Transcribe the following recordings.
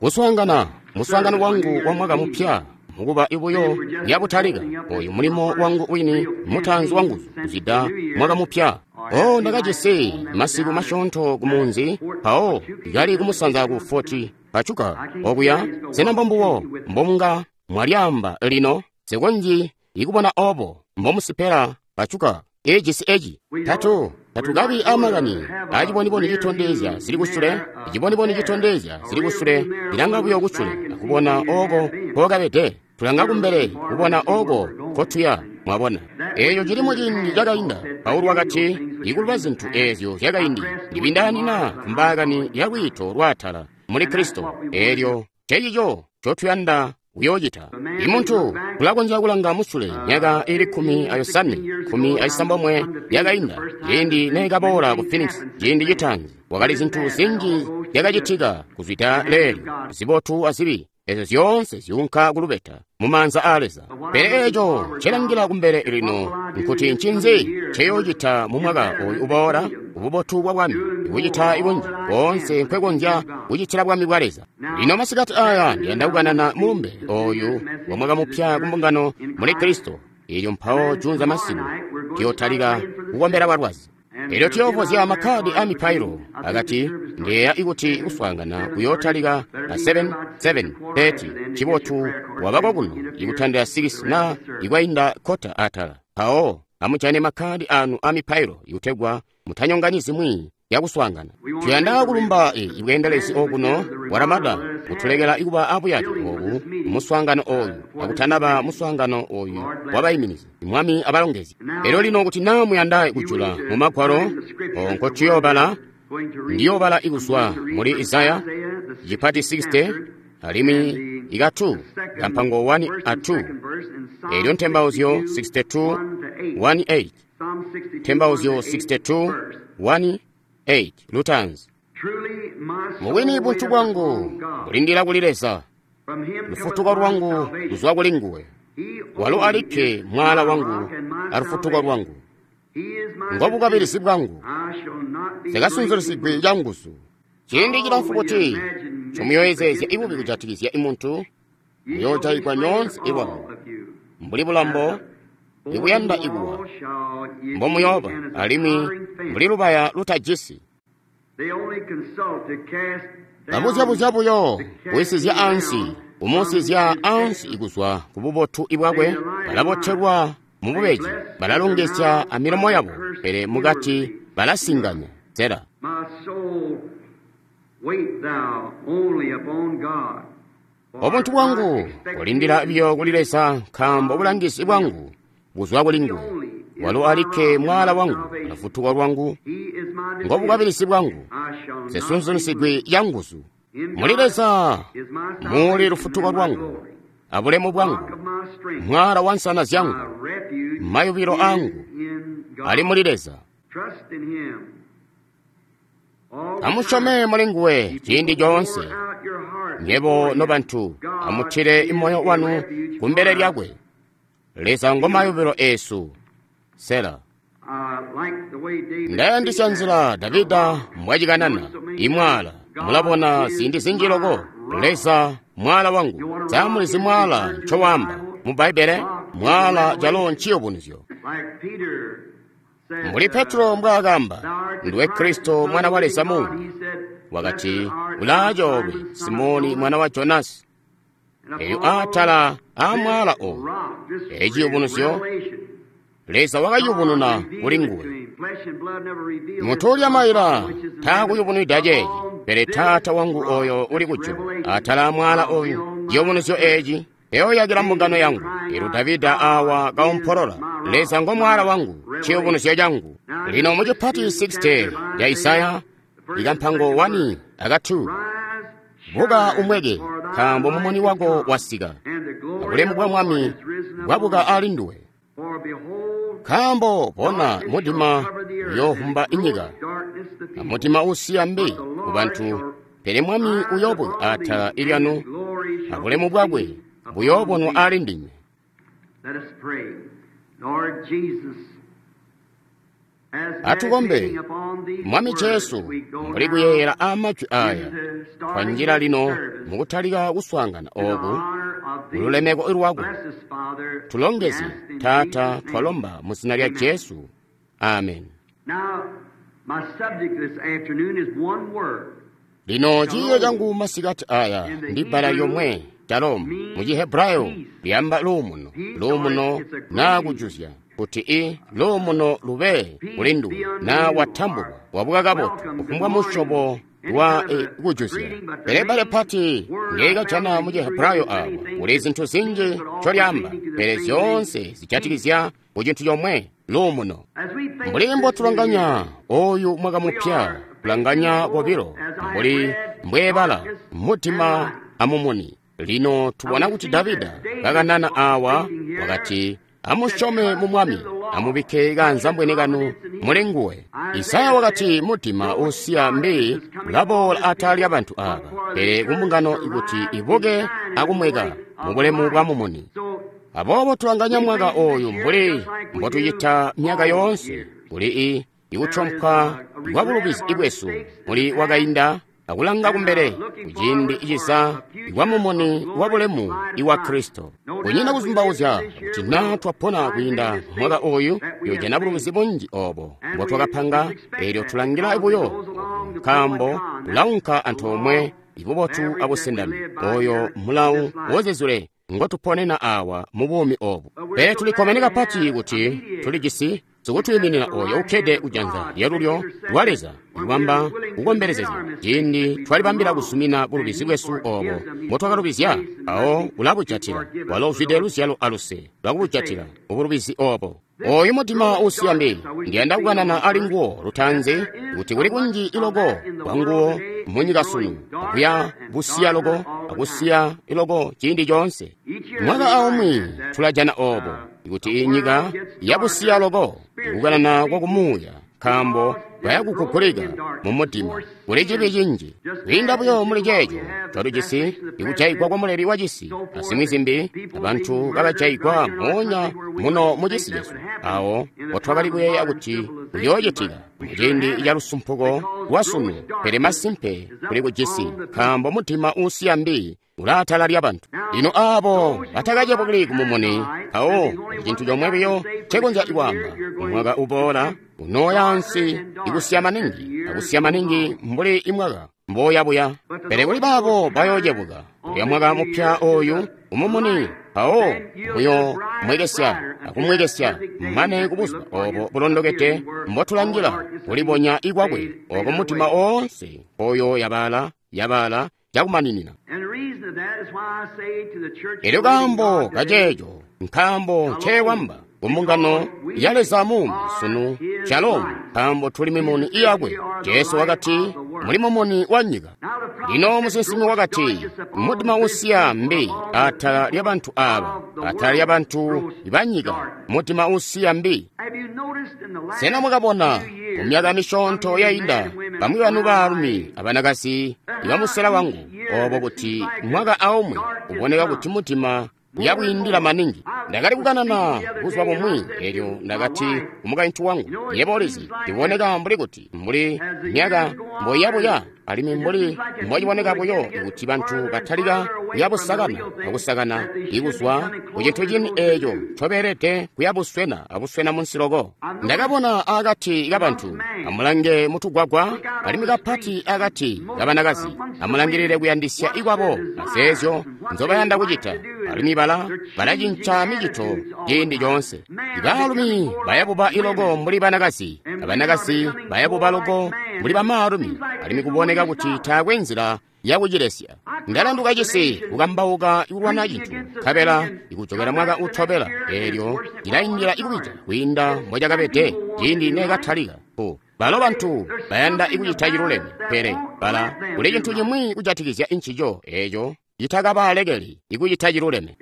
Kuswaangana muswaangano wangu wa mwaka mupya mukuba ibuyo yabutalika oyu mulimo wangu wini mutaanzi wanguzu kuzwida mwaka mupya. O, ndakajisi masiku masyoonto ku munzi mpawo kali kumusanza ku Fort Pachuca okuya. Sena mbombubo mbomunga mwalyaamba lino? Nsikonzyi ikubona obo mbomusipela Pachuca ejisi eci. Tatu tatukabi amakani aciboniboni citondezya zili kusule. Iciboniboni citondezya zili kusule ilanga buyo kusule akubona oko nkokabede. Tulanga kumbele kubona oko nkotuya. Mwabona, eeco cili muciindi cakainda. Paulo wakati, ikuluba zintu eezyo zyakaindi ndibindaanina kumbaakani ya lwiito lwaatala muli Kristo. Eelyo ncecico ncotuyanda kuyoocita. Imuntu ulakonzya kulanga musule myaka ili 15, 16 yakainda, ciindi neekaboola ku Phoenix ciindi citaanzi. Wakali zintu zinji zyakacitika kuzwida leelyo, zibotu azibi, ezyo zyoonse zyuunka kulubeta mumaanza aa Leza. Pele eeco ncelangila kumbele lino nkuti ncinzi nceyoocita mu mwaka oyu uboola, ububotu bwa Bwami, ikucita ikunji koonse nkwekonzya kucitila Bwami bwa Leza. Lino masikati aya ndiyanda kukanana mulumbe oyu wa mwaka mupya ku mbungano muli Kristo. Elyo mpawo junza masiku tuyotalika kukombela balwazi. Elyo tuyoovozya makkadi a mipailo. Akati ndeya ikuti kuswaangana kuyootalika a 7:30. Cibotu wabako kuno ikutandila 6 na ikwainda kota atala. Mpawo amujane makkadi anu a mipailo ikutegwa mutanyonganyi zimwi yakuswaangana. Tuyanda kulumba ibweendelezi okuno bwa Ramada kutulekela ikuba abuyake obu muswaangano oyu akutanaba muswaangano oyu wabaiminizi. Mwami abalongezi. Elyo lino kuti naa muyanda kujula mu magwalo nkotuyoobala, ndiyoobala ikuzwa muli Isaya cipati 60 alimwi ikatu kampango 1 a 2. Elyo ntembauzyo 62 1 8. Ntembauzyo 62 1 8 lutanzi. Mubwini buntu bwangu bulindila kuli Leza, lufutuko lwangu luzwa kuli nguwe. Walo alikke mwala wangu alufutuko lwangu, ngobukabilisi bwangu, sikasunzulisigwi canguzu. Ciindi cilamfu kuti ncomuyoyezezya ibubi kujatikizya imuntu, muyoojayigwa nyoonse ilwanu mbuli bulambo ibuyanda ikuwa mbomuyooba, alimwi mbuli lubaya lutajisi. Babuzyabuzya buyo kuwisizya ansi, kumusizya ansi ikuzwa ku bubotu ibwakwe. Balabotelwa mu bubeji, balalongezya amilomo yabo, pele mukati balasinganya. Zera. Obuntu bwangu bulindila biyo kuli Leza, nkaambo bulangizi bwangu buzwa kuli nguwe. Walo alikke mwala wangu alufutuko lwangu, ngobukabilisi bwangu, nsesunzulisigwi yanguzu. Muli Leza muli lufutuko lwangu abulemu bwangu, mwala wa nsana zyangu, mayubilo angu ali muli Leza. Amusyome muli nguwe ciindi coonse. Nyebo nobantu, amutile moyo wanu kumbele lyakwe. Leza ngo mayubilo esu. Sela. Ndayandisya nzila Davida mbwacikanana imwala. Mulabona ziindi zinji loko Leza mwala wangu. Samulizi mwala ncowamba mu Bbaibbele, mwala calo nciyubunuzyo. Mbuli Petro mbwaakamba, nduwe Kristo mwana wa Leza muumi. Wakati, ulaacoolwe Simoni mwana wa Jonasi. Eyo atala amwala oyu, eciyubunuzyo Leza wakayubununa kuli nguwe. Muntu ulya maila taakuyubunwida ceeci, pele Taata wangu oyo uli kujulu. Atala amwala oyu, ciyubunuzyo eci eyoyakila mbungano yangu. Elyo Davida awa kaompolola, Leza ngo mwala wangu, ciyubunuzyo cangu. Lino mu cipati 60 ya Isaya, ikampango 1 aka 2. Buka umweke, nkaambo mumuni wako wasika, abulemu bwa Mwami bwabuka ali nduwe. Nkaambo bona, mudima uyoovumba inyika, amudima usiya mbi ku bantu, pele Mwami uyoobuka atala ilyanu, abulemu bwakwe buyoobonwa ali ndinywe. Atukombe. Mwami Jesu, mbuli kuyeeyela aamajwi aya, twanjila lino mukutalika kuswaangana ooku mululemeko lwako. Tulongezye, Taata, twalomba mu zina lya Jesu. Amen. Lino ciiyo cangu masikati aya ndi bbala lyomwe, shalom, mu Chihebrayo lyamba luumuno, luumuno naa kujuzya, kuti i luumuno lube kuli nduwe naa watambulwa, wabuka kabotu, kufumbwa musyobo wa kujuzya. Pele bbala pati ndyekajana mu Chihebrayo awa kuli zintu zinji ncolyaamba, pele zyoonse zijatikizya ku cintu comwe, luumuno. Mbuli mbotulanganya oyu mwaka mupya, kulanganya kobilo mbuli mbweebala mudima amumuni. Lino tubona kuti Davida kakanana awa wakati, amusyome mu Mwami, amubikke kaanzambwene kanu muli nguwe. Isaya wakati mudima usiya mbi ulaboola atala lyabantu aaba, pele kumbungano kuti ibuke akumweka mubulemu bwa mumuni. Aboobo tulanganya mwaka oyu mbuli mbotucita myaka yoonse, kuli ikutyompwa kwa bulubizi bwesu muli wakainda akulanga kumbele kuciindi ciza kwa mumuni wa bulemu iwa Kristo. Kunyina kuzumbauzya kuti naa twapona kwiinda mwaka oyu, tuyojana bulubizi bunji oobo mbotwakapanga, eelyo tulangila buyo nkaambo ulaunka antoomwe ibubotu abusendami, oyo mulawu wozizule ngotuponena awa mu buumi obu. Pele tulikkomene kapati kuti tulijisi sikutwiiminina oyo ukkede kujanza lyalulyo lwa Leza, ikubamba kukombelezezya ciindi twalibambila kuzumina bulubizi bwesu oobo mbotwakalubizya, awo ulabujatila. Walo uzwide luzyalo aluse lwakubujatila ubulubizi oobo. Oyu mudima usiya mbi, ndiyanda kukanana ali nguwo lutaanzi, kuti kuli kunji iloko kwa nguwo munyika sunu, akuya busiya loko, akusiya iloko ciindi coonse. Mwaka aumwi tulajana oobo, kuti inyika yabusiya loko, ikukanana kwa kumuuya, nkaambo bayakugugulika mu mudima. Kuli cibi cinji kwiinda buyo muli ceeco twatujisi ikujaigwa kwa muleli wa cisi azimwi zimbi, abantu bakajaigwa moonya muno mu cisi cesu, awo mbotwakali kuyeeya kuti kuyoocitika muciindi ca lusumpuko lwa sunu. Pele masimpe kuli kujisi, nkaambo mudima uusiya mbi ulaatala lyabantu. Lino aabo batakacebukili kumumuni, mpawo cintu comwe biyo ncekonzya kwaamba, mwaka uboola unooya ansi ikusiya maningi, akusiya maningi mbuli imwaka mboyabuya. Pele kuli baabo bayoocebuka kulya mwaka mupya oyu umumuni, mpawo muyo mwekesya akumwekesya mane kubuzuba oobo bulondokede mbotulangila kulibonya ikwakwe, ooko mudima oonse oyo yabala yabala cakumaninina. Elyo kaambo kaceeco nkaambo ncewamba kumbungano ya Leza muumi sunu, shalom, nkaambo tuli mimuni iyakwe. Jesu wakati muli mumuni wa nyika. Lino musinsimi wakati mudima usiya mbi atala lyabantu aaba, atala lyabantu banyika, mudima usiya mbi. Sena mwakabona mu myaka misyoonto yainda bamwi banu baalumi abanakazi ibamusela wangu oobo kuti mwaka aumwi uboneka kuti mudima uyabwiindila maningi. Ndakali kukanana buzuba bumwi, eelyo ndakati kumukaintu wangu, yebo ulizi, ndiboneka mbuli kuti mbuli myaka mboiyabuya, alimwi mbuli mbociboneka buyo kuti bantu batalika kuyabusakana akusakana ikuzwa kucintu cini eeco ncobeelede kuyabuswena abuswena munsi loko. Ndakabona akati kabantu, amulange mutugwagwa, alimwi kapati akati kabanakazi, amulangilile kuyandisya ikwabo azeezyo nzobayanda kucita, alimwi balacinca micito ciindi coonse. Ibaalumi bayabuba iloko mbuli banakazi, abanakazi bayabuba loko mbuli bamaalumi, alimwi kuboneka kuti taakwe nzila yakucilesya. Ndalanduka cisi kukambauka ikulwana cintu, nkabela ikujokela mwaka utobela, eelyo cilaindila ikubija kwiinda mbocakabede ciindi neekatalika. Balo bantu bayanda ikucita ciluleme, pele bala kuli cintu cimwi kujatikizya ncico eeco citakabalekeli ikucita ciluleme.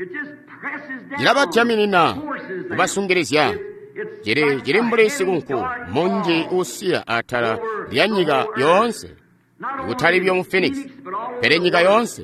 Cilabadyaminina, kubasungilizya. Cili mbuli sikunku munji uusiya atala lya nyika yoonse, ikutali buyo mu Phoenix, pele nyika yoonse.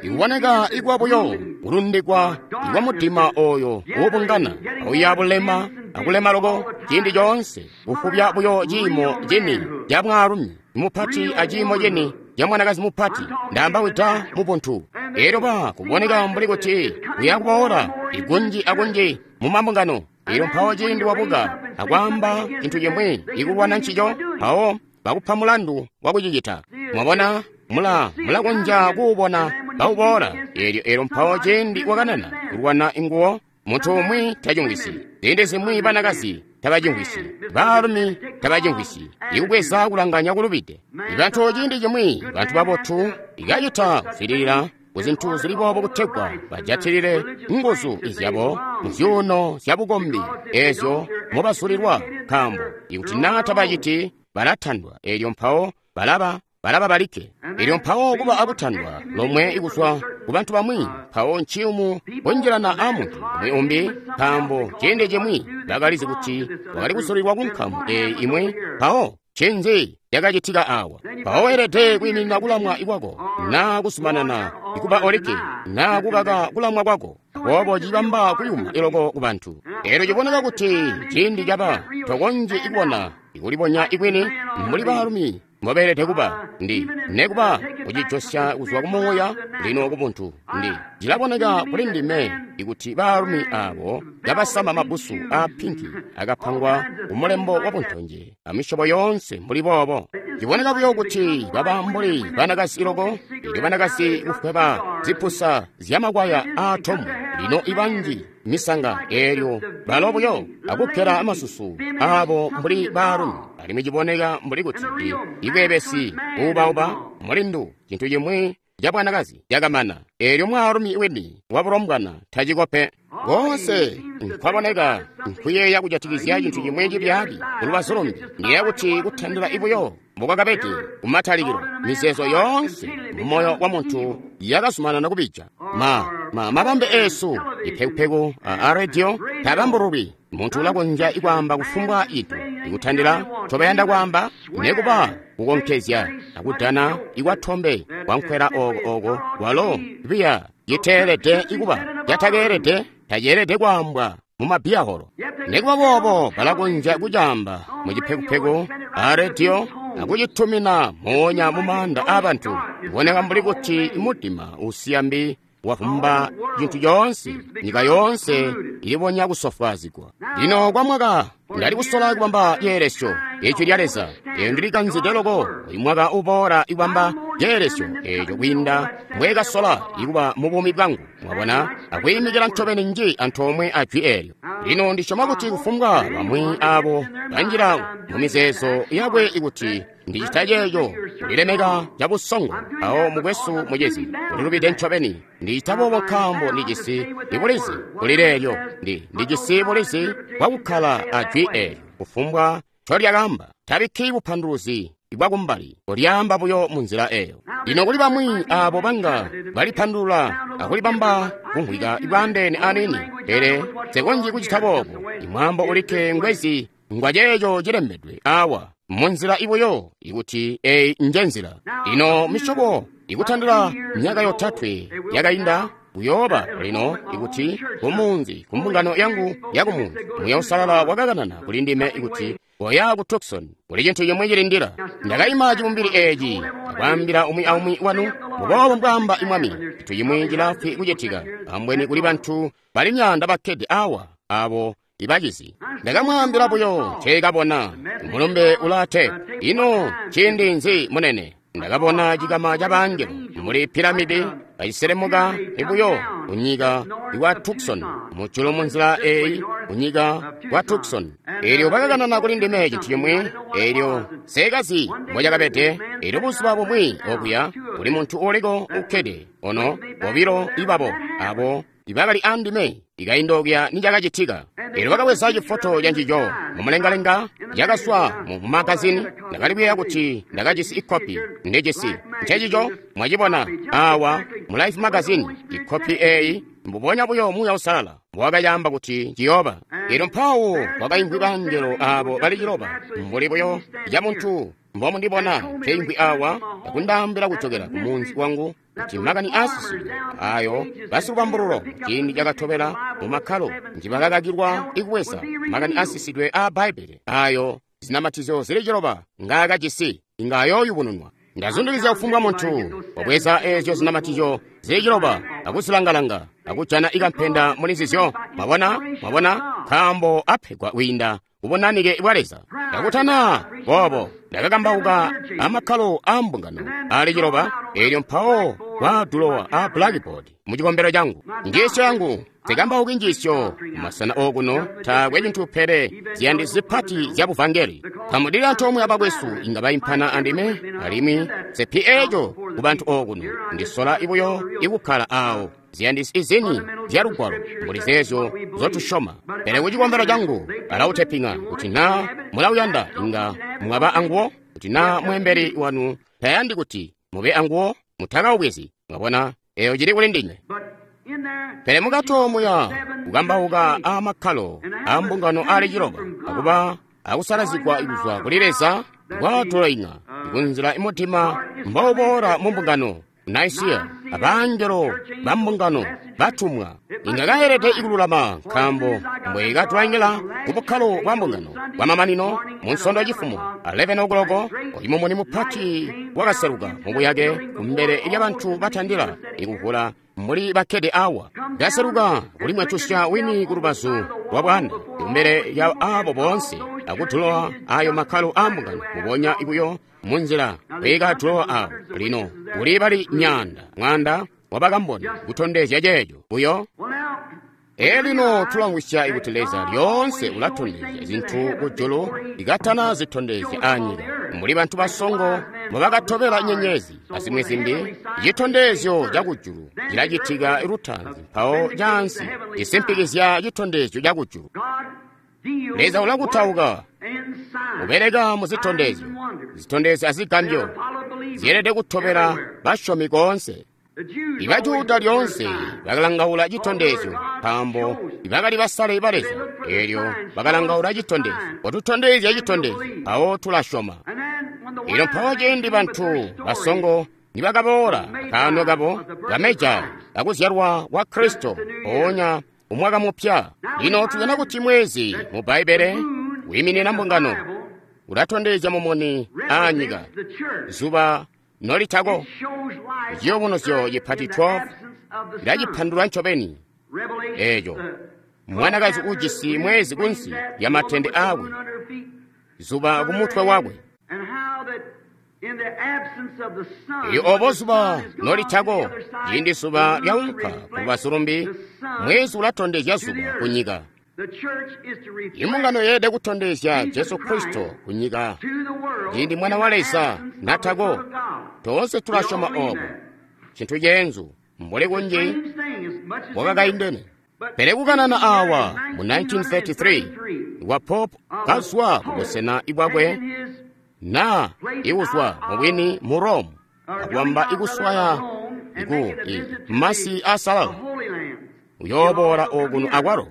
Ikuboneka ikwa buyo kulundikwa ikwa mudima oyo uubungana auya bulema akulema loko ciindi coonse, kufubya buyo ciimo cini ca mwaalumi mupati a ciimo cini ca mwanakazi mupati. Ndaamba wida mu buntu. Elyo ba kuboneka mbuli kuti kuya kuboola ikunji akunji mu mambungano. Elyo mpawo ciindi wabuka akwaamba cintu cimwi ikulwana ncico, mpawo bakupa mulandu wa kucicita. Mwabona, mulakonzya kuubona kauboola. Elyo mpawo ciindi wakanana kulwana inguwo, muntu umwi tacimvwisyi. Ziindi zimwi banakazi tabacimvwisyi, baalumi tabacimvwisyi, ikubweza kulanganya kulubide. Ibantu ciindi cimwi, bantu babotu, ikacita kuzwidilila kuzintu zili boobo kutegwa bajatilile nguzu izyabo muzyuuno zya bukombi ezyo mobazulilwa, nkaambo ikuti naa tabaciti balatandwa. Elyo mpawo balaba balikke. Elyo mpawo kuba akutandwa lomwe ikuzwa ku bantu bamwi, mpawo nciyumu kunjilana a muntu umwi umbi, nkaambo ciindi cimwi bakalizi kuti wakali kusulilwa ku nkamu eyi imwi. Mpawo ncinzi cakacitika awa? Mpawo weelede kwiiminina kulamwa kwako, naa kuzumanana ikuba olikke, naa kukaka kulamwa kwako. Aboobo cibamba kuyuma iloko ku bantu. Elyo ciboneka kuti ciindi caba tokonzyi kubona ikulibonya ikwini mbuli baalumi mbobeelede kuba ndi nekuba kucijosya kuzwa kumuuya lino kubuntu. Ndi cilaboneka kuli ndime ikuti baalumi abo kabasama mabbusu a pinki akapangwa kumulembo wa buntonje amisyobo yoonse mbuli boobo. Ciboneka buyo kuti baba mbuli banakazi loko. Elyo banakazi kufweba zipusa zyamakwaya aatomu lino ibanji misanga, elyo balo buyo akukkela amasusu abo mbuli baalumi. Alimwi ciboneka mbuli kuti ibwebesi buubauba mulindu cintu cimwi ca bwanakazi cakamana. Elyo mwaalumi wini wabulombwana tacikope. Koonse nkwaboneka nkuyeeya kujatikizya cintu cimwi cibyaabi kulubazu lumbi. Ndiyeeya kuti kutandila ibuyo mbokwakabede kumatalikilo, mizeezo yoonse mumoyo wa muntu yakazumanana kubija. Mabambe eesu ipekupeku a radio tabambululwi. Muntu ulakonzya ikwaamba kufumbwa itu ikutandila ncobayanda kwaamba, nekuba kukonkezya akudana ikwatombe kwankwela oko oko kwalo biya citeelede ikuba catakeelede taceelede kwaambwa mumabiyaholo. Nekuba boobo balakonzya kucaamba mucipekupeku a rediyo akucitumina moonya mumaanda aabantu. Kuboneka mbuli kuti mudima usiya mbi wavumba cintu coonse, nyika yoonse ilibonya kusofwaazigwa. Lino kwa mwaka ndali kusola kubamba ceelesyo Ijwi lya Leza. Eyo ndilikanzide loko uyu mwaka uboola ikubamba ceelesyo eco kwiinda mbwekasola ikuba mu buumi bwangu, mwabona, akwiimikila ncobeni nji antoomwe a jwi eelyo. Lino ndisyoma kuti kufumbwa bamwi abo banjila mu mizeezo yakwe ikuti ndicita ceeco kulilemeka cabusongo, awo mukwesu mucizi ulilubide ncobeni. Ndicita boobo nkaambo ndijisi ibulizi kuli leelyo. Ndijisi bulizi bwakukkala a jwi eelyo kufumbwa ncolyakaamba. Tabikki bupanduluzi bwakumbali, ulyaamba buyo munzila eyo. Lino kuli bamwi abo banga balipandulula akulibamba kumvwika ibwaandeene aniini, pele nsekonzyi kucita boobo. Imwaambo ulikke ngwezi ngwa ceeco cilembedwe awa munzila ibuyo ikuti eyi nje nzila. Lino misyobo ikutandila myaka yotatwe yakainda kuyooba lino ikuti kumunzi kumbungano yangu yakumunzi Muuya Uusalala wakakanana kuli ndime ikuti koya ku Tucson kuli cintu cimwi cilindila. Ndakaima cibumbili eeci akwaambila umwi aumwi wanu muboobo mbwaamba Mwami, cintu cimwi cilaafwi kucitika. Ambweni kuli bantu bali myaanda bakkede awa abo ibacizi. Ndakamwaambila buyo nceekabona. Mulumbe ulaate. Ino ciindi nzi munene? Ndakabona cikama ca bangelo muli piramidi kaciselemuka ibuyo kunyika kwa Tucson, mujulu munzila eyi kunyika kwa Tucson. Elyo bakakanana kuli ndime cintu cimwi, elyo sekazi mbocakabede. Elyo buzuba bumwi okuya kuli muntu uliko ukkede ono bobilo ibabo abo ibakali andime ikainda okuya nicakacitika. Elyo bakabweza cifoto cancico mumulengalenga cakaswa mu magazini. Ndakali kuyeeya kuti ndakajisi ikopi ndijisi ncecico mwacibona awa mu Life magazini. Ikopi eeyi mbubonya buyo Muuya Uusalala mbowakayaamba kuti ciyooba. Elyo mpawo kwakaimvwi bangelo abo bali ciloba mbuli buyo ca muntu mbomundibona nkeimvwi awa akundaambila kujokela ku munzi wangu kuti makani aasisidwe ayo basilubambululo ciindi cakatobela mu makkalo njibakakakilwa ikubweza makani aasisidwe aa Bbaibbele ayo zinamatizyo zili ciloba ngaakajisi inga ayooyubununwa. Ndazundikizya kufumbwa muntu wabweza eezyo zinamatizyo zili ciloba akuzilangalanga akujana ikampenda muli nzizyo. Mwabona, mwabona, nkaambo apegwa kwiinda kubunanike bwa Leza. Ndakutana boobo ndakakambauka amakkalo aa mbungano ali ciloba, eelyo mpawo kwaadulowa a blackboard mu cikombelo changu. Njiisyo yangu zikambauki njiisyo kumasena okuno taakwe cintu pele ziyandi zipati zya buvangeli. Kamudili antoomwe abakwesu inga baimpana andime, alimwi sepi eeco ku bantu okuno ndisola ibuyo ikukkala awo ziyandisi izini zya lugwalo mbuli zeezyo zotusyoma. Pele ku cikombelo changu balauteping'a kuti naa mulauyanda inga mwaba anguwo, kuti naa mweembeli wanu tayandi kuti mube anguwo mutakaubwezi. Mwabona, eyo cili kuli ndinywe. Pele mukati omuya kukambauka amakkalo a mbungano ali ciloba akuba akusalazigwa kuzwa kuli Leza kwatulaing'a kunzila imutima mbouboola mu mbungano Nicaea abangelo ba mbungano batumwa inga kaelede ikululama nkaambo mbwekatulaingila ku bukkalo bwa mbungano bwamamanino mu nsondo yacifumo 11 o'clock oyu mumuni mupati wakaseluka mubuyake kumbele lyabantu batandila ikuvula mbuli bakkede awa. Ndaseluka kuli mwatusya wini ku lubazu lwa bwanda kumbele lya abo boonse akudulowa ayo makkalo a mbungano mubonya buyo munzila bwekadulowa awo. Lino kuli bali nyanda mwanda wabakamboni kutondezya ceeco buyo. Elino tulamvwisya kuti Leza lyoonse ulatondezya zintu kujulu ikatana zitondezya anyika. Mbuli bantu basongo mbubakatobela nyenyezi azimwi zimbi, citondezyo ca kujulu cilacitika lutaanzi mpawo caansi cisimpikizya citondezyo ca kujulu. Leza ulakutauka ubeleka mu zitondezyo, zitondezyo azigambyo zyeelede kutobela basyomi koonse. Ibajuda lyoonse bakalangaula citondezyo nkaambo bakali basale ba Leza. Eelyo bakalangaula citondezyo, watutondezya citondezyo, mpawo tulasyoma. Eelyo mpawo ciindi bantu basongo nibakaboola kaano kabo kameja kakuzyalwa kwa Kristo mpoonya umwaka mupya. Lino tujana kuti mwezi mu Bbaibbele wiiminina mbungano, ulatondezya mumuni aanyika zuba nolitako. Ciyubunuzyo cipati 12 ilacipandulula ncobeni eeco. Mwanakazi ujisi mwezi kunsi lya matende aakwe, zuba kumutwe wakwe. Elyo obo zuba nolitako, ciindi zuba lyaunka kulubazu lumbi, mwezi ulatondezya zuba kunyika. Imbungano yeelede kutondezya Jesu Kristo kunyika ciindi Mwana wa Leza natako. Toonse tulasyoma obo. Cintu ceenzu mbuli kunji wakakaindene. Pele kukanana awa mu 1933 wa Pope kazwa kubusena bwakwe na ikuzwa mubwini mu Rome akwamba ikuswaya iku masi asalala uyooboola okuno akwalo.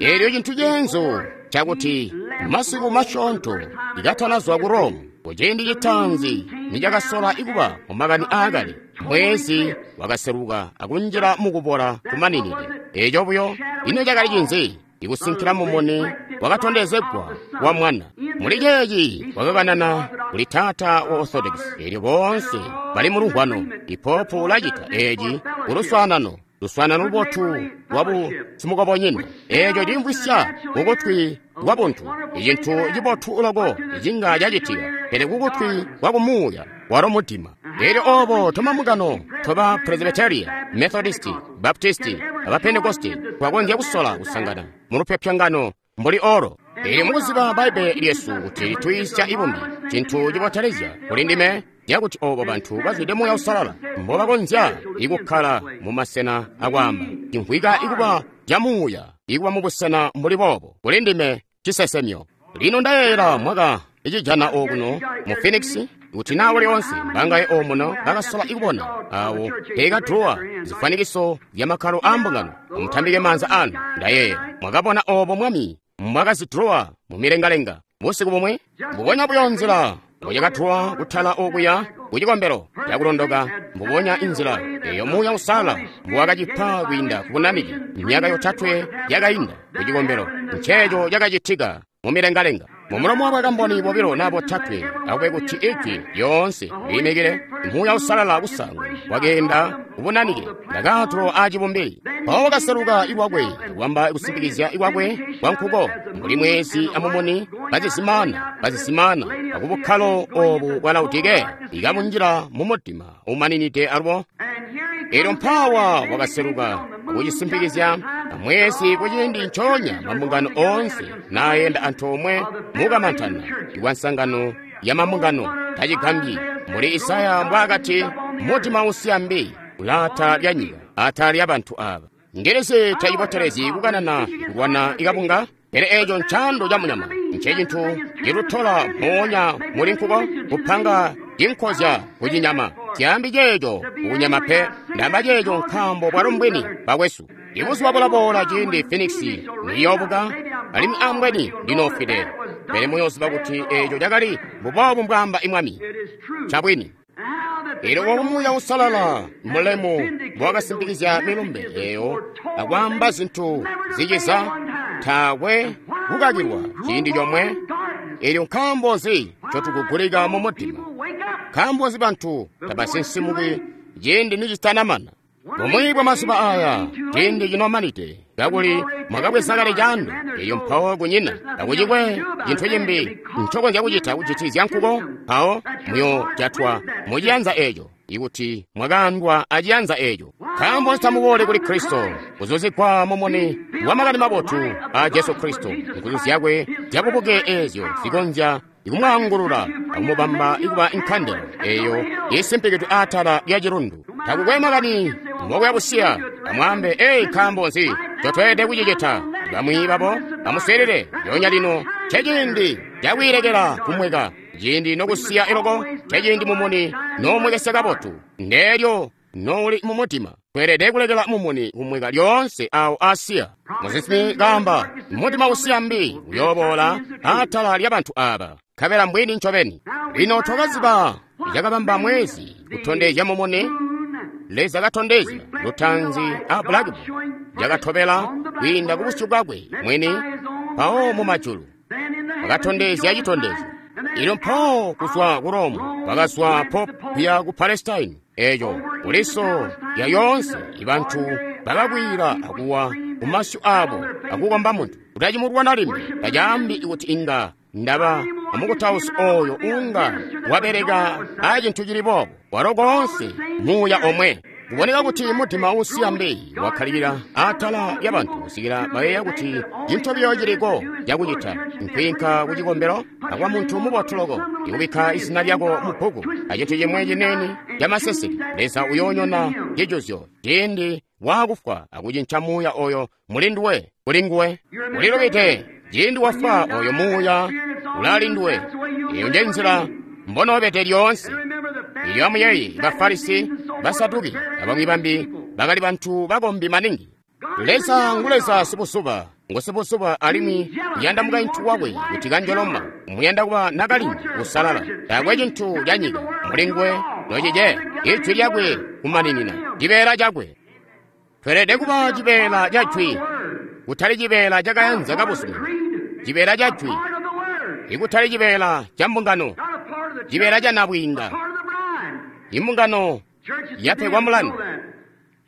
Eelyo cintu ceenzu cakuti masiku masyoonto ikatanazwa ku Rome kuciindi citaanzi nicakasola ikuba mu makani aakale, mwezi wakaseluka akunjila mukubola kumaninide. Eeco buyo ino cakali cinzi? Ikusinkila mumuni wakatondezegwa wa Mwana. Muli ceeci wakakanana kuli taata wa Orthodox. Eelyo boonse bali mu lumvwano. Ipopu ulacita eeci kuluswaanano luswaanano lubotu lwabu simukobonyina. Eeco cimvwisya kukutwi kwa buntu icintu cibotu loko icinga cacitika, pele kukutwi kwa kumuuya walo mudima. Eelyo obo tomamukano toba Presbyteria, Methodisti, Baptisti, aba Pentekosti twakonzya kusola kusangana mu lupyopyongano mbuli olo. Eelyo mukuziba Bbaibbele lyesu kuti litwiisya ibumbi, cintu cibotelezya kuli ndime yakuti obo bantu bazwide Muuya Uusalala mbobakonzya ikukkala mu masena akwaamba cimvwika ikuba ca muuya ikuba mubusena mbuli boobo kuli ndime cisesemyo. Lino ndayeeyela mwaka icijana okuno mu Phoenix kuti nawo lyonse bangaye omuno bakasola ikubona awo peekadrowa zifwanikiso zya makkalo a mbungano. Amutambike maanza anu. Ndayeeyela mwakabona obo Mwami mwakazidrowa mu milengalenga. Busiku bumwi, mbubonya buyo nzila mboyakatulwa kutala okuya ku cikombelo cakulondoka, mbubonya inzila eyo Muuya Uusalala mbuwakacipa kwiinda ku bunanike myaka yotatwe yakainda ku cikombelo, nceeco cakacitika mu milengalenga. Mumulomo wa bakamboni bobilo na botatwe, akube kuti ijwi lyoonse liimikile. Muuya Uusalala kusaanguna wakeenda kubunanike ndakaatulo a cibumbili. Mpawo wakaseluka iwakwe kuwamba kusimpikizya iwakwe kwa nkuko mbuli mwezi amumuni bazizimaana bazizimaana akubukkalo obu bwa Laodikeya ikabunjila mu mudima umaninide alubo. Elyo mpaawa wakaseluka akucisimpikizya amwezi kuciindi ncoonya mambungano oonse naayenda antoomwe mukamantana ikwa nsangano ya mambungano. Tacigambyi mbuli Isaya mbwaakati, mudima usiya mbi ulaata lya nyika atala lya bantu aaba. Ngelezi tacibotelezyi kukanana kulwana ikabunga, pele eeco ncaando ca munyama ncecintu cilutola mpoonya muli nkuko kupanga cinkozya kucinyama. Zyaambi ceeco kukunyama pe, ndamba ceeco nkaambo bwalo mbwini bakwesu. Ibuzuba bulaboola ciindi Phoenix niyoobuka, alimwi ambweni ndinoofwide, pele muyooziba kuti eeco cakali mbuboobu mbwaamba Mwami. Cabwini. Elyo obu Muuya Uusalala mulemu mbowakasimpikizya milumbe eeyo akwaamba zintu ziciza, taakwe kukakilwa ciindi comwe. Elyo nkaambo nzi ncotukugulika mu mudima? Nkaambo nzi bantu tabasinsimuki ciindi nicitanamana? Bumwi bwa mazuba aya ciindi cinomanide, kakuli mwakabweza kale caando, elyo mpawo kunyina takucikwe cintu cimbi ncokonzya kucita kucitizya nkuko, mpawo muyojatwa muciyanza eeco, ikuti mwakaandwa aciyanza eeco. Nkaambo nzi tamuboole kuli Kristo, kuzuzikwa mumuni wa makani mabotu a Jesu Kristo, nguzu zyakwe zyabubuke eezyo zikonzya ikumwaangulula akumubamba ikuba inkandela eyo isimpikidwe atala lya cilundu. Takukwe makani mbokuya busiya, amwaambe, "Ei, nkaambo nzi ncotweelede kucicita?" Bamwi babo amuswiilile lyoonya lino. Nceciindi cakwiilekela kumweka, ciindi nokusiya iloko, nceciindi mumuni noomwekesya kabotu, ndeelyo nouli mumudima. Tweelede kulekela mumuni kumweka lyoonse awo asiya. Musinsimi kaamba, mudima usiya mbi uyooboola atala lya bantu aaba, nkabela mbwini ncobeni. Lino twakaziba cakabamba mwezi kutondezya mumuni. Leza katondezya lutaanzi a blackboard cakatobela kwiinda ku busyu bwakwe mwini, mpawo mu majulu wakatondezya citondezyo. Elyo mpawo kuzwa ku Rome bakazwa Pope kuya ku Palestine, eco kuliso lya yoonse ibantu bakakwiila akuwa ku masyu abo akukomba muntu. Kutacimulwana limbi tacaambi kuti inga ndaba amukutausi oyo unga wabeleka a cintu cili boobo, walo koonse muuya omwe. Kuboneka kuti mudima usiya mbi wakkalilila atala lya bantu kusikila bayeeya kuti cintu biyo ciliko cakucita nkwiinka ku cikombelo akwa muntu mubotu loko, ikubikka izina lyako mu bbuku acintu cimwe ciniini camaseseke. Leza uyoonyona cijuzyo ciindi waakufwa akucinca muuya oyo mulinduwe kuli nguwe. Ulilubide ciindi wafwa, oyo muuya ulalinduwe. Eyo nje nzila mbonoobede lyoonse. Elyo amuyeeye, ba Farisi, Basaduki, abamwi bambi bakali bantu bakombi maningi. Leza ngu Leza sibuzuba, ngu sibuzuba alimwi uyanda mukaintu wakwe kuti kanjoloma, umuyanda kuba nakalindu usalala. Taakwe cintu ca nyika muli nguwe nocice, ijwi lyakwe kumaninina, cibeela cakwe. Tweelede kuba cibeela ca jwi, kutali cibeela cakayanza kabuzumina, cibeela ca jwi, ikutali cibeela ca mbungano, cibeela ca nabwiinga. Imbungano yapegwa mulandu.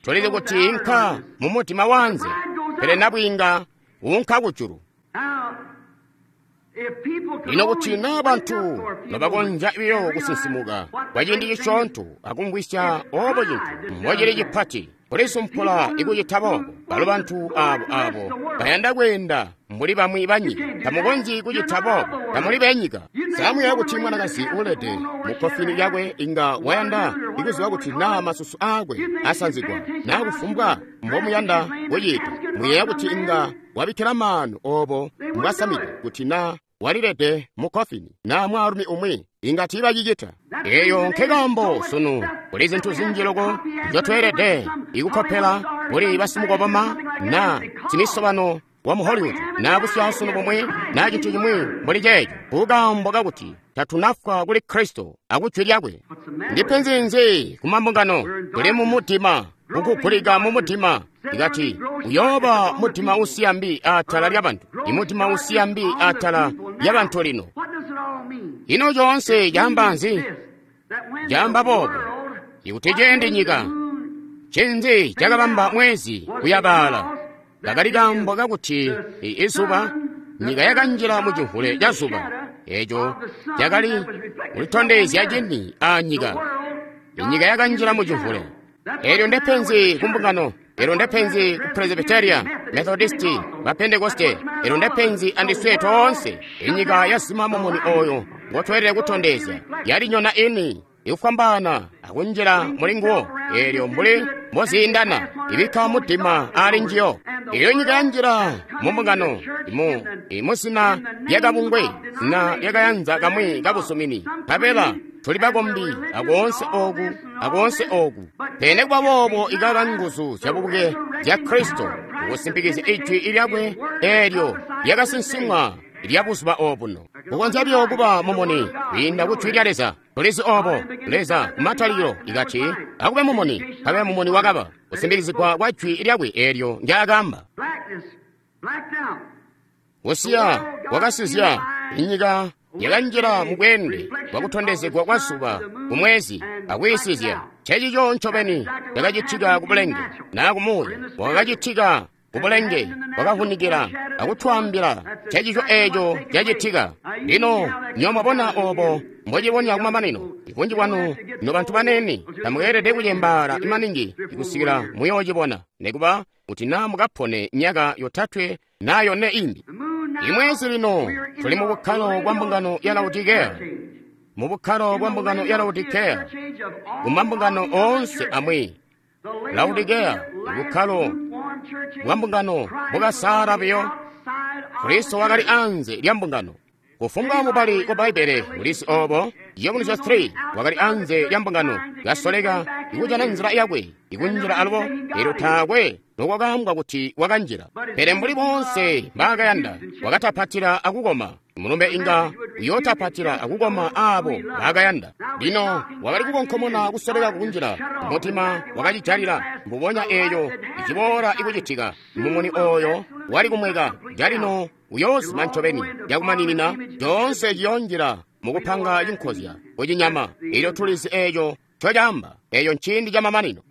Tulizi kuti inka mu mudima wanze, pele nabwiinga unka kujulu. Lino kuti naa bantu nobakonzya biyo kusinsimuka kwa ciindi cisyoonto akumvwisya obo cintu mbocili cipati kulisumpula ikucita boobo, balo bantu aabo aabo bayanda kweenda mbuli bamwi banyika. Tamukonzyi kucita boobo, tamuli benyika. Samuyeeya kuti mwanakazi uulede mu kkofini lyakwe inga wayanda ikuziba kuti naa masusu aakwe asanzigwa naa kufumbwa mbomuyanda kucita. Muyeeya kuti inga wabikkila maanu oobo mbwasamide kuti naa walilede mu kkofini naa mwaalumi umwi inga tiibacicita. Eyo nkekaambo sunu kuli zintu zinji loko nzyotweelede ikukkopela kuli basimukoboma naa simisobano wa mu Hollywood na busyaasunu bumwi na cintu cimwi mbuli ceeco, kukaambo kakuti tatunafwa kuli Kristo akujwi lyakwe. Ndi penzi nzi ku mambungano? Tuli mu mudima, kukugulika mu mudima. Ikati uyooba mudima usiya mbi atala lyabantu, imudima usiya mbi atala lyabantu lino. Ino coonse caamba nzi? Caamba boobo ikuti ciindi nyika ncinzi cakabamba mwezi kuyabaala, kakali kaambo kakuti izuba, nyika yakanjila mu cimvule ca zuba, eco cakali kulitondezya cini a nyika. Inyika yakanjila mu cimvule. Elyo ndepenzi ku mbungano, elyo ndepenzi ku Presbyteria, Methodisti, ba Pentekoste, elyo ndepenzi andiswe toonse. Inyika yazima mumuni oyo ngotweelede kutondezya, yalinyona ini ikufwambaana akunjila muli nguwo, elyo mbuli mboziindana ibikka mudima ali njiyo. Elyo nyika yanjila mu mbungano muzina lyakabungwe, zina lyakayanza kamwi kabusumini, nkabela tuli bakombi akoonse oku akoonse oku. Pele kuba boobo ikaka nguzu zyabubuke zya Kristo kusimpikizya ijwi lyakwe eelyo lyakasinsimwa lya buzuba obuno. Kukonzya buyo kuba mumuni kwiinda ku jwi lya Leza. Tulizi obo Leza kumatalikilo ikati akube mumuni, kabe mumuni wakaba kusimpikizigwa kwa jwi lyakwe eelyo ndyaakamba. Kusiya kwakasizya inyika yakanjila mu bweende bwakutondezegwa kwa zuba kumwezi akwiisizya. Ncencico ncobeni cakacitika ku bulenge naa kumuuya bwakacitika ku bulenge bwakavunikila akutwaambila ncencico eeco cacitika. Lino nywebo mwabona obo mbocilibonya kumamanino. Ibunji bwanu nobantu banene tamukeelede kucembaala maningi kusikila muyoocibona, nikuba kuti naa mukapone myaka 3 naa 4 imbi. Imwezi lino tuli mu bukkalo bwa mbungano ya Laodikea, mu bukkalo bwa mbungano ya Laodikea, ku mambungano oonse amwi. Laodikea bukkalo bwa mbungano bukasaala buyo. Kristo wakali anze lya mbungano. Kufumbwa mubali wa Bbaibbele ulizi obo. Yomunisyo 3 wakali anze lya mbungano, kasoleka ikujana nzila yakwe ikunjila alubo, elyo taakwe nokwakaambwa kuti wakanjila. Pele mbuli boonse mbaakayanda, wakatapatila akukoma. Mulumbe inga uyootapatila akukoma aabo baakayanda. Lino wakali kukonkomona kusoleka kunjila, mutima wakacijalila mbubonya eeyo iciboola ikucitika. Mumuni oyo wali kumweka calino uyoozima ncobeni cakumaninina, coonse ciyoonjila mukupanga cinkozya kucinyama. Elyo tulizi eeco ncocaamba, eeyo nciindi camamanino.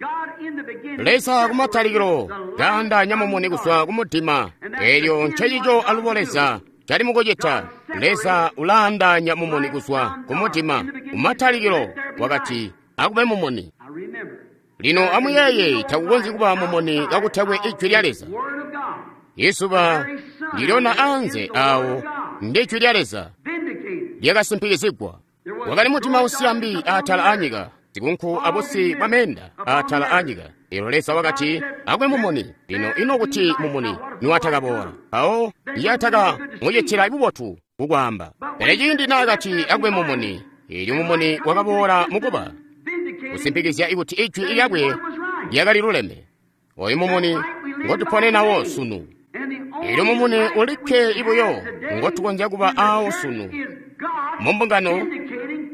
Leza kumatalikilo kaandaanya mumuni kuzwa kumudima, elyo ncecico alubo Leza cali mukucita. Leza ulaandaanya mumuni kuzwa kumudima. Kumatalikilo wakati akube mumuni. Lino amuyeeye, takukonzyi kuba mumuni kakutakwe ijwi lya Leza. Izuba ndilyoona anze awo ndi jwi lya Leza lyakasimpikizigwa. Wakali mudima usiya mbi atala anyika, zikunku abusi bwa meenda atala anyika. Elyo Leza wakati akube mumuni. Lino ino kuti mumuni niwatakaboola, mpawo yataka mucitila bubotu kukwaamba. Pele ciindi naakati akube mumuni, elyo mumuni wakaboola mukuba kusimpikizya kuti ijwi lyakwe lyakali luleme. Oyu mumuni ngotuponenawo sunu. Elyo mumuni ulikke ibuyo ngotukonzya kuba awo sunu mu mbungano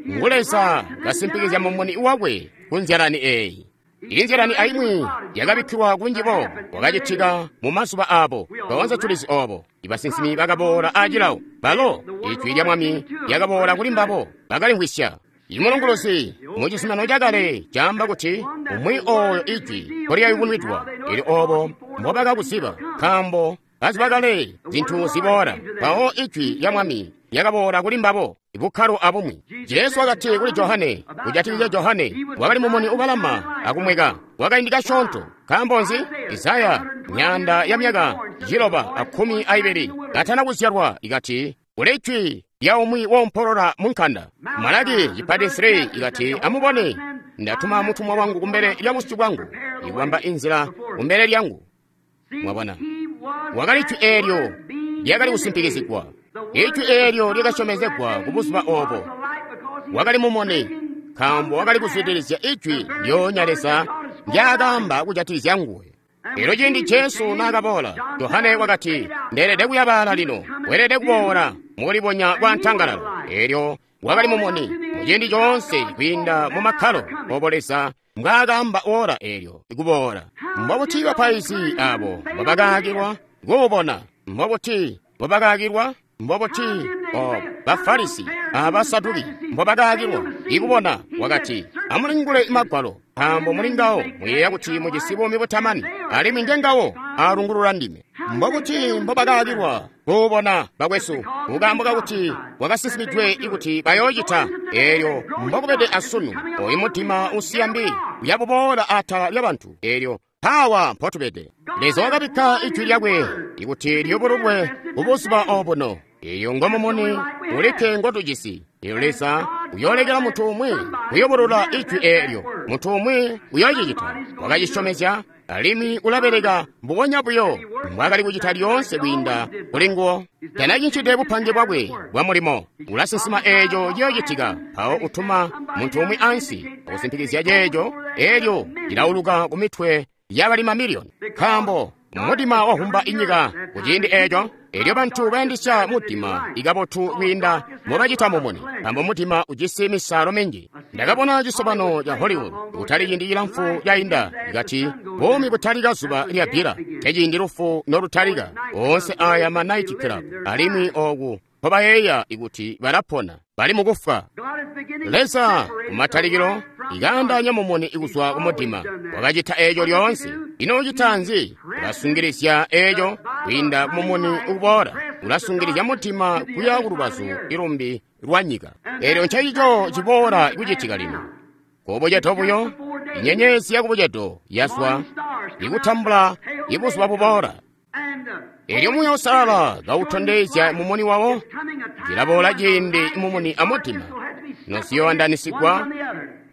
ngu Leza kasimpikizya mumuni wakwe ku nzyalani eeyi. Iyi nzyalani aimwi yakabikkilwa kunji boobo kwakacitika mu mazuba aabo. Toonse tulizi oobo. Ibasinsimi bakaboola acilawo, balo ijwi lya Mwami lyakaboola kuli mbabo, bakalimvwisya. Imulunguluzi mu Cizuminano Cakale caamba kuti umwi ooyo ijwi nkolyayubunwidwa, elyo oobo mbobakakuziba, nkaambo baziba kale zintu ziboola. Mpawo ijwi lya Mwami lyakaboola kuli mbabo, bukkalo abumwi. Jesu wakati kuli Johane, kujatikizya Johane, wakali mumuni ubalama akumweka kwakaindi kasyoonto. Nkaambo nzi? Isaya myaanda ya myaka 912 katana kuzyalwa ikati kuli jwi lya umwi woompolola mu nkanda. Malaki cipati 3 ikati amubone, ndatuma mutumwa wangu kumbele lya busyu bwangu, ikubamba inzila kumbele lyangu. Mwabona, wakali jwi eelyo lyakali kusimpikizigwa. Ijwi eelyo lyakasyomezegwa ku buzuba obo. Wakali mumuni, nkaambo wakali kuzwidilizya ijwi lyoonya Leza ndyaakaamba kujatikizya nguwe. Elyo ciindi Jesu naakaboola, Johane wakati, Ndeelede kuyabaala lino, weelede kuboola mukulibonya kwa ntangalala. Elyo wakali mumuni muciindi coonse kwiinda mu makkalo obo Leza mbwaakaamba ora eelyo kuboola. Mbobuti bapaizi abo mbobakaakilwa kuubona? Mbobuti mbobakaakilwa? Mbobuti Bafarisi Abasaduki mbobakaakilwa ikubona? Wakati, amulingule Magwalo, nkaambo muli ngawo muyeeya kuti mujisi buumi butamani, alimwi ngengawo alungulula ndime. Mbobuti mbobakaakilwa kuubona, bakwesu? Kukaambo kakuti kwakasinsimidwe kuti bayoocita. Eelyo mbokubede asunu, oyu mudima usiya mbi uyabuboola atala lyabantu. Eelyo mpaawa mpotubede. Leza wakabikka ijwi lyakwe ikuti liyubululwe kubuzuba obuno. Eyo ngomumuni ulikke ngotujisi. Elyo Leza uyoolekela muntu umwi kuyubulula ijwi eelyo. Muntu umwi uyoocicita. Wakacisyomezya, alimwi ulabeleka mbubonya buyo mbwaakali kucita lyoonse kwiinda kuli nguwo. Tanacincide bupange bwakwe bwa mulimo. Ulasinsima eeco ciyoocitika, mpawo utuma muntu umwi ansi akusimpikizya ceeco, eelyo cilauluka ku mitwe yabali mamiliyoni. Nkaambo mudima wahumba inyika kuciindi eeco, elyo bantu bayandisya mudima ikabotu kwiinda mbobacita mumuni, nkaambo mudima ujisi misaalo minji. Ndakabona cisobano ca Hollywood kutali ciindi cilamfu cainda, ikati buumi butalika zuba lyabbila, nceciindi lufu nolutalika. Oonse aya ma night club, alimwi oku mpobayeeya ikuti balapona, bali mukufwa. Leza kumatalikilo ikaandaanya mumuni kuzwa kumudima, wakacita eeco lyoonse. Ino ucita nzi? Ulasungilizya eeco kwiinda mumuni ukuboola, ulasungilizya mudima kuya kulubazu ilumbi lwa nyika. Eelyo ncencico ciboola kucitika lino. Kubucedo buyo, inyenyezi yakubucedo yazwa ikutambula ibuzuba buboola. Elyo Muuya Uusalala kautondezya mumuni wawo, cilaboola ciindi mumuni amudima noziyooandanisigwa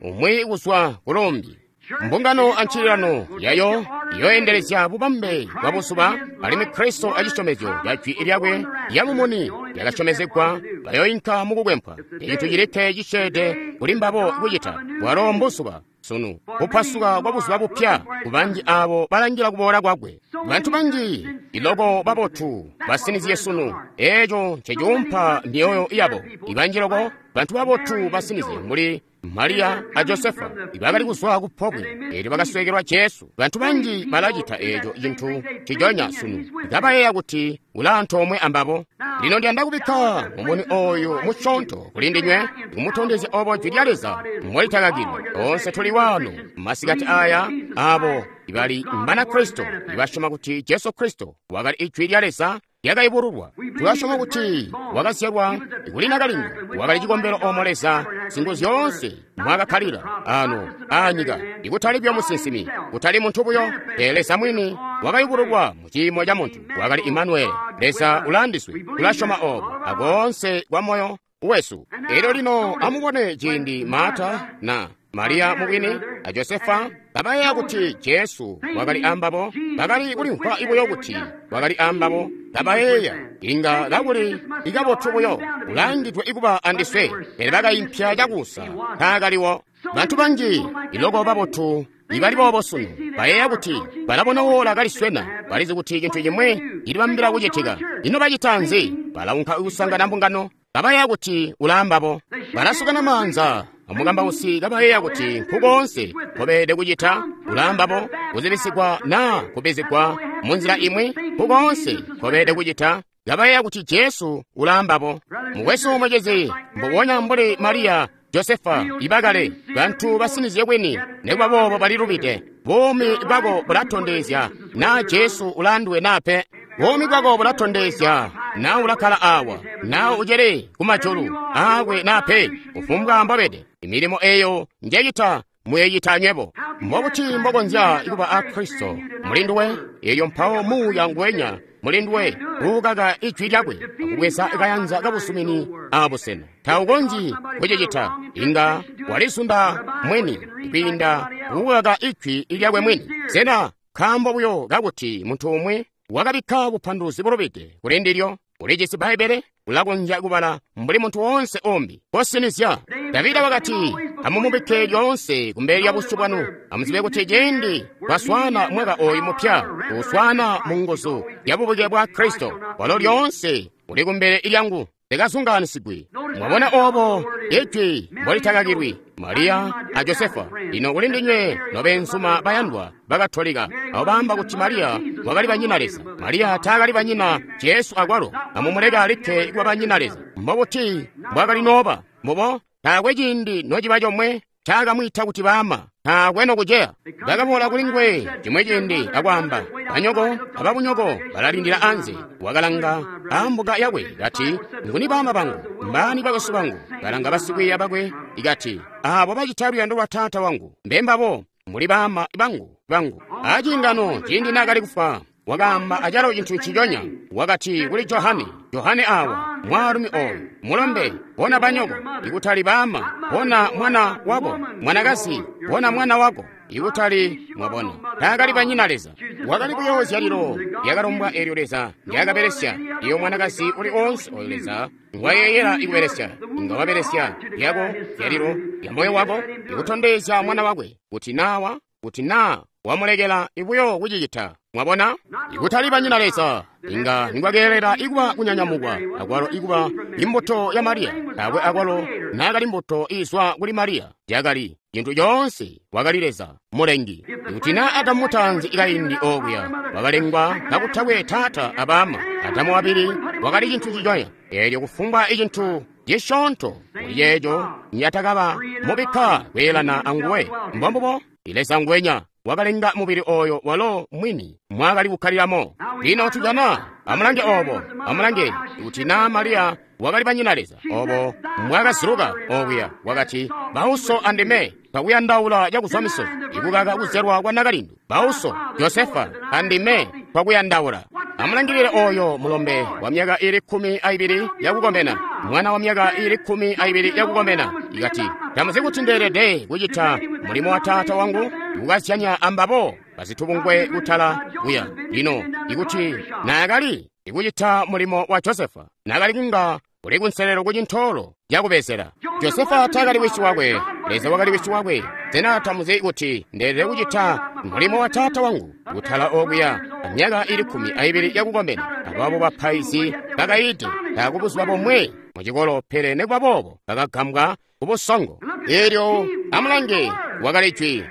umwi kuzwa kulumbi. Mbungano ancililano yayo iyooendelezya bubambe bwa buzuba, alimwi Kristo acisyomezyo ca jwi lyakwe lya mumuni lyakasyomezegwa bayoinka mukukwempwa. Ecintu cilikke cisyeede kuli mbabo kucita bwalo mbuzuba sunu, kupasuka kwa buzuba bupya kubanji abo balangila kuboola kwakwe. Bantu banji iloko babotu basinizye sunu, eeco ncecuumpa myoyo yabo. Ibanji loko bantu babotu basinizye mbuli Mariya a Josefa ibakali kuzwa ku pobwe eelyo bakasweekelwa Jesu. Bantu banji balacita eeco cintu ciconya sunu, kabayeeya kuti ulaantoomwe ambabo. Lino ndiyanda kubikka mumuni oyu musyoonto kuli ndinywe, kumutondezya obo jwi lya Leza mbolitakakilwa. Toonse tuli waano masikati aya abo ibali Mbanakristo ibasyoma kuti Jesu Kristo wakali ijwi lya Leza lyakayubululwa. Tulasyoma kuti wakazyalwa kuli nakalindu, wakali cikombelo omo Leza Singuzyoonse mwakakkalila ano aanyika, ikutali buyo musinsimi, kutali muntu buyo, pele Leza mwini wakayubululwa mu ciimo ca muntu, wakali Imanueli. Leza ulaandiswe. Tulasyoma obo akoonse kwa moyo wesu. Elyo lino amubone ciindi Marta na Mariya mubwini a Josefa kabayeeya kuti Jesu wakali ambabo, bakali kulimvwa buyo kuti wakali ambabo, kabayeeya inga kakuli ikabotu buyo ulangidwe ikuba andiswe, pele bakaimpya cakuusa taakaliwo. Bantu banji iloko babotu ibali boobo sunu bayeeya kuti balabona wola kaliswena, balizi kuti cintu cimwi cilibambila kucitika. Ino bacita nzi? Balaunka kusangana mbungano, kabayeeya kuti ulaambabo. Balasukana maanza amukambausi, kabayeeya kuti nkukoonse nkobeelede kucita ulaambabo, kuzibisigwa naa kubizigwa munzila imwi, nkukoonse nkobeelede kucita, kabayeeya kuti Jesu ulaambabo. Mukwesu mucizi, mbubonya mbuli Mariya Josefa ibakale, bantu basinizye kwini, nikuba boobo balilubide. Buumi bwako bulatondezya naa Jesu ulaanduwe naa pe. Buumi bwako bulatondezya naa ulakkala awa, naa ucele kumajulu aakwe naa pe. Kufumbwa mbobede, imilimo eyo njecita muyecita anywebo. Mbobuti mbokonzya kuba a Kristo mulinduwe, elyo mpawo Muuya nguwenya mulinduwe uukaka ijwi lyakwe akubweza kayanza kabusumini abusena? Taukonzyi kucicita. Inga walizunda mwini kwiinda kukaka ijwi lyakwe mwini. Sena nkaambo buyo kakuti muntu umwi wakabikka bupanduluzi bulubide kuli ndilyo? Ulijisi Bbaibbele, ulakonzya kubala mbuli muntu woonse umbi. Kosinizya. Davida wakati, amumubikke lyoonse kumbele lya busyu bwanu. Amuzibe kuti ciindi twaswaana mwaka oyu mupya, tuuswaana mu nguzu ya bubuke bwa Kristo, walo lyoonse uli kumbele lyangu. Likazungaanisigwi. Mwabona obo ijwi mbolitakakilwi, Mariya a Josefa. Lino kuli ndinywe nobeenzuma bayandwa bakatolika abo baamba kuti Mariya wakali banyina Leza. Mariya taakali banyina Jesu akwalo. Amumuleke alikke kuba banyina Leza. Mbobuti mbwakali nooba? Mbubo, taakwe ciindi nociba comwe caakamwiita kuti baama. Taakwe nokuceya. Bakaboola kuli nguwe cimwi ciindi akwaamba, banyoko ababunyoko balalindila anze. Wakalanga ambuka yakwe kati, nguni baama bangu? Mbaani bakwesu bangu? Kalanga basikwiiya bakwe ikati, aabo bacita luyando lwa Taata wangu mbembabo muli baama bangu bangu. Aciingano ciindi naakali kufwa wakaamba acalo cintu nciconya. Wakati kuli Johane, Johane awa mwaalumi oyu mulombe, bona banyoko, ikutali baama, bona mwana wako, mwanakazi, bona mwana wako, ikutali mwabona. Taakali banyina Leza. Wakali buyo zyalilo lyakalombwa eelyo Leza ndyakabelesya. Iyo mwanakazi uli oonse oyo Leza ngwayeeyela ikubelesya, inga wabelesya lyako zyalilo lya moyo wako ikutondezya mwana wakwe kuti nawa kuti naa wamulekela ibuyo kucicita. Mwabona? Ikutali banyina Leza, inga ningwakeelela ikuba kunyanyamukwa, akwalo ikuba imbuto ya Mariya. Taakwe akwalo naakali mbuto izwa kuli Mariya. Yakali cintu coonse wakali Leza mulengi. Ikuti naa Adamu mutaanzi kaindi okuya wakalengwa kakutakwe taata abaama, Adamu wabili wakali cintu ciconya. Eelyo kufumbwa icintu cisyoonto kuli ceeco nyatakaba mubikka kweelana anguwe. Mbombubo, Leza ngwenya wakalenga mubili oyo walo mwini mwakali kukkalilamo. Lino tujana, amulange obo, amulange kuti naa Mariya wakali banyina Leza, obo mwakaziluka okuya, wakati, bauso andime twakuyandaula cakuzwa misozi, ikukaka kuzyalwa kwa nakalindu. Bauso, Josefa, andime twakuyandaula. Amulangilile oyo mulombe wa myaka ili 12 yakukomena, mwana wa myaka ili 12 yakukomena, ikati, tamuzi kuti ndeelede kucita mulimo wa taata wangu, ikukazyanya ambabo bazitubungwe kutala kuya. Lino ikuti naakali ikucita mulimo wa Josefa, naakali kunga uli kunselelo ku cintoolo cakubezela. Josefa taakali wisi wakwe, Leza wakali wisi wakwe. Sena tamuzi kuti ndeelede kucita mulimo wa taata wangu kutala okuya myaka ili 12 yakukomena? Ababo bapaizi bakaide takubuzuba bomwe mucikolo, pele nikuba boobo bakagambwa kubusongo. Eelyo amulange, wakali jwi.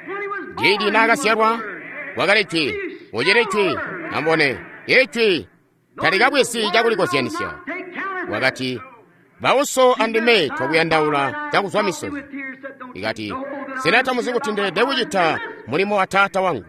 Ciindi naakazyalwa wakali jwi, ucili jwi. Amubone, ijwi talikabwezi cakulikozyanisya. Wakati, bauso andime twakuyandaula cakuzwa misozi. Ikati, sena tamuzi kuti ndeelede kucita mulimo wa taata wangu?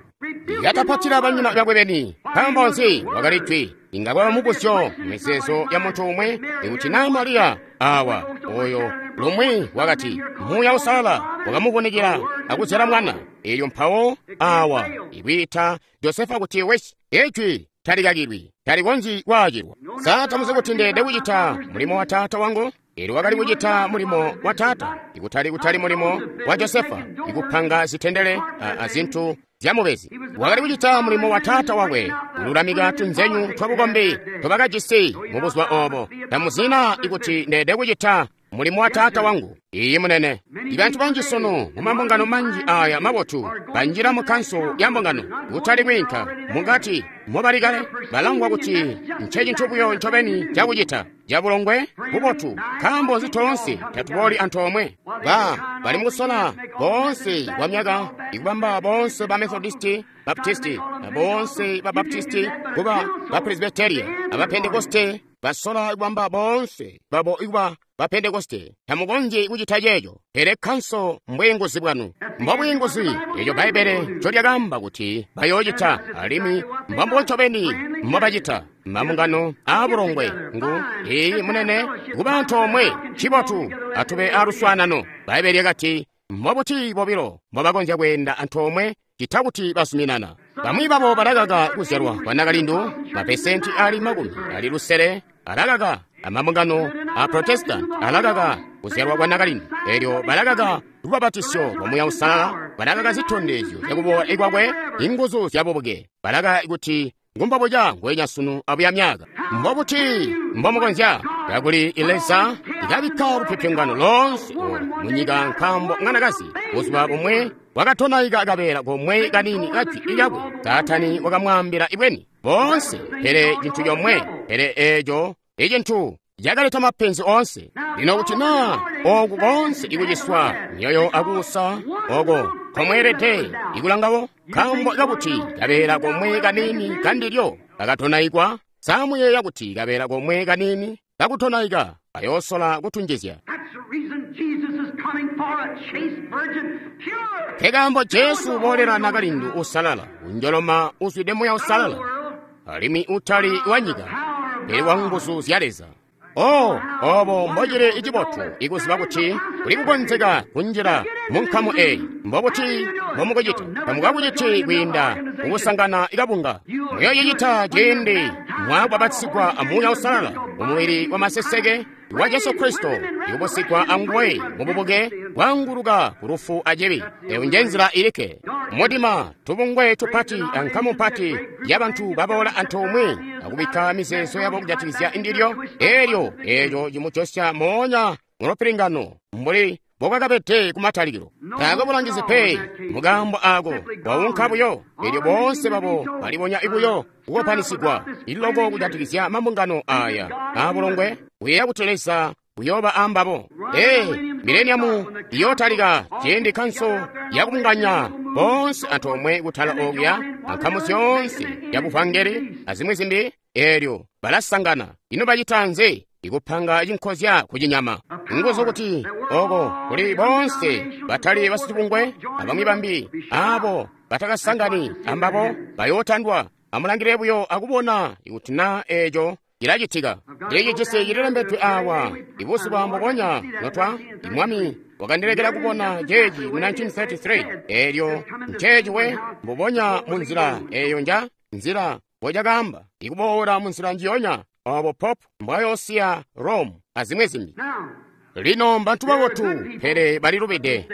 Yatapatila banyina bakwe beni. Nkaambo nzi? Wakali jwi. Inga kwaba mubuzyo mizeezo ya muntu umwe ikuti naa Mariya awa oyo lumwi wakati Muuya Uusalala wakamuvunikila akuzyala mwana. Eelyo mpawo awa ikwiita Josefa kuti wesi. Ijwi talikakilwi, talikonzyi kwaacilwa. Sa tamuzi kuti ndeelede kucita mulimo wa taata wangu? Eelyo wakali kucita mulimo wa taata, ikutali kutali mulimo wa Josefa, ikupanga zitendele azintu zyamubezi. Wakali kucita mulimo wa taata wakwe, kululamika tunzenyu twabukombi tobakajisi mubuzuba obo. Tamuzina ikuti ndeelede kucita mulimo wa taata wangu. Iyi munene. Ibantu banji sunu mumambungano manji aya mabotu banjila mu kanso ya mbungano kutali kwiinka mukati mobali kale balangwa kuti ncecintu buyo ncobeni cakucita cabulongwe bubotu. Nkaambo nzi toonse tatubooli antoomwe? Bali mukusola boonse kwa myaka ikubamba boonse ba Methodisti, Baptisti, na boonse ba Baptisti kuba ba Presbyteria, aba Pentekoste basola kubamba boonse babo ikuba ba Pentekoste. Tamukonzyi kucita ceeco, pele kanso mbwiinguzi bwanu. Mbobwiinguzi eco Bbaibbele ncolyakaamba kuti bayoocita, alimwi mbombo ncobeni mbobacita. Mambungano aabulongwe ngu iyi munene kuba antoomwe cibotu atube aaluswaanano. Bbaibbele lyakati mbobuti bobilo mbobakonzya kweenda antoomwe cita kuti bazuminana. Bamwi babo balakaka kuzyalwa kwa nakalindu, mapesenti ali 60 alakaka. Amambungano a Protestant alakaka kuzyalwa kwa nakalindu. Eelyo balakaka lubabatisyo lwa Muuya Uusalala, balakaka zitondezyo zyakuboola kwakwe, inguzu zyabubuke. Balaka kuti Ngumbobuca ngwenya sunu abuya myaka. Mbobuti mbomukonzya kakuli Leza ikabikka lupyopyongano loonse olu munyika nkaambo mwanakazi buzuba bumwe wakatonaika kabeela komwe kaniini kajwi lyakwe. Saatani wakamwaambila ibweni boonse, pele cintu comwe, pele eeco icintu cakaleta mapenzi oonse. Lino kuti naa oku koonse ikuciswa myoyo akuusa oko komweelede ikulangawo, nkaambo kakuti kabeela komwe kaniini kandilyo kakatonaikwa, samuyeeya kuti kabeela komwe kaniini kakutonaika kayoosola kutunjizya. That's the reason Jesus is coming for a chaste virgin, pure. Nkekaambo Jesu uboolela nakalindu usalala, unjoloma uzwide muya usalala, alimwi utali wa nyika, pele wa nguzu zya Leza. Oh, obo mbocili icibotu ikuziba kuti kuli kukonzeka kunjila mu nkamu eeyi. Mbobuti mbomukucita? Tamukakuciti kwiinda mukusangana ikabunga. Muyoocicita ciindi mwakubbapatizigwa a Muuya Uusalala mu mubili wa maseseke wa Jesu Kristo, ikubusigwa anguwe mububuke bwaanguluka ku lufu acibi. Eyo nje nzila ilikke. Mudima, tubungwe tupati ankamu mpati yabantu baboola antoomwe akubikka mizeezo yabo kujatikizya ndilyo, eelyo eeco cimujosya moonya mulupilingano mbuli mbobwakabede kumatalikilo. Taakwe bulangizi pe mukaambo aako, waunka buyo, eelyo boonse babo balibonya buyo kukopanisigwa iloko kujatikizya mambungano aya aabulongwe. Kuyeeya kuti Leza uyooba ambabo. Ee, mileniamu iyootalika ciindi kkanso yakubunganya boonse antoomwe kutala okuya ankamu zyoonse yabuvangeli azimwi zimbi, eelyo balasangana. Ino bacita nzi? Ikupanga cinkozya kucinyama. Nguzu kuti oko kuli boonse batali basitubungwe abamwi bambi abo batakasangani ambabo bayootandwa. Amulangile buyo akubona ikuti naa eeco cilacitika. Eeci cisi cililembedwe awa ibuzuba mbubonya notwa Mwami wakandilekela kubona ceeci mu 1933. Eelyo nceeci we mbubonya mu nzila eeyo nja nzila mbocakaamba ikuboola mu nzila njiyonya obo Pope mbwayoosiya Rome azimwi zimbi. Now, Lino mbantu babotu, pele balilubide.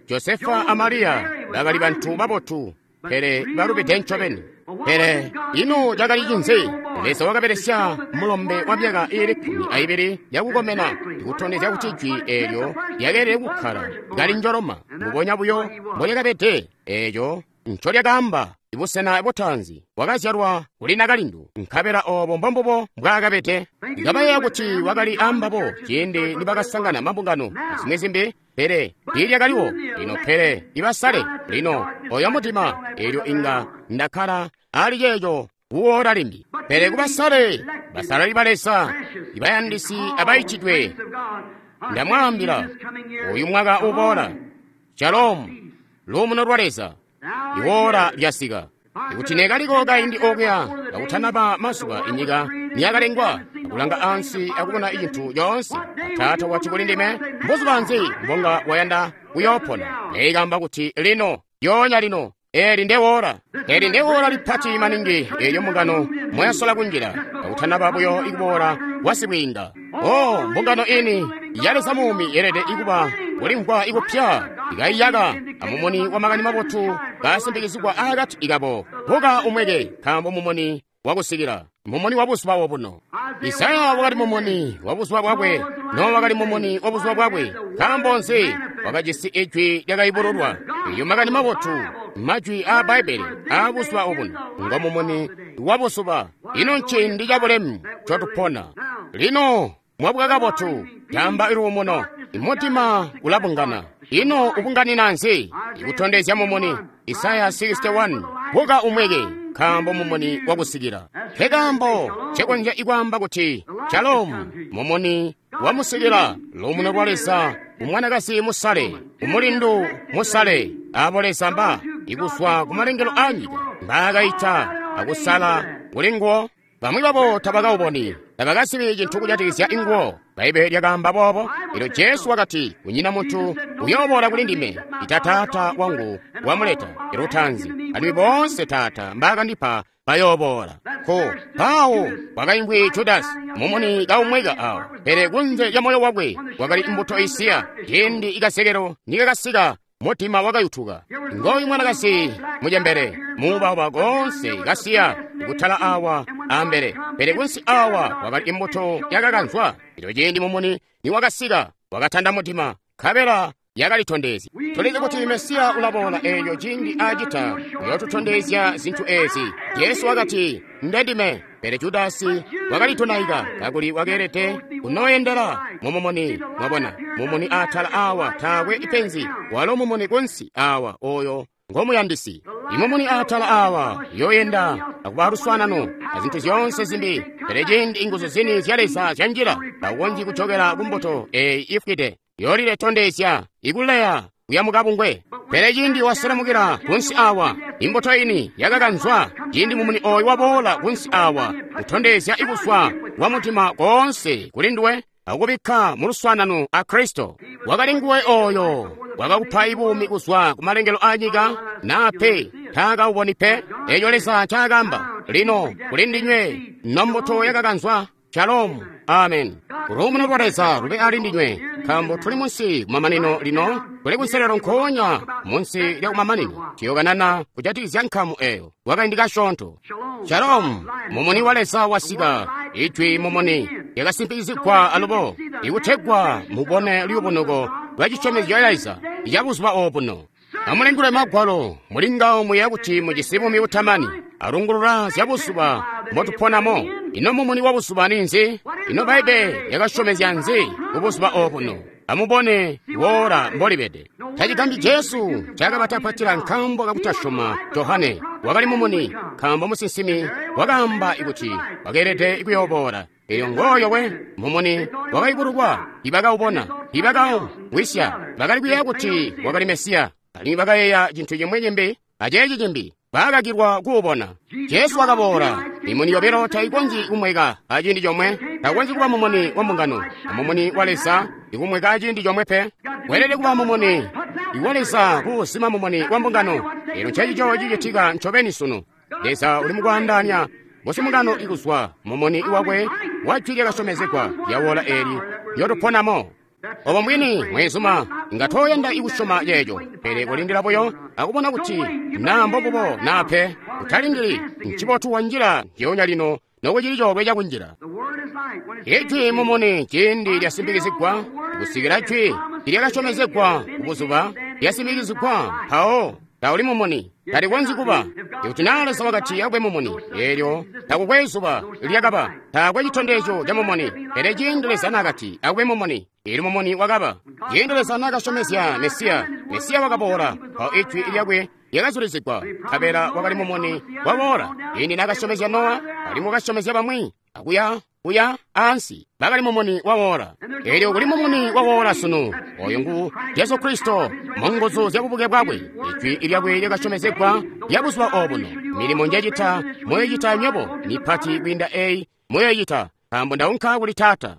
Josefa a Mariya bakali bantu babotu, pele balubide ncobeni. Pele ino cakali cinzi? Leza wakabelesya mulombe wa myaka iili 12 yakukomena ikutondezya kuti jwi eelyo lyakeelede kukkala kali njoloma mbubonya buyo mbolyakabede. Eeco ncolyakaamba ibusena butaanzi wakazyalwa kuli nakalindu, nkabela obo mbombubo mbwaakabede. Ndikabayeeya kuti wakali ambabo ciindi nibakasangana mambungano azimwi zimbi, pele tiilyakaliwo. Lino pele ibasale lino oyo mudima, eelyo inga ndakkala ali ceeco kuwoola limbi. Pele kubasale, basalali ba Leza, ibayandisi abaitidwe, ndamwaambila uyu mwaka uboola, Shalom, luumuno lwa Leza, iwoola lyasika. Ikuti nekaliko kaindi okuya kakutanaba mazuba inyika niyakalengwa, akulanga ansi akubona icintu coonse, Taata wati kuli ndime, mbuzuba nzi mbonga wayanda kuyoopona? Neikamba kuti lino, lyoonya lino, eli ndewoola. Eli ndewoola lipati maningi eelyo mbungano mwayasola kunjila kakutanaba buyo ikuboola kwa sibwiinga. Oh, mbungano ini ya Leza muumi yeelede ikuba kulimvwa ikupya ikaiyaka amumuni wa makani mabotu kasimbikizigwa akati ikabo. Buka umweke, nkaambo mumuni wakusikila, mumuni wa buzuba obuno. Isaya wakali mumuni wa buzuba bwakwe, Nowa wakali mumuni wa buzuba bwakwe. Nkaambo nzi? Wakajisi ijwi lyakayubululwa. Eyo makani mabotu, majwi aa Bbaibbele aa buzuba obuno ngo mumuni wa buzuba. Ino nciindi cabulemu ncotupona lino. Mwabuka kabotu, tamba iluumuno, imutima ulabungana. Ino ubunganina nzi? Ikutondezya mumuni. Isaya 61, buka umweke, nkaambo mumuni wakusikila. Nkekaambo ncekonzya ikwaamba kuti Shalom, mumuni wamusikila, luumuno lwa Leza umwanakazi musale, umulindu musale, abo Leza mba ikuzwa kumalengelo a nyika mbaakaita akusala kuli nguwo. Bamwi babo tabakauboni, tabakazibi cintu kujatikizya inguwo. Bbaibbele lyakaamba boobo. Elyo Jesu wakati, kunyina muntu uyooboola kuli ndime ita Taata wangu wamuleta. Elyo tanzi, alimwi boonse Taata mbaakandipa bayooboola. Ko mpawo kwakaimvwi Judasi mumuni kaumweka awo, pele kunze lya moyo wakwe kwakali mbuto isiya. Ciindi ikasekelo nikakasika, mutima wakayutuka. Ngooyu mwanakazi mucembele, muubauba koonse kasiya. kutala awa ambele, pele kunsi awa kwakali imbuto yakakanzwa. Elyo ciindi mumuni niwakasika, wakatanda mudima, nkabela yakalitondezya. Tulizi kuti Mesiya ulaboola eeyo ciindi acita uyootutondezya zintu ezi. Jesu wakati, Ndendime. Pele Judasi wakalitonaika kakuli wakeelede kunooyendela mumumuni. Mwabona, mumuni atala awa taakwe ipenzi, walo mumuni kunsi awa oyo ngomuyandisi. Imumuni atala awa yoyenda akuba luswaanano azintu zyoonse zimbi, pele ciindi inguzu zini zya Leza zyanjila, taukonzyi kujokela kumbuto eyi ifwide yolile tondezya ikuleya kuya mukabungwe. Pele ciindi waselemukila kunsi awa, imbuto ini yakakanzwa. Ciindi mumuni oyu waboola kunsi awa, kutondezya ikuswa kwa mutima koonse kuli nduwe, akubikka mu luswaanano a Kristo. Wakali nguwe oyo wakakupa ibuumi kuzwa ku malengelo a nyika, naa pe taakawuboni pe. Eeco Leza ncaakamba lino kuli ndinywe nombuto yakakanzwa. Shalom. Amen. Luumuno lwa Leza lube ali ndinywe, nkaambo tuli munsi kumamanino lino, tuli kunselelo nkoonya munsi lya kumamanino. Tuyokanana kujatikizya nkamu eyo kwakaindi kasyoonto. Shalom. Mumuni wa Leza wasika. Ijwi mumuni lyakasimpikizigwa alubo, ikutegwa mubone luyubunuko lwa cisyomezyo ca Leza ca buzuba obuno. Amulingule Magwalo, muli ngawo muyeeya kuti mujisi buumi butamani, alungulula zya buzuba mbotuponamo. Ino mumuni wa buzuba ninzi? Ino Bbaibbele lyakasyomezya nzi kubuzuba obuno? Amubone woola mbolibede. Tacigambyi Jesu ncaakabatapatila nkaambo kakutasyoma Johane. Wakali mumuni, nkaambo musinsimi wakaamba kuti wakeelede kuyooboola. Elyo ngooyo we mumuni wakayubululwa, ibakaubona, ibakaumvwisya, bakali kuyeeya kuti wakali Mesiya, alimwi bakayeeya cintu cimwi cimbi aceeci cimbi, baakakilwa kuubona. Jesu wakaboola. Mimuni yobilo taikonzyi kumweka aciindi comwe. Takukonzyi kuba mumuni wa mbungano amumuni wa Leza ikumweka aciindi comwe pe. Weelede kuba mumuni wa Leza kuuzima mumuni wa mbungano. Elyo ncencico cicitika ncobeni sunu. Leza uli mukwaandaanya musimbungano ikuzwa mumuni wakwe wa jwi lyakasyomezegwa lya woola eli lyotuponamo. Obo mbwini, mweenzuma, inga tooyanda ikusyoma ceeco, pele kulindila buyo akubona kuti naa mbobubo naa pe. Utalindili, ncibotu wanjila ndyoonya lino nokucili coolwe cakunjila. Ijwi mumuni ciindi lyasimbikizigwa, kusikila jwi lyakasyomezegwa kubuzuba lyasimbikizigwa, mpawo tauli mumuni, talikonzyi kuba. Ikuti naa Leza wakati akube mumuni, eelyo takukwe zuba lyakaba, taakwe citondezyo ca mumuni. Pele ciindi Leza naakati akube mumuni, eelyo mumuni wakaba. Ciindi Leza naakasyomezya Mesiya, Mesiya wakaboola, mpawo ijwi lyakwe lyakazulizigwa, nkabela wakali mumuni waboola. Ciindi naakasyomezya Nowa, alimwi wakasyomezya bamwi, akuya kuya ansi, bakali mumuni wawoola. Eelyo kuli mumuni wawoola sunu, oyo ngu Jesu Kristo mu nguzu zya bubuke bwakwe. Ijwi lyakwe lyakasyomezegwa lya buzuba obuno. Milimo njecita muyoicita nywebo, mipati kwiinda eyi muyoicita, nkaambo ndaunka kuli Taata.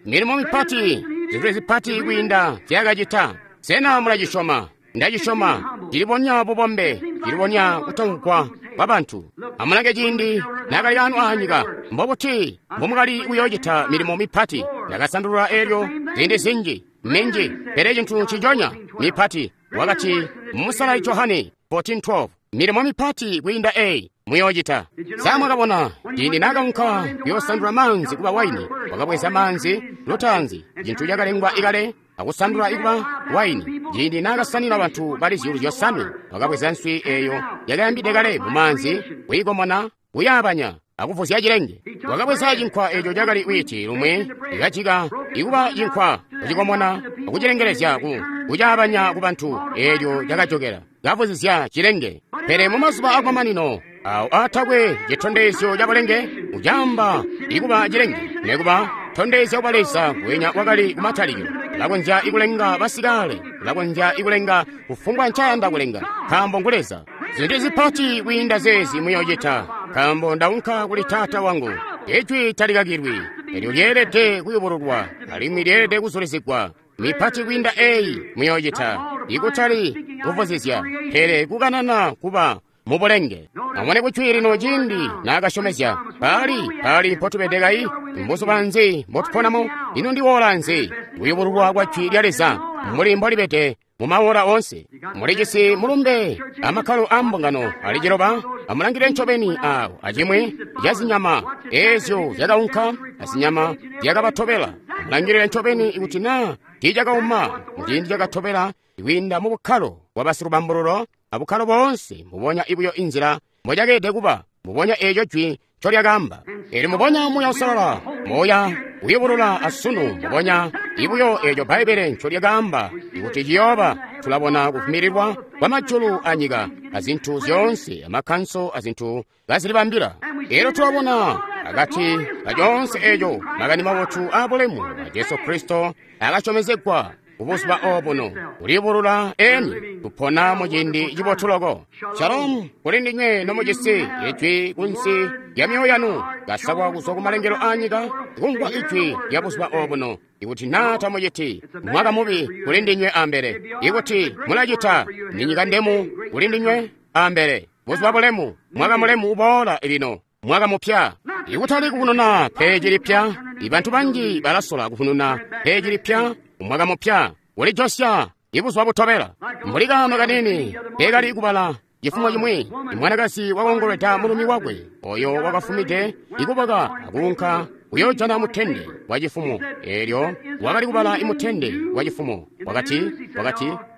Milimo mipati, zintu zipati kwiinda zyakacita. Sena mulacisyoma? Ndacisyoma. Cilibonya bubombe, cilibonya kutamvwa kwa bantu. Amulange ciindi naakali ano aanyika, mbobuti mbomukali kuyoocita milimo mipati. Ndakasandulula eelyo ziindi zinji minji, pele cintu nciconya mipati. Wakati Musalali Johane 14:12, milimo mipati kwiinda eyi muyoocita. Sa mwakabona ciindi naakaunka kuyoosandula maanzi kuba waini, wakabweza maanzi lutaanzi, cintu cakalengwa ikale, akusandula ikuba waini. Ciindi naakasanina bantu bali 5,000, wakabweza nswi eeyo yakayambide kale mu maanzi, kuyikomona, kuyaabanya, akuvuzya cilenge. Wakabweza cinkwa eeco cakali wiiti lumwi ikajika ikuba cinkwa, kucikomona, akucilengelezya kucaabanya ku bantu, eelyo cakajokela kavuzizya cilenge. Pele mumazuba akumamanino awo aatakwe citondezyo ca bulenge, ucaamba ikuba cilenge, nekuba tondezya kuba Leza wenya wakali kumatalikilo. Ulakonzya ikulenga basikale, ulakonzya ikulenga kufumbwa ncayanda kulenga, nkaambo ngu Leza. Zintu zipati kwiinda zeezi muyoocita, nkaambo ndaunka kuli Taata wangu. Ijwi talikakilwi, elyo lyeelede kuyubululwa, alimwi lyeelede kuzulizigwa. Mipati kwiinda eyi muyoocita, ikutali kuvuzizya, pele kukanana kuba mubulenge. Amone kujwi lino ciindi naakasyomezya, paali mpotubede kayi, mbuzuba nzi mbotuponamo, ino ndi woola nzi? Kuyubululwa kwa jwi lya Leza mbuli mbolibede mu maora onse. Mulijisi mulumbe amakkalo a mbungano ali ciloba. Amulangile ncobeni awo acimwi ca zinyama ezyo zyakaunka azinyama zyakabatobela. Amulangilile ncobeni ikuti naa tiicakauma muciindi cakatobela kwiinda mu bukkalo bwa basilubambululo abukkalo boonse, mbubonya ibuyo inzila mbocakeelede kuba, mbubonya eeco jwi ncolyakaamba. Eelyo mbubonya Muuya Uusalala moya uyubulula asunu mbubonya ibuyo eeco Bbaibbele ncolyakaamba kuti ciyooba. Tulabona kuvumililwa kwa majulu anyika azintu zyoonse amakkanso azintu kazilibambila. Eelyo tulabona akati kacoonse eeco makani mabotu aabulemu a Jesu Kristo akasyomezegwa kubuzuba obuno kulibulula eni. Tupona muciindi cibotu loko. Shalom kuli ndinywe nomujisi ijwi kunsi lya myoyo yanu, kasakwa kuzwa kumalengelo a nyika, kumvwa ijwi lya buzuba obuno. Ikuti naa tamuciti, mwaka mubi kuli ndinywe ambele. Ikuti mulacita, ni nyika ndemu kuli ndinywe ambele. Buzuba bulemu, mwaka mulemu uboola lino, mwaka mupya. Ikutali kukununa peji lipya. Ibantu banji balasola kukununa peji lipya umwaka mupya ulijosya ibuzuba butobela. Mbuli kaano kanini kekali kubala cifumo cimwi, imwanakazi wakongolweda mulumi wakwe oyo wakafumide ikuboka akuunka kuyoojana mutende wa cifumo. Eelyo wakali kubala imutende wa cifumo. Wakati,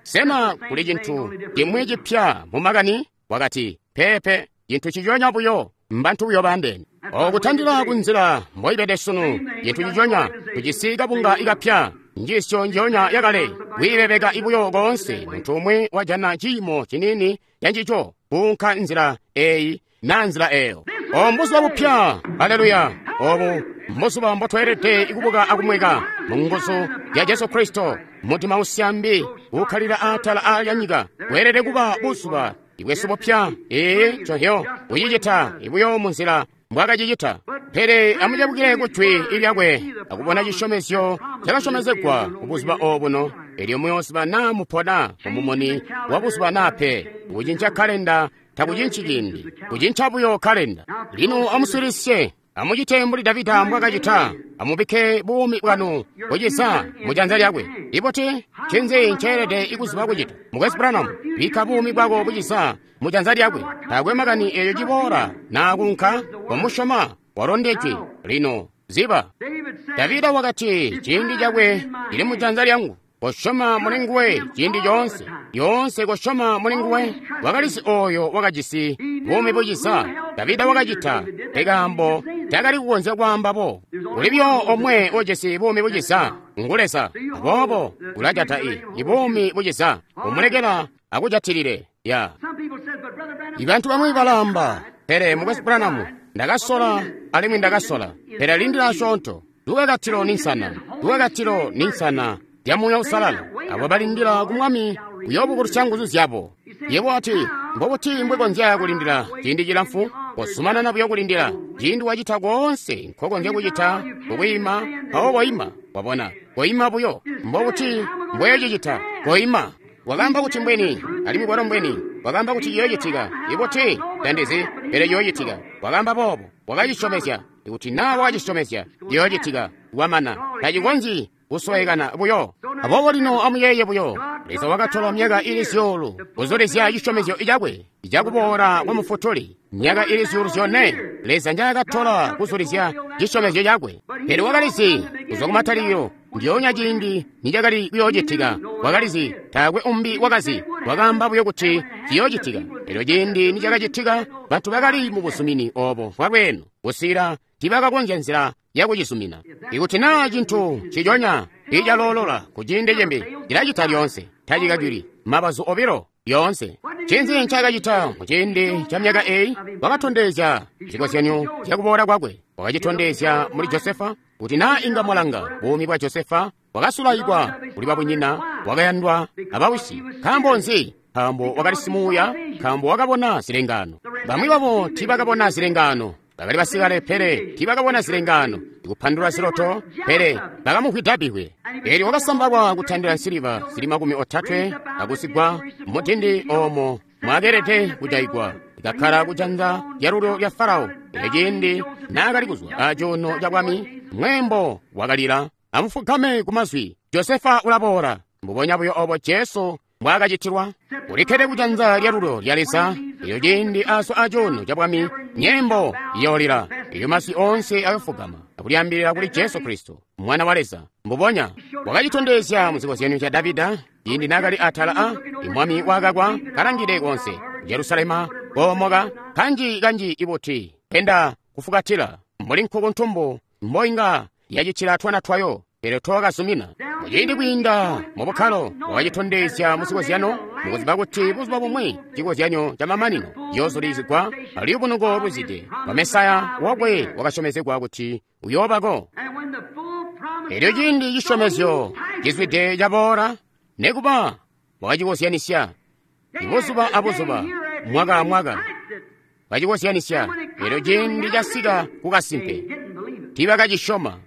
sena kuli cintu cimwi cipya mu makani? Wakati, peepe, cintu ciconya buyo, mbantu buyo bandene. Okutandila kunzila mboibede sunu, cintu ciconya, tujisi kabunga ikapya, njiisyo njionya yakale, kwiibebeka ibuyo koonse. Muntu umwe wajana ciimo ciniini cancico, kuunka nzila eyi na nzila eyo. Obu mbuzuba bupya, haleluya! Obu mbuzuba mbotweelede kubuka akumweka mu nguzu ya Jesu Kristo. Mutima usyambi uukkalila atala alya nyika weelede kuba buzuba ibwesu bupya. Ee, nconhyo kucicita ibuyo munzila mbwakacicita. Pele amucebukile kujwi lyakwe akubona cisyomezyo cakasyomezegwa kubuzuba obuno. Elyo muyooziba naa mupona mumumuni wa buzuba naa pe. Kucinca kalenda takucinci ciindi, kucinca buyo kalenda. Lino amuswiilisye, amucite mbuli Davida mbwakacita. Amubikke buumi bwanu bucisa mujanza lyakwe. Ibuti ncinzi nceelede kuziba kucita? Mukwesu Branham, bikka buumi bwako bucisa mujanza lyakwe. Taakwe makani eeyo ciboola naa kuunka, komusyoma walondejwe. Lino ziba, Davida wakati ciindi cakwe cili mujanza lyangu. Kosyoma muli nguwe ciindi coonse, lyoonse kosyoma muli nguwe. Wakalizi oyo wakajisi buumi bucisa. Davida wakacita pekaambo takali kukonzya kwaamba bo. Kuli buyo omwe ujisi buumi bucisa, ngu Leza. Aboobo ulajata ibuumi bucisa, umulekela akujatilile. Ya ibantu bamwi balaamba, pele Mukwesu Branham, ndakasola alimwi ndakasola, pele lindila asyoonto. Lukakatilo ni nsana, lukakatilo ni nsana lya Muuya Uusalala. Abo balindila ku Mwami kuyoobukulusya nguzu zyabo. Yebo ati, mbobuti mbwekonzya kulindila ciindi cilamfu? Kozumanana buyo kulindila. Ciindi wacita koonse nkokonzya kucita kukwiima, mpawo koima. Wabona, koima buyo. Mbobuti mbweyocicita? Koima. Wakaamba kuti mbweni, alimwi kwalo mbweni. Wakaamba kuti ciyoocitika. Ibuti tandizi, pele ciyoocitika. Wakaamba boobo, wakacisyomezya. Ikuti naa wakacisyomezya, ciyoocitika. Wamana, tacikonzyi kusowekana buyo. Aboobo lino amuyeeye buyo, Leza wakatola myaka ili zyuulu kuzulizya cisyomezyo cakwe cakuboola kwa Mufutuli. Myaka ili zyuulu zyone Leza njaakatola kuzulizya cisyomezyo cakwe. Pele wakalizi kuzwa kumatalikilo ndyoonya ciindi nicakali kuyoocitika. Wakalizi, taakwe umbi wakazi. Wakaamba buyo kuti ciyoocitika. Elyo ciindi nicakacitika, bantu bakali mu buzumini obo bwalweeno kusikila tiibakakonzya nzila yakucizumina. Ikuti naa cintu ciconya icaloolola ku ciindi cimbi, cilacita lyoonse, tacikacili mabazu obilo lyoonse. Ncinzi ncaakacita muciindi ca myaka eyi? Wakatondezya zikozyanyo zyakuboola kwakwe. Wakacitondezya muli Josefa, kuti naa inga mwalanga buumi bwa Josefa, wakasulaikwa kuli babunyina, wakayandwa abawisi. Nkaambo nzi? Nkaambo wakali simuuya, nkaambo wakabona zilengaano. Bamwi babo tiibakabona zilengaano. Bakali basikale, pele tiibakabona zilengaano, ikupandula ziloto, pele bakamuvwida bbivwe. Eelyo wakasambalwa kutandila nsiliva zili 30 akusigwa mudindi oomo mwakeelede kujayigwa. Ikakkala kujanza lyalulyo lya Farao. Elyo ciindi naakali kuzwa acuuno cabwami, mweembo wakalila, amufugame kumazwi, Josefa ulaboola. Mbubonya buyo obo Jesu mbwaakacitilwa? Ulikkede kujanza lyalulyo lya Leza. Elyo ciindi azwa acuuno cabwami, nyembo iyoolila. Elyo masi oonse ayofugama akulyaambilila kuli Jesu Kristo, Mwana wa Leza. Mbubonya wakacitondezya mu zikozyanyo ca Davida ciindi naakali atala a imwami wakakwa kalangide konse Jerusalema koomoka kanji kanji ibuti penda kufukatila mbuli nkuku ntumbu mboinga yacitila twana twayo, pele twakazumina. Muciindi kwiinda mu bukkalo wakacitondezya mu zikozyanyo, mukuziba kuti buzuba bumwi cikozyanyo ca mamanino ciyoozulizigwa aluyubunuko luzide lwa Mesaya wakwe wakasyomezegwa kuti uyoobako. Elyo ciindi cisyomezyo cizwide caboola, nekuba wakacikozyanisya ibuzuba abuzuba, mwaka amwaka bacikozyanisya. Elyo ciindi casika kukasimpe, tiibakacisyoma.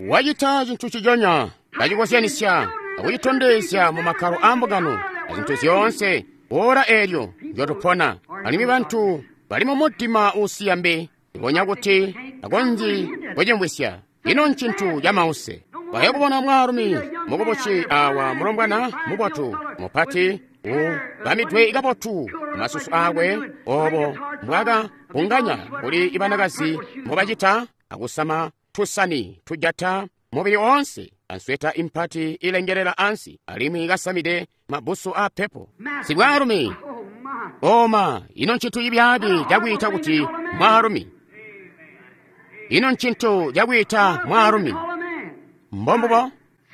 Wacita cintu ciconya, bacikozyanisya akucitondezya mu makkalo aambungano azintu zyoonse. Ora eelyo ndyotupona, alimwi bantu bali mu mudima uusiya mbi, ibonya kuti akonzyi kucimvwisya. Ino ncintu ca mause. Baye kubona mwaalumi mukubusi awa, mulombwana mubotu mupati ubamidwe kabotu, masusu aakwe obo mbwaka bunganya kuli ibanakazi mbobacita, akusama tusani tujata mubili oonse, answeta impati ilengelela ansi, alimwi kasamide mabusu a pepo. Sibwaalumi oma, ino ncintu cibyaabi cakwiita kuti mwaalumi. Ino ncintu cakwiita mwaalumi. Mbombubo.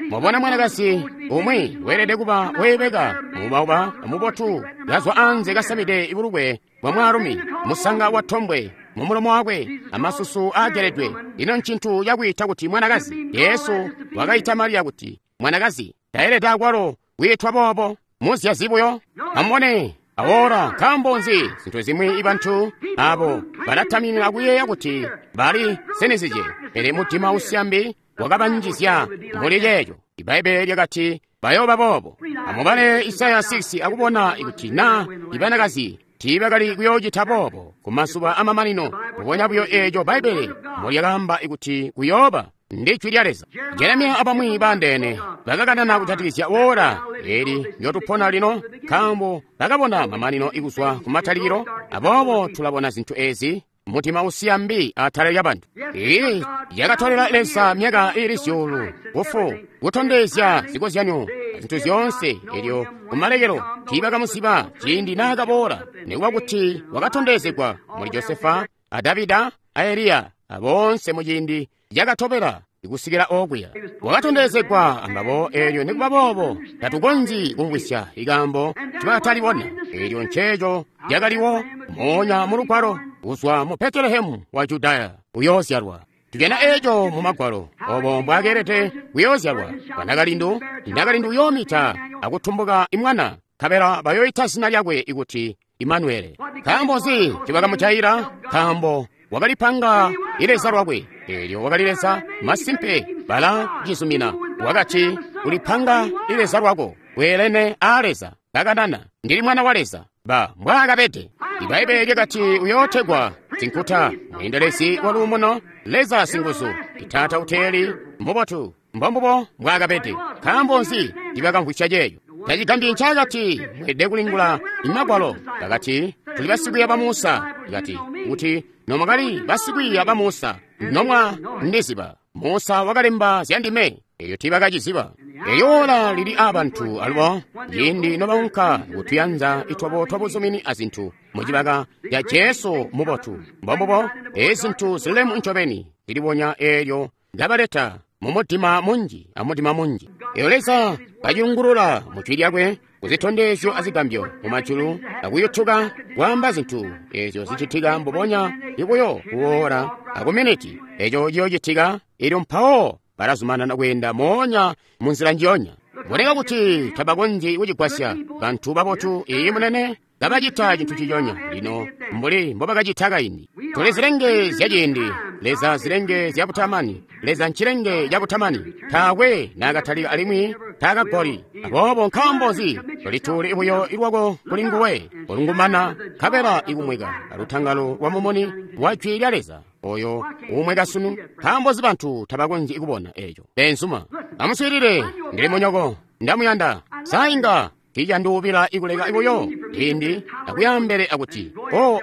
Mwabona mwanakazi umwi weelede kuba weebeka, mubauba mubotu, kazwa anze kasamide ibulukwe bwa mwaalumi, musanga wa tombwe mu mulomo wakwe, amasusu aageledwe. Ino ncintu cakwiita kuti mwanakazi. Yesu wakaita Mariya kuti mwanakazi. Taelede akwalo kwiitwa boobo, muzyazi buyo. Amubone awora, nkaambo nzi zintu zimwi ibantu abo balataminina kuyeeya kuti bali sinizije, pele mudima usyambi wakabanjizya muli ceeco. Ibbaibbele lyakati bayooba boobo. Amubale Isaya 6 akubona kuti na ibanakazi tiibakali kuyoocita boobo ku mazuba amamanino, mbubonya buyo eeco Bbaibbele mbolyakaamba kuti kuyooba. Ndi jwi lya Leza. Jeremiya abamwi baandeene bakakanana kujatikizya wora eli lyotupona lino, nkaambo bakabona mamanino ikuzwa ku matalikilo. Aboobo tulabona zintu ezi, mudima usiya mbi atala lyabantu. Iyi yakatolela Leza myaka ili zyuulu kufu kutondezya zikozyanyo zintu zyoonse. Elyo kumalekelo tiibakamuziba ciindi naakaboola, nikuba kuti wakatondezegwa muli Josefa a Davida a Eliya aboonse muciindi yakatobela ikusikila okuya. Wakatondezegwa ambabo eelyo, nikuba boobo tatukonzyi kumvwisya ikaambo tibatalibona. Eelyo nceeco lyakaliwo moonya mu Lugwalo, kuzwa mu Betelehemu wa Judaya uyoozyalwa. Tujana eeco mu Magwalo, obo mbwakeelede kuyoozyalwa. Banakalindu, nakalindu uyoomita akutumbuka imwana, nkabela bayoyita zina lyakwe ikuti Imanuele. Nkaambo nzi tibakamujayila? Nkaambo wakalipanga ileza lwakwe. Eelyo wakali Leza masimpe, bala cizumina. Wakati, ulipanga ileza lwako weelene a Leza. Kakanana, ndili mwana wa Leza. Ba mbwaakabede. Ibbaibbele lyakati uyootegwa Sinkuta, mweendelezi wa luumuno, Leza singuzu, Taata uteeli, mubotu. Mbombubo mbwaakabede. Nkaambo nzi tibakamvwisya ceeco? Tacigambyi ncaakati mweelede kulingula Magwalo. Bakati tuli basikwiiya ba Musa. Kati kuti nomwakali basikwiiya ba Musa nomwa ndiziba. Musa wakalemba zya ndime. Elyo tiibakaciziba. Elyo ola lili aabantu alubo ciindi nobaunka kutuyanza itwabo twabuzumini azintu mucibaka ya Jesu mubotu. Mbombubo ezi zintu zilemu ncobeni zilibonya eelyo ngabaleta mumudima munji amudima munji. Elyo Leza kaciyungulula mu jwi lyakwe kuzitondezyo azigambyo mumajulu akuyutuka kwaamba zintu ezyo zicitika mbubonya ibuyo kuwoola akuminiti eco ciyoocitika. Elyo mpawo balazumanana kweenda moonya munzila njiyonya. Boneka kuti tabakonzyi kucigwasya bantu babotu. Iyi munene kabacita cintu ciconya lino mbuli mbobakacita kaindi. Tuli zilenge zyaciindi, Leza zilenge zyabutamani. Leza ncilenge cabutamani, taakwe naakatalika alimwi taakagoli. Aboobo nkaambo nzi tolituuli buyo ilwako kuli nguwe ulungumana nkabela ikumweka alutangalo lwa mumuni wa jwi lya Leza oyo uumweka sunu? Nkaambo nzi bantu tabakonzyi kubona eco? Benzuma, amuswiilile, ndili munyoko. Ndamuyanda. Sa inga tiicanduubila ikuleka buyo ciindi akuyambele akuti, "Oh,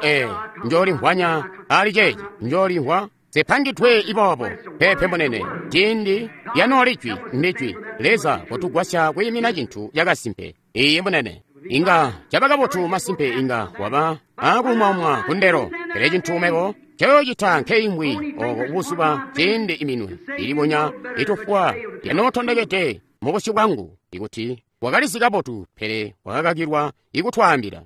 njoolimvwanya ali ceeci, njoolimvwa zipangidwe iboobo." Peepe munene, ciindi lyanooli jwi ndijwi. Leza kutugwasya kwiimina cintu cakasimpe. Iiyi munene. Inga caba kabotu masimpe inga waba akumwamwa kundelo. Pele cintu mebo ncoyocita nkeimwi oko buzuba ciindi iminwe ilibonya itufwa lyanootondekede mubusyu bwangu ikuti wakalizi kabotu pele wakakakilwa ikutwaambila.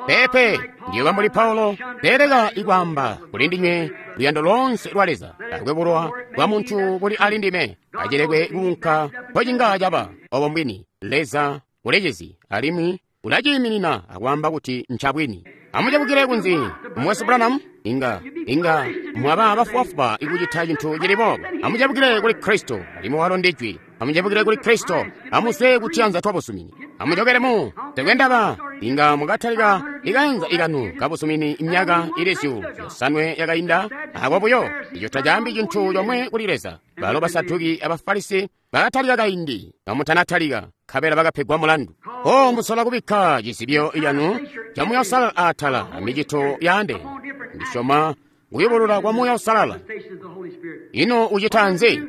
Peepe, ndiyoba mbuli Paulo, beeleka ikwaamba kuli ndinywe luyando lonse lwa Leza, taakwe bulowa bwa muntu buli ali ndime, acilekwe kuunka mpocinga caba. Obo mbwini, Leza ulecizi alimwi ulaciiminina akwaamba kuti ncabwini. Amucebukile kunzi, Mukwesu Branham, inga mwaba bafubafuba ikucita cintu cili boobo. Amucebukile kuli Kristo, alimwi walo ndi Jwi. Amucebukile kuli Kristo, amuzwe kutiyanza twa busumini. Amucokele mu tekwendaba, inga mukatalika ikanza ikanu kabusumini imyaka ili 500 yakainda, ako buyo, ico tacaambi cintu comwe kuli Leza. Balo Basaduki Abafarisi bakatalika kaindi, kamutanatalika, nkabela bakapegwa mulandu. O musola kubikka cizibyo canu ca Muuya Uusalala atala amicito yaandeene. Ndisyoma kuyubulula kwa Muuya Uusalala. Ino ucita nzi?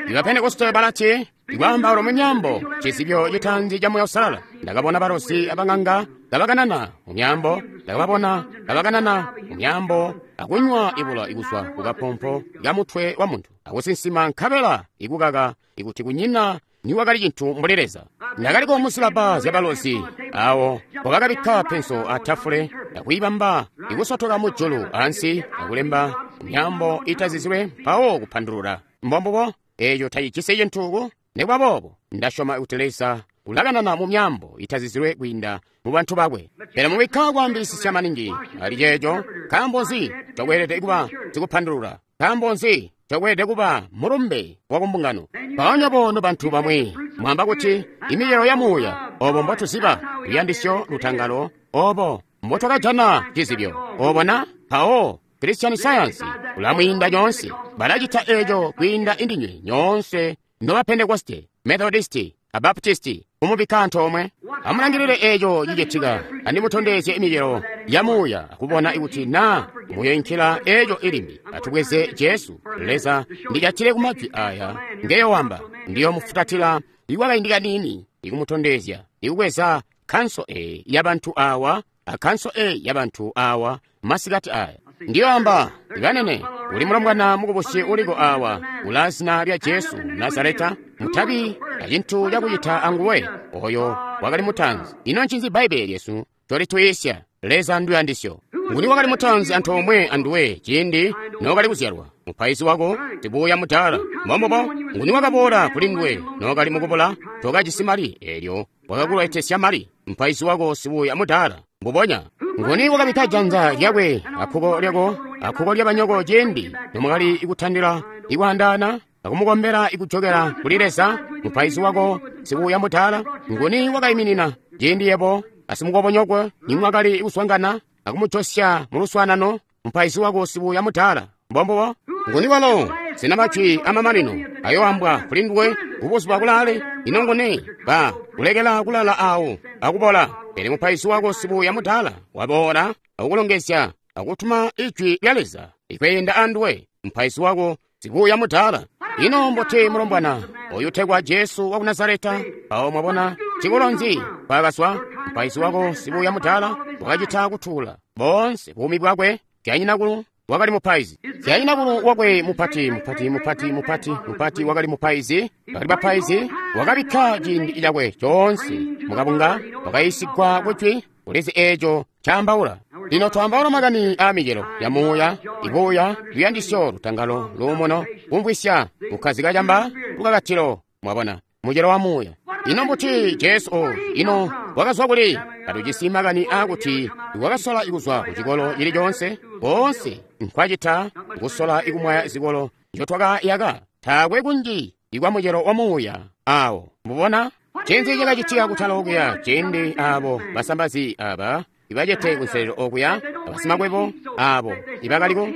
Iba Pentekoste balati, ikwaambaula mu myaambo cizibyo citaanzi ca Muuya Uusalala. Ndakabona balozi abang'anga kabakanana mu myaambo, ndakababona kabakanana mu myaambo akunywa ibula ikuzwa kukapompo kamutwe wa muntu, akusinsima nkabela ikukaka ikuti kunyina niwakali cintu mbuli Leza. Ndakaliko musilaba zyabalozi awo wakakabikka penso atafule akuyibamba ikusotoka mujulu ansi akulemba myaambo itazizilwe mpawo kupandulula. Mbombubo eeco tacijisi cintu nikuba boobo ndasyoma kuti Leza ulakanana mu myaambo itazizilwe kwiinda mu bantu bakwe. Pele mubikka kwaambisisya maningi ali ceeco, nkaambo nzi cokweelede kuba sikupandulula? Nkaambo nzi cokweelede kuba mulumbe wa kumbungano? Mpoonya bono bantu bamwi mwamba kuti imicelo ya Muuya, obo mbotuziba luyandisyo lutangalo, obo mbotwakajana cizibyo, obo na mpawo Christian Science ulamwiinda nyoonse. Balacita eeco kwiinda indinywe nyoonse noba Pentekoste, Methodisti, Abaptisti, kumubikka antoomwe. Amulangilile eeco cicitika, andimutondezye imicelo ya Muuya akubona kuti naa muyoinkila eeco ilimbi. Atubweze Jesu. Leza ndicatile kumajwi aya ngeyowamba, ndiyomufutatila ikwakaindi kaniini ikumutondezya ikubweza kanso e yabantu awa akanso e yabantu awa masikati aya. Ndiyoamba ibanene, uli mulombwana mukubusi uliko awa ula zina lya Jesu Nazareta, mutabi acintu cakucita anguwe oyo wakali mutanzi. Ino ncinzi Bbaibbele lyesu colitwiisya? Leza nduyandisyo. Nguni wakali mutanzi antoomwe anduwe ciindi nookali kuzyalwa? Mupaizi wako sibuuya mudaala. Mbombubo. Nguni wakaboola kuli nduwe nookali mukubula? Tokajisi mali, eelyo wakakuletesya mali. Mupaizi wako sibuuya mudaala. Mbubonya. Nguni wakabikka janza lyakwe akkuko lyako akkuko lyabanyoko ciindi nomwakali ikutandila ikwaandaana akumukombela ikujokela kuli Leza? Mupaizi wako sibuuya mudaala. Nguni wakaiminina ciindi yebo asimukobonyokwe nimwakali kuswangana akumujosya muluswaanano? Mupaizi wako sibuuya mudaala. Mbombubo. Nguni walo sina majwi amamanino ayoambwa kuli nduwe kubuzuba kulaale? Ino nguni ba kulekela kulala awo akubola? Pele mupaizi wako sibuuya mudaala waboola akukulongezya akutuma ijwi lya Leza ikweenda anduwe. Mupaizi wako sibuuya mudaala. Ino mbuti mulombwana oyu utegwa Jesu wa ku Nazareta? Awo mwabona cikolo nzi kwakazwa? Mupaizi wako sibuuya mudaala wakacita kutuula boonse buumi bwakwe. Syanyinakulu wakali mupaizi. Syanyinakulu wakwe mupati mupati mupati mupati mupati wakali mupaizi. Bakali bapaizi. Wakabikka ciindi cakwe coonse mukabunga, wakayiisigwa kujwi, ulizi eeco caambaula. Lino twaambaula makani aa micelo ya Muuya, ibuuya, luyandisyo, lutangalo, luumuno, kumvwisya, kukkazika camba, lukakatilo. Mwabona mucelo wa Muuya. Ino mbuti Jesu oyu? Ino wakazwa kuli? Katujisi makani aakuti wakasola ikuzwa ku cikolo cili coonse. Boonse nkwacita kusola ikumwaya zikolo nzyotwakayaka. Taakwe kunji ikwa mucelo wa Muuya awo. Mubona ncinzi cakacitika kutala okuya ciindi abo basambazi aba ibacete kunselelo okuya, abasimakwebo abo ibakaliko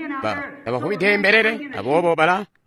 tabavubide mbelele, aboobo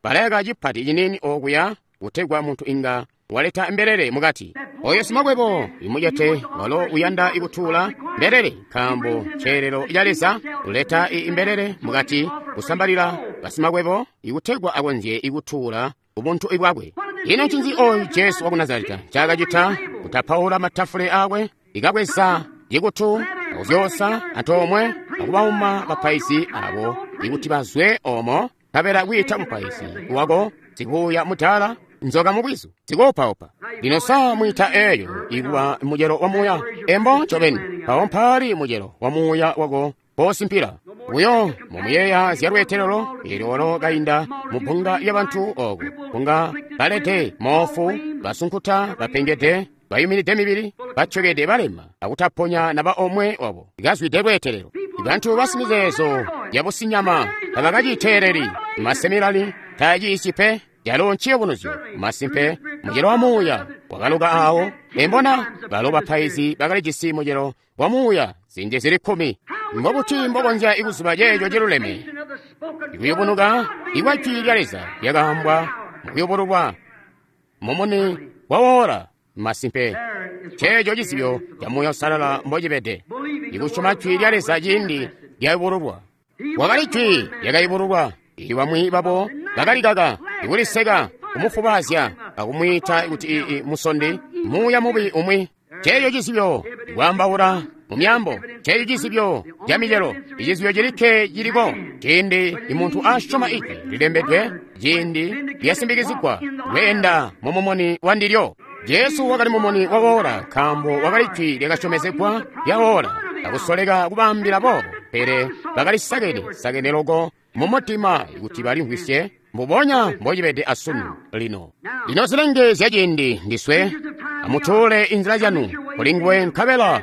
balayaka cipati ciniini okuya kutegwa muntu inga Waleta mbelele mukati. Oyo simakwebo imucete walo uyanda ikutuula mbelele, nkaambo ceelelo ca Leza uleta imbelele mukati kusambalila basimakwebo ikutegwa akonzye ikutuula ubuntu bwakwe. Ino ncinzi oyu Jesu waku Nazareta ncaakacita? Kutapaula matafule akwe, ikabweza cikutu akuzyosa antoomwe akubauma bapaizi abo ikuti bazwe omo, nkabela kwiita mupaizi wako sikuya mutala nzoka mubwizu zikuupaupa. Lino sa mwita eyo ikuba mucelo wa muuya? Embo ncobeni, mpawo mpaali mucelo wa muuya wako posimpila buyo mumuyeeya zya lweetelelo eelyo walo kainda mu bbunga lyabantu ooko, bbunga balede, moofu, basunkuta, bapengede, bayuminide mibili, batyokede, balema, akutaponya naba omwe wabo. Ikazwide lweetelelo. Bantu basimizeezo yabusinyama tabakaciteeleli, maseminari taaciisyi pe. Yalo nciyubunuzyo masimpe mucelo wa muuya wakaluka awo. Embona balo bapaizi bakalijisi mucelo wa muuya ziindi zili 10. Mbobuti mbokonzya ikuziba ceeco ciluleme? Ikuyubunuka ikwa jwi lya Leza lyakaambwa mukuyubululwa mumuni wa woora. Masimpe ceeco cizibyo ca Muuya Uusalala mbocibede, ikusyoma jwi lya Leza ciindi lyayubululwa. Wakali jwi lyakayubululwa. Bamwi babo bakalikaka, ikuliseka, kumufubaazya, akumwiita kuti musondi, muuya mubi umwi. Ceeco cizibyo ikwaambaula mu myaambo, ceeco cizibyo ca micelo, icizibyo cilikke ciliko ciindi imuntu asyoma ijwi lilembedwe, ciindi lyasimbikizigwa kweenda mu mumuni wa ndilyo. Jesu wakali mumuni wa woora, nkaambo wakali jwi lyakasyomezegwa lya woora. Akusoleka kubaambila boobo, pele bakalisakene sakene loko mu mutima kuti balimvwisye mbubonya mbocibede asunu lino. Lino zilenge zyaciindi ndiswe, amutuule inzila zyanu kulinguwe, nkabela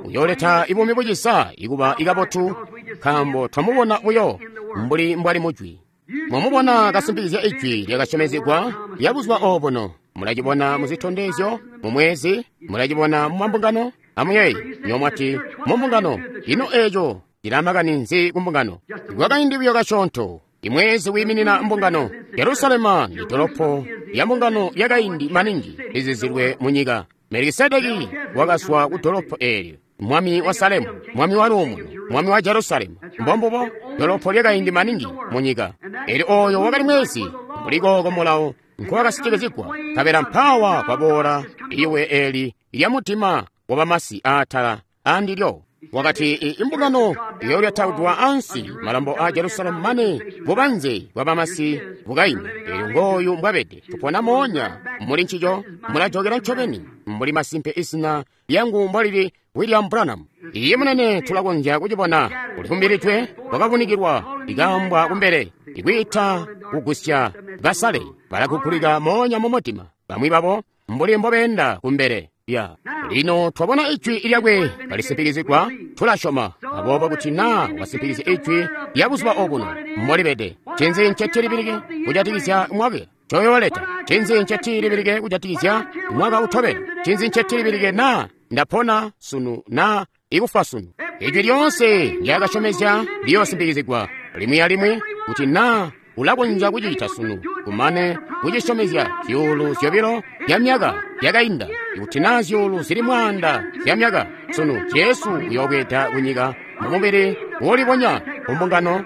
uyooleta ibuumi bucisa ikuba ikabotu, nkaambo twamubona buyo mbuli mbwali mujwi. Mwamubona kasimpikizya ijwi lyakasyomezegwa lya buzuba obuno. Mulacibona muzitondezyo mu mwezi, mulacibona mu mambungano. Amuyeeye, nyomwati mu mbungano, ino eeco cilamakani nzi ku mbungano? Kwakaindi buyo kasyoonto, imwezi wiiminina mbungano. Yerusalema ndi dolopo lya mbungano lyakaindi maningi lizizilwe mu nyika. Melikisedeki wakazwa ku dolopo eelyo, mwami wa Salemu, mwami wa luumuno, mwami wa Jerusalemu. Mbombubo dolopo lyakaindi maningi mu nyika. Eelyo ooyo wakali mwezi mbuli kooko mulawo nkowakasitikizigwa, nkabela mpawa kwaboola iwe eeli lya mutima wa bamasi aatala andilyo. Wakati imbungano iyolyataudwa ansi, malambo a Jerusalemu mane bubanze bwa bamasi bukaime. Eelyo ngooyu mbwabede, tupona moonya muli ncico, mulajokera ncobeni mbuli masimpe izina lyangu mbwalili William Branham. Iye munene, tulakonzya kucibona kulifumbilidwe, kwakavunikilwa, ikaambwa kumbele, ikwiita kugusya basale balakugulika moonya mu mutima, bamwi babo mbuli mbobeenda kumbele. Ya lino twabona ijwi lyakwe kalisimpikizigwa, tulasyoma. Aboobo kuti naa wasimpikizya ijwi lya buzuba obuno mbolibede, ncinzi ncetilibilike kujatikizya mwaka coyooleta? Ncinzi ncetilibilike kujatikizya mwaka utobela? Ncinzi ncetilibilike naa ndapona sunu naa ikufa sunu? Ijwi lyoonse lyakasyomezya liyoosimpikizigwa limwi alimwi, kuti naa ulakonzya kucita sunu, kumane kucisyomezya zyuulu 2 zya myaka yakainda, ikuti naa zyuulu zili 1000 zya myaka sunu, Jesu uyoobweeda kunyika mumubili uulibonya kumbungano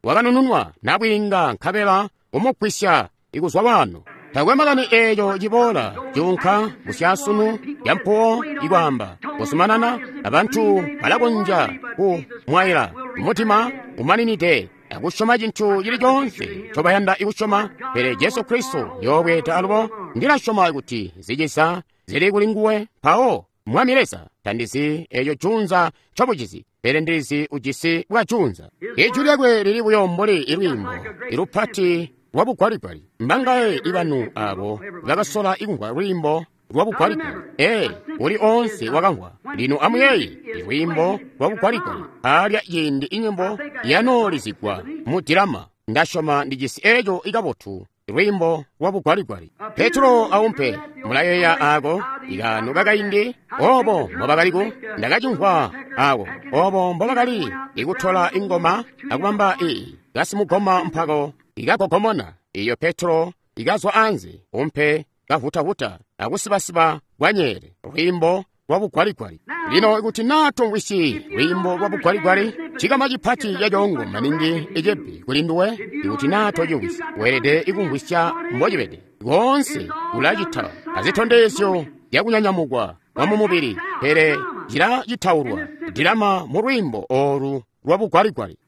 wakanununwa nabwiinga, nkabela umugwisya ikuzwa waano. Takwe makani eeco ciboola cuunka busyasunu yampuwo ikwaamba kuzumanana, abantu balakonzya kumwaila mutima umaninide akusyoma cintu cili coonse ncobayanda ikusyoma, pele Jesu Kristo yoobweeda alubo. Ndilasyoma kuti zicisa zili kuli nguwe. Mpawo Mwami Leza, tandizi eeco junza ncobucizi, pele ndilizi ujisi bwa junza. Ijwi lyakwe lili buyo mbuli ilwiimbo ilupati lwa bugwaligwali. Mbangaye ibanu abo bakasola ikumvwa lwiimbo lwa bugwaligwali? Ee, uli oonse wakamvwa. Lino amuyeeye lwiimbo lwa bugwaligwali alya ciindi inyimbo yanoolizigwa mu dilama. Ndasyoma ndijisi eeco ikabotu, lwiimbo lwa bugwaligwali. Petro aumpe, mulayeeya aako ikaano kakaindi obo mbobakaliku? Ndakacimvwa aako obo mbobakali ikutola ingoma akubamba kasimugoma mpako ikagogomona. Iyo Petro ikazwa anze, umpe kavutavuta akusibasiba kwanyeele, lwiimbo lwa bugwaligwali. Lino ikuti naa tomvwisyi lwiimbo lwa bugwaligwali, cikama cipati cacoongo maningi icebbi kuli nduwe. Ikuti naa tocimvwisyi, weelede ikumvwisya mbocibede. Koonse kulacita azitondezyo zyakunyanyamukwa kwa mumubili, pele cilacitaulwa dilama mu lwiimbo oolu lwa bugwaligwali.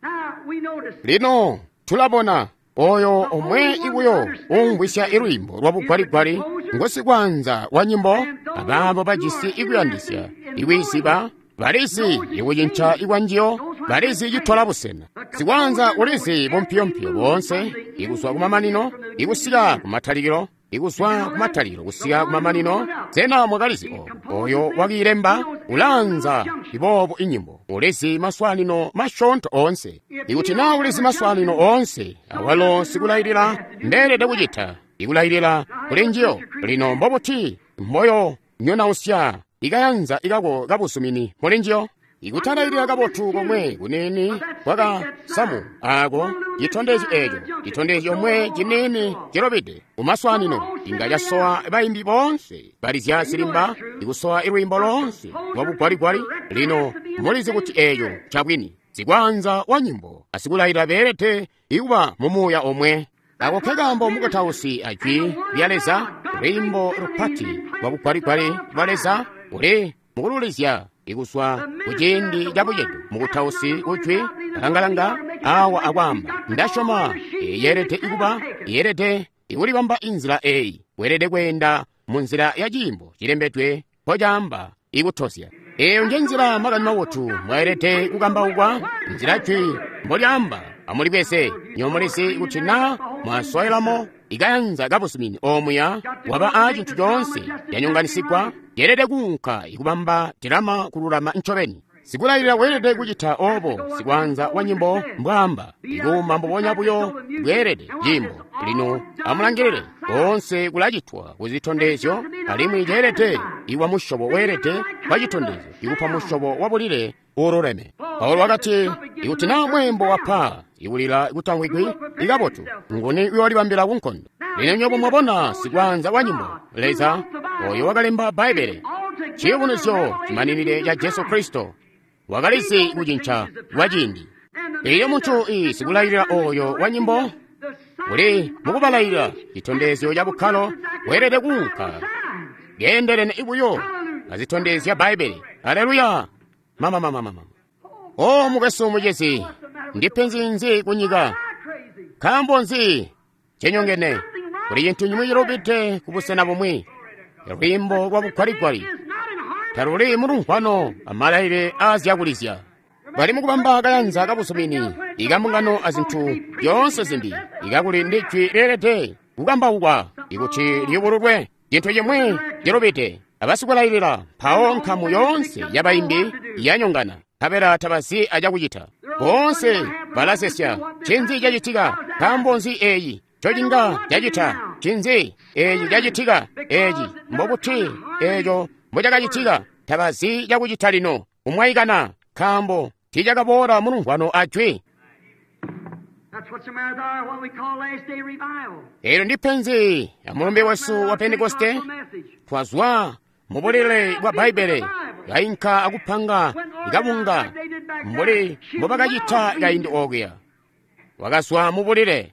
Lino tulabona oyo omwe ibuyo umvwisya ilwiimbo lwa bugwaligwali ngosikwaanza wa nyimbo, abaabo bajisi ikuyandisya ikwiziba, balizi ikucinca ikwanjiyo, balizi citola busena. Sikwaanza ulizi bumpiyompiyo boonse, ikuzwa kumamanino ikusika kumatalikilo, ikuzwa kumatalikilo kusika kumamanino. Sena mwakalizi obo? Oyo wakiilemba ulaanza iboobo inyimbo, ulizi maswaanino masyoonto oonse. Ikuti naa ulizi maswaanino oonse, awalo sikulailila mbeelede kucita ikulailila kuli njiyo. Lino mbobuti mboyo nyonausya ikayanza ikako kabuzumini muli njiyo? Ikutalailila kabotu komwe kuniini kwakasamu ako citondezyo eco, citondezyo omwe ciniini cilobede kumaswaanino inga casowa bayimbi boonse balizya zilimba ikusowa ilwiimbo loonse lwa bugwaligwali. Lino mulizi kuti eco ncabwini. Sikwaanza wa nyimbo asikulailila beelede ikuba mumuuya omwe. Ako nkekaambo mukutausi ajwi lya Leza, lwiimbo lupati lwa bugwaligwali lwa Leza uli mukululizya ikuzwa kuciindi cabucedo. Mukutausi kujwi alangalanga awa akwaamba, ndasyoma yeelede ikuba, yeelede ikulibamba inzila eyi, weelede kweenda mu nzila ya ciimbo cilembedwe mpocaamba ikutozya. Eyo nje nzila makani mabotu mwaelede kukambaukwa, nzila jwi mbolyaamba. Amulibweze nyowe mulizi kuti naa mwaswailamo ikayanza kabuzumini omuya waba a cintu coonse canyonganisigwa, yeelede kuunka ikubamba dilama kululama ncobeni. Sikulailila weelede kucita obo sikwaanza wa nyimbo mbwaamba, ikuuma mbubonya buyo bweelede ciimbo. Lino amulangilile, koonse kulacitwa kuzitondezyo, alimwi ceelede iwa musyobo weelede kwa citondezyo ikupa musyobo wa bulile uululeme. Paulo wakati, ikuti naa mweembo wapa ikulila kutamvwigwi ikabotu, nguni uyoolibambila kunkondo? Lino nywebo mwabona sikwaanza wa nyimbo, Leza oyo wakalemba Bbaibbele, ciyubunuzyo cimaninide ca Jesu Kristo, wakalizi kucinca kwa ciindi. Elyo muntu sikulailila oyo wa nyimbo uli mukubalailila citondezyo ca bukkalo, weelede kuunka keendelene ibuyo azitondezya Bbaibbele. Aleluya! Mamamamamama! O mukwesu mucezi, ndipenzi nzi kunyika? Nkaambo nzi cenyongene? Kuli cintu cimwi cilubide kubusena bumwi. Lwiimbo lwa bugwaligwali taluli mulumvwano amalaile aazyakulizya. Bali mukubamba kayanza kabuzumini ikambungano azintu zyoonse zimbi, ikakuli ndi jwi leelede kukambaukwa ikuti liyubululwe. Cintu cimwi cilubide abasikulailila, mpawo nkamu yoonse yabayimbi yanyongana, nkabela tabazi acakucita. Boonse balasesya, ncinzi cacitika? Nkaambo nzi eyi ncocinga cacita? Ncinzi eeci cacitika? Eeci mbobuti eeco mbocakacitika? Tabazi cakucita lino, kumwaikana, nkaambo tiicakaboola mulumvwano ajwi. Eelyo ndi penzi amulumbe wesu wa Pentekoste. Twazwa mubulile bwa Bbaibbele, kainka akupanga ikabunga mbuli mbobakacita kaindi okuya. Wakazwa mubulile.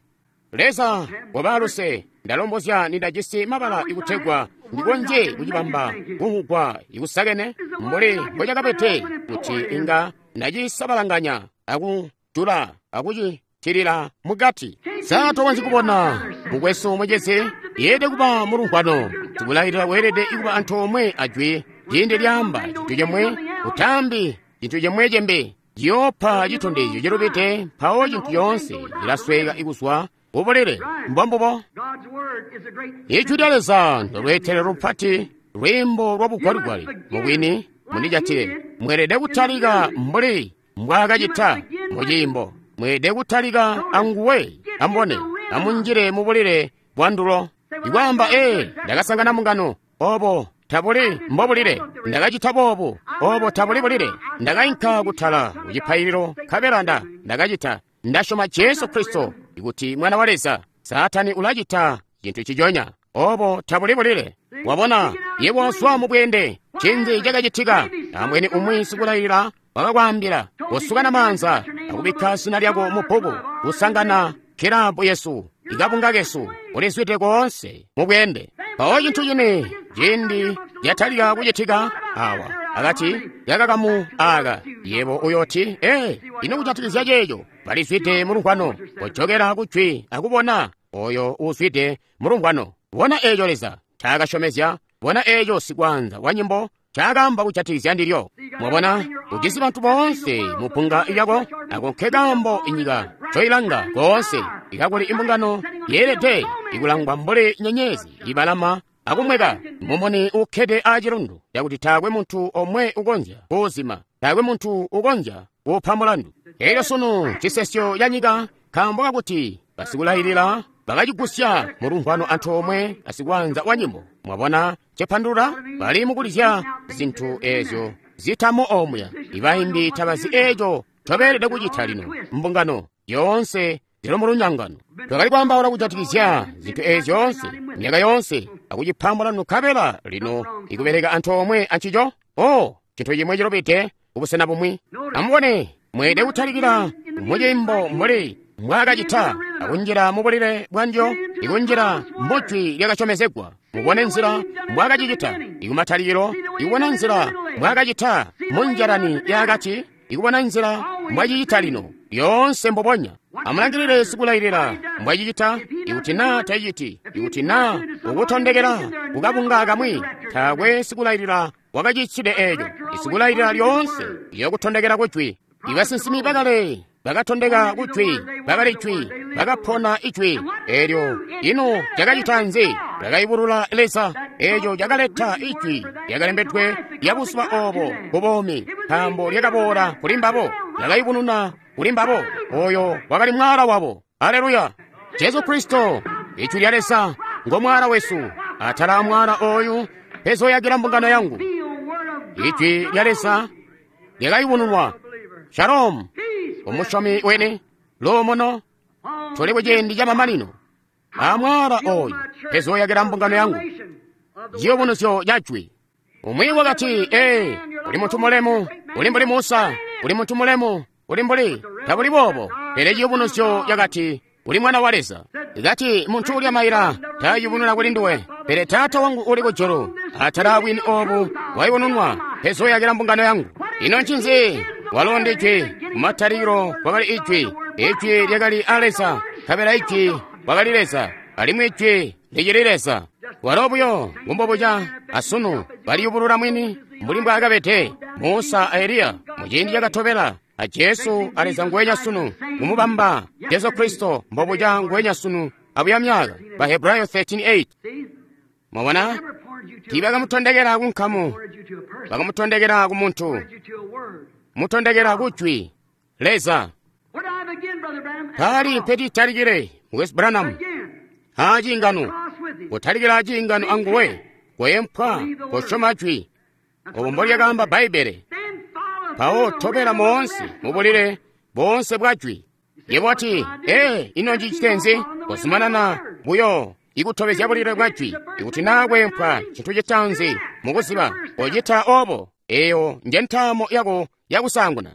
Leza wabaluse, ndalombozya nindajisi mabala ikutegwa ndikonzye kucibamba kumvugwa ikusakene mbuli mbocakabede, kuti inga ndacisabalanganya akujula akucitilila mukati. Sa tokonzyi kubona, mukwesu mucezi, yeelede kuba mulumvwano. Sikulailila weelede ikuba antoomwe ajwi ciindi lyaamba cintu cimwe, utaambi cintu cimwe cimbi, ciyoopa citondezyo cilubide, mpawo cintu coonse cilasweka ikuzwa kubulile. Mbombubo. Ijwi lya Leza ndolweetelelo lupati, lwiimbo lwa bugwaligwali. Mubwini mundijatile, mweelede kutalika mbuli mbwaakacita muciimbo. Mweelede kutalika anguwe. Ambone, amunjile mubulile bwandulo. Ikwaamba, ee, ndakasangana mungano, obo tabuli mbobulile. Ndakacita boobu, obo tabuli bulile. Ndakainka kutala kucipaililo, nkabela ndakacita. Ndasyoma Jesu Kristo ikuti Mwana wa Leza. Saatani ulacita cintu ciconya. Obo tabuli bulile. Wabona, yebo wazwa mu bweende. Ncinzi cakacitika? Ambweni umwi sikulailila wakakwaambila, kosukana maanza akubikka zina lyako mu bbuku, kusangana kilabu yesu, ikabunga kesu, ulizwide koonse mu bweende. Mpawo cintu cini ciindi yatalika kucitika awa akati yakakamu aka, yebo uyooti, ee, ino kujatikizya ceeco, balizwide mu lumvwano. Kojokela ku jwi akubona oyo uuzwide mu lumvwano. Bona eeco Leza ncaakasyomezya, bona eeco sikwaanza wa nyimbo ncaakaamba kujatikizya ndilyo. Mwabona, ujisi bantu boonse mu bbunga lyako, ako nke kaambo inyika ncoilanga koonse, ikakuli imbungano yeelede ikulangwa mbuli nyenyezi ibalama akumweka, mumuni uukkede aacilundu, cakuti taakwe muntu omwe ukonzya kuuzima, taakwe muntu ukonzya kuupa mulandu. Elyo sunu cisesyo ca nyika, nkaambo kakuti basikulailila bakacigusya mu lumvwano antoomwe asikwaanza wa nyimbo. Mwabona cepandulula? Bali mukulizya zintu eezyo zitamo omuya. Ibaimbi tabazi eeco ncobeelede kucita lino. Mbungano yoonse zili mu lunyangano. Twakali kwaambaula kujatikizya zintu eezi zyoonse myaka yoonse akucipa mulandu, nkabela lino ikubeleka antoomwe ancico. Oh, cintu cimwe cilubide kubusena bumwi. Amubone, mweelede kutalikila muciimbo mbuli mbwaakacita akunjila mubulile bwandyo, ikunjila mujwi lyakasyomezegwa. Mubone nzila mbwaakacicita ikumatalikilo, ikubona nzila mbwaakacita munjalani yaakati, ikubona nzila mbwacicita lino, lyoonse mbubonya. Amulangilile sikulailila mbwacicita. Ikuti naa taciti, ikuti naa ukutondekela kukabunga kamwi, taakwe sikulailila wakacicitide eeco. Isikulailila lyoonse liyokutondekela kujwi. Ibasinsimi bakale bakatondeka kujwi, bakali jwi, bakapona ijwi. Eelyo ino cakacita nzi? Lyakayubulula Leza. Eeco cakaleta ijwi lyakalembedwe lya buzuba obo ku buumi, nkaambo lyakaboola kuli mbabo, lyakayubununa kuli mbabo. Oyo wakali mwaala wabo. Aleluya! Jesu Kristo, ijwi lya Leza, ngo mwaala wesu. Atala amwaala oyu mpezoyakila mbungano yangu. Ijwi lya Leza lyakayubununwa. Shalom, umusyomi wene, luumuno, tuli kuciindi ca mamanino. Amwaala oyu mpezoyakila mbungano yangu. Ciyubunuzyo ca jwi. Umwi wakati, ee, uli muntu mulemu, uli mbuli Musa, uli muntu mulemu, uli mbuli, tabuli boobo. Pele ciyubunuzyo cakati, uli mwana wa Leza. Kati, muntu ulya maila tayubununa kuli nduwe, pele Taata wangu uli kujulu. Atala abwini obu wayubununwa, mpezoyakila mbungano yangu. Ino ncinzi? Walo ndi Ijwi. Kumatalikilo kwakali Ijwi. Ijwi lyakali a Leza, nkabela Ijwi wakali Leza, alimwi Ijwi licili Leza. Walo buyo ngumbobuca asunu baliyubulula mwini mbuli mbwaakabede Musa a Eliya muciindi cakatobela, a Jesu a Leza nguwenya sunu kumubamba Jesu Kristo mbobuca nguwenya sunu abuya myaka. Bahebrayo 13:8. Mwabona, tiibakamutondekela ku nkamu, bakamutondekela ku muntu, mutondekela ku jwi Leza. Pali mpetitalikile Mukwesu Branham aciingano, kutalikila aciingano anguwe, kweempwa, kosyoma jwi. Obo mbolyakaamba Bbaibbele. Mpawo tobela moonse mubulile boonse bwa jwi. Yebo wati, ee, ino njicite nzi? Kozumanana buyo ikutobezya bulile bwa jwi. Ikuti naa kweempwa cintu citaanzi mukuziba, kocita obo. Eyo nje ntaamo yako yakusaanguna.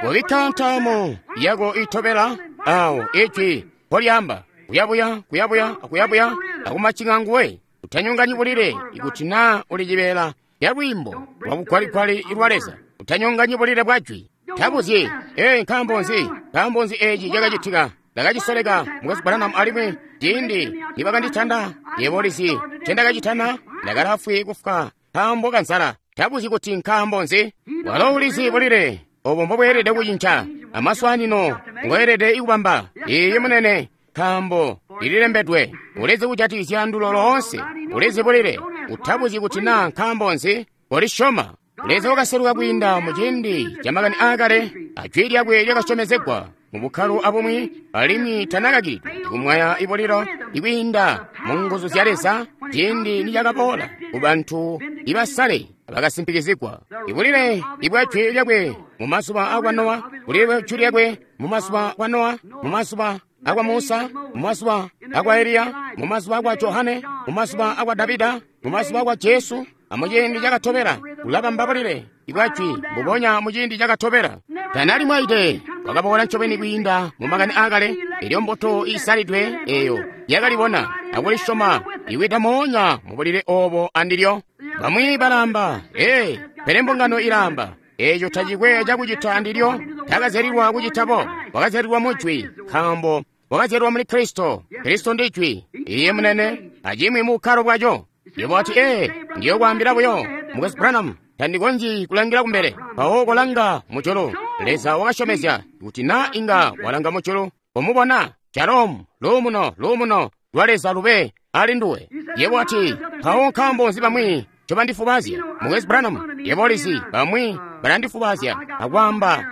Kobikka ntaamo yako itobela awo ijwi mpolyaamba, kuyabuya, kuyabuya, akuyabuya, akumacinga nguwe. Utanyonganyi bulile ikuti naa uli cibeela ya lwiimbo lwa bugwaligwali lwa Leza. Utanyonganyi bulile bwa jwi. Tabuzyi, ee, nkaambo nzi? Nkaambo nzi eeci cakacitika? Ndakacisoleka Mukwesu Branham alimwi ciindi nibakanditanda, yebo ulizi ncendakacitana, ndakalaafwi kufwa nkaambo kanzala. Tabuzyi kuti nkaambo nzi? Walo ulizi bulile obo mbobweelede kucinca, amaswaanino ngoelede kubamba. Iiyi munene, nkaambo lililembedwe. Ulizi kujatikizya ndulo loonse, ulizi bulile. Utabuzyi kuti naa nkaambo nzi? Kolisyoma. Leza wakaseluka kwiinda mu ciindi ca makani aakale, ajwi lyakwe lyakasyomezegwa mu bukkalo abumwi, alimwi tanakakilidwe kumwaya ibulilo ikwiinda mu nguzu zya Leza ciindi nicakaboola ku bantu ibasale bakasimpikizigwa. Ibulile ibwa jwi lyakwe mu mazuba akwa Nowa, bulile bwa jwi lyakwe mu mazuba kwa Nowa, mu mazuba akwa Musa, mu mazuba akwa Eliya, mu mazuba akwa Johane, mu mazuba akwa Davida, mu mazuba akwa Jesu, amuciindi cakatobela ulabamba bulile ibwajwi mbubonya muciindi cakatobela. Tanali mwaide wakaboola ncobeni kwiinda mu makani aakale. Elyo mbuto iisalidwe eyo yakalibona akulisyoma iwida moonya mubulile obo andilyo. Bamwi balaamba, ee, pele mbungano ilaamba eeco tacikwe cakucita andilyo. Takazyalilwa kucita bo, wakazyalilwa mujwi, nkaambo wakazyalilwa muli Kristo. Kristo ndi jwi, iye munene, acimwi mu bukkalo bwaco. Yebo wati, ee, ndiyokwaambila buyo, Mukwesu Branham, tandikonzyi kulangila kumbele. Mpawo kolanga mujulu. Leza wakasyomezya kuti na inga walanga mujulu, komubona Shalom, luumuno, luumuno lwa Leza lube ali nduwe. Yebo wati, mpawo nkaambo nzi bamwi ncobandifubazya, Mukwesu Branham? Yebo ulizi, bamwi balandifubazya akwaamba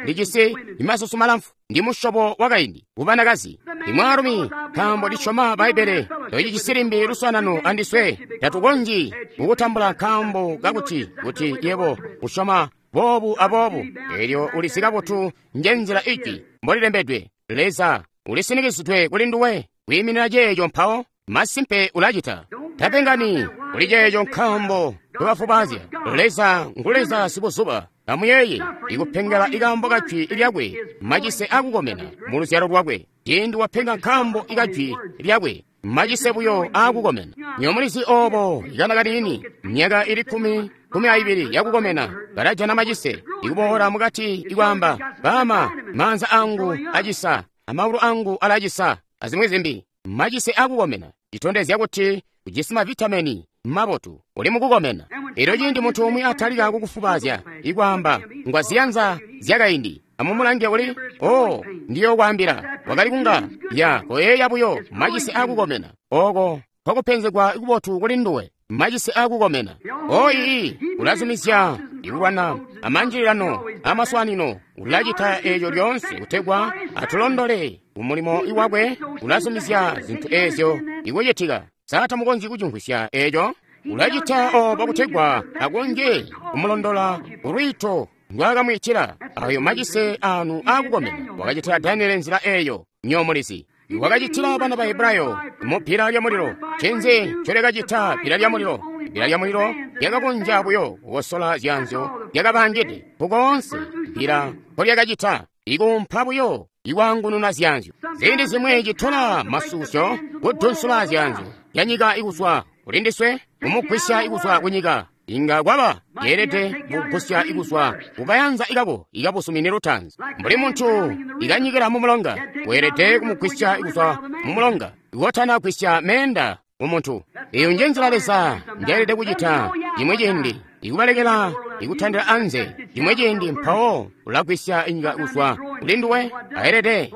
ndijisi imasusu malamfu, ndi musyobo wakaindi kubanakazi, ndi mwaalumi, nkaambo ndisyoma Bbaibbele. Tocijisi limbi luswaanano andiswe, tatukonzyi kukutambula nkaambo kakuti kuti yebo usyoma boobu aboobu. Elyo ulizi kabotu njenzila ijwi mbolilembedwe. Leza ulisinikizidwe kuli nduwe kwiiminina ceeco, mpawo masimpe ulacita. Tapengani kuli ceeco nkaambo tobafubazya. Leza ngu Leza sibuzuba. Amuyeeye ikupengela ikaambo kajwi lyakwe, macise akukomena mu luzyalo lwakwe. Ciindi wapenga nkaambo ikajwi lyakwe, macise buyo aakukomena. Nyo mulizi obo ikana kaniini, myaka ili 12 yakukomena, kalajana macise ikuboola mukati ikwaamba, baama, maanza angu acisa, amaulu angu alacisa, azimwi zimbi. Macise akukomena citondezya kuti ujisi mavitameni mabotu, uli mukukomena. Elyo ciindi muntu umwi atalika kukufubazya ikwaamba ngwaziyanza zyakaindi, amumulange uli, oh, ndiyokwaambila, wakali kunga ya koyeeya buyo macise akukomena. Oko kwakupenzegwa kubotu kuli nduwe, macise akukomena. O ii, ulazumizya ikulwana amanjililano amaswanino. Ulacita eeco lyoonse kutegwa atulondole kumulimo iwakwe. Ulazumizya zintu eezyo ikucitika. Sa tamukonzyi kucimvwisya eeco? Ulacita obo kutegwa akonzye kumulondola ulwiito ndwakamwiitila. Ayo macise anu akukomena. Wakacitila Daniele nzila eeyo, nyomulizi. Wakacitila bana ba Hebrayo mu bbila lyamulilo. Ncinzi ncolyakacita bbila lyamulilo? Bbila lyamulilo lyakakonzya buyo kukosola zyaanzyo lyakabaangide kukoonse. Bbila mpolyakacita ikuumpa buyo ikwaangununa zyaanzyo. Ziindi zimwi citola masusyo kudunsula zyaanzyo yanyika ikuzwa kulindiswe, kumugwisya ikuzwa kunyika. Inga kwaba yeelede kugusya ikuzwa kukayanza ikako ikabusumini lutanzi. Mbuli muntu ikanyikila mumulonga, weelede kumugwisya ikuzwa mumulonga ikotana gwisya meenda mumuntu. Eyo nje nzila Leza njeelede kucita. Cimwi ciindi ikubalekela ikutandila anze, cimwi ciindi mpawo ulagwisya inyika kuzwa kuli nduwe. Aelede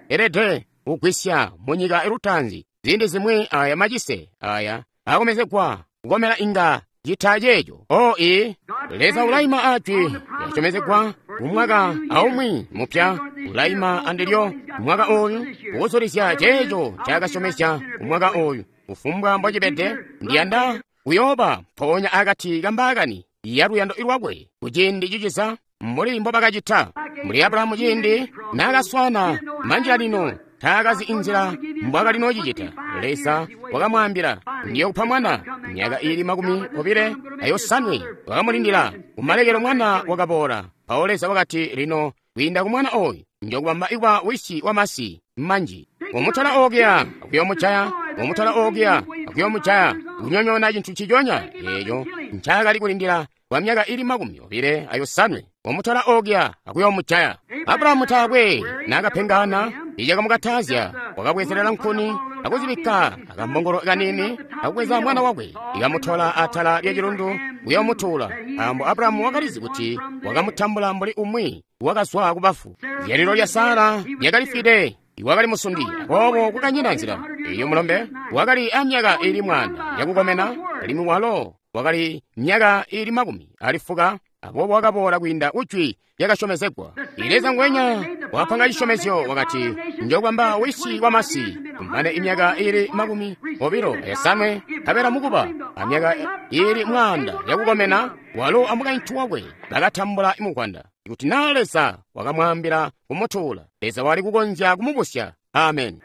elede kugwisya munyika lutanzi. Ziindi zimwi aya macise aya akomezegwa kukomela inga cita ceeco. O ii, Leza ulaima ajwi lyasyomezegwa kumwaka aumwi mupya. Ulaima andilyo mwaka ooyu kuzulizya ceeco ncaakasyomezya kumwaka ooyu. Kufumbwa mbocibede, ndiyanda kuyooba mpoonya akati kambaakani ya luyando lwakwe kuciindi ciciza, mbuli mbobakacita mbuli Abrahamu ciindi naakaswana manjilalino. Taakazi inzila mbwakali nocicita. Leza wakamwaambila, ndiyokupa mwana. Myaka ili 28 wakamulindila. Kumalekelo mwana wakaboola. Mpawo Leza wakati, lino kwiinda ku mwana oyu njokubamba ikuba wisi wamasi manji. Umutola okuya akuyomujaya, umutola okuya akuyomujaya, kunyonyoona cintu ciconya eeco ncaakali kulindila kwa myaka ili 25. Umutola okuya akuyomujaya. Abrahamu taakwe naakapengana, icakamukatazya wakabwezelela nkuni akuzibikka akambongolo kanini akubweza mwana wakwe ikamutola atala lya cilundu kuyomutuula, nkaambo Abrahamu wakalizi kuti wakamutambula mbuli umwi wakazwa kubafu. Zyalilo lya Sara lyakalifwide, iwakali musundi, aboobo kwakanyina nzila. Eyo mulombe wakali amyaka ili 100 yakukomena, alimwi walo wakali myaka ili 90, aboobo wakaboola kwiinda kujwi lyakasyomezegwa. Leza ngwenya wapanga cisyomezyo wakati, njokubamba wisi wamasi kumane imyaka ili 25, nkabela mukuba amyaka ili 100 yakukomena, walo amukaintu wakwe bakatambula mukwanda. Kuti naa Leza wakamwaambila kumutuula, Leza wali kukonzya kumubusya Amen.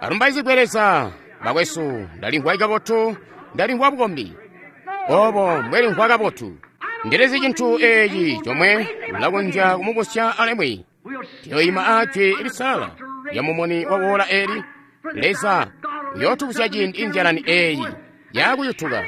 Alumbaizigwe Leza. Bakwesu, ndalimvwa kabotu, ndalimvwa bukombi. Obo mbwelimvwa kabotu. Ndilizi cintu eeci comwe ulakonzya kumubusya alimwi. Tuyoyima aajwi lisalala lya mumuni wa woola eli. Leza uyootubusya ciindi inzyalani eeyi yaakuyutuka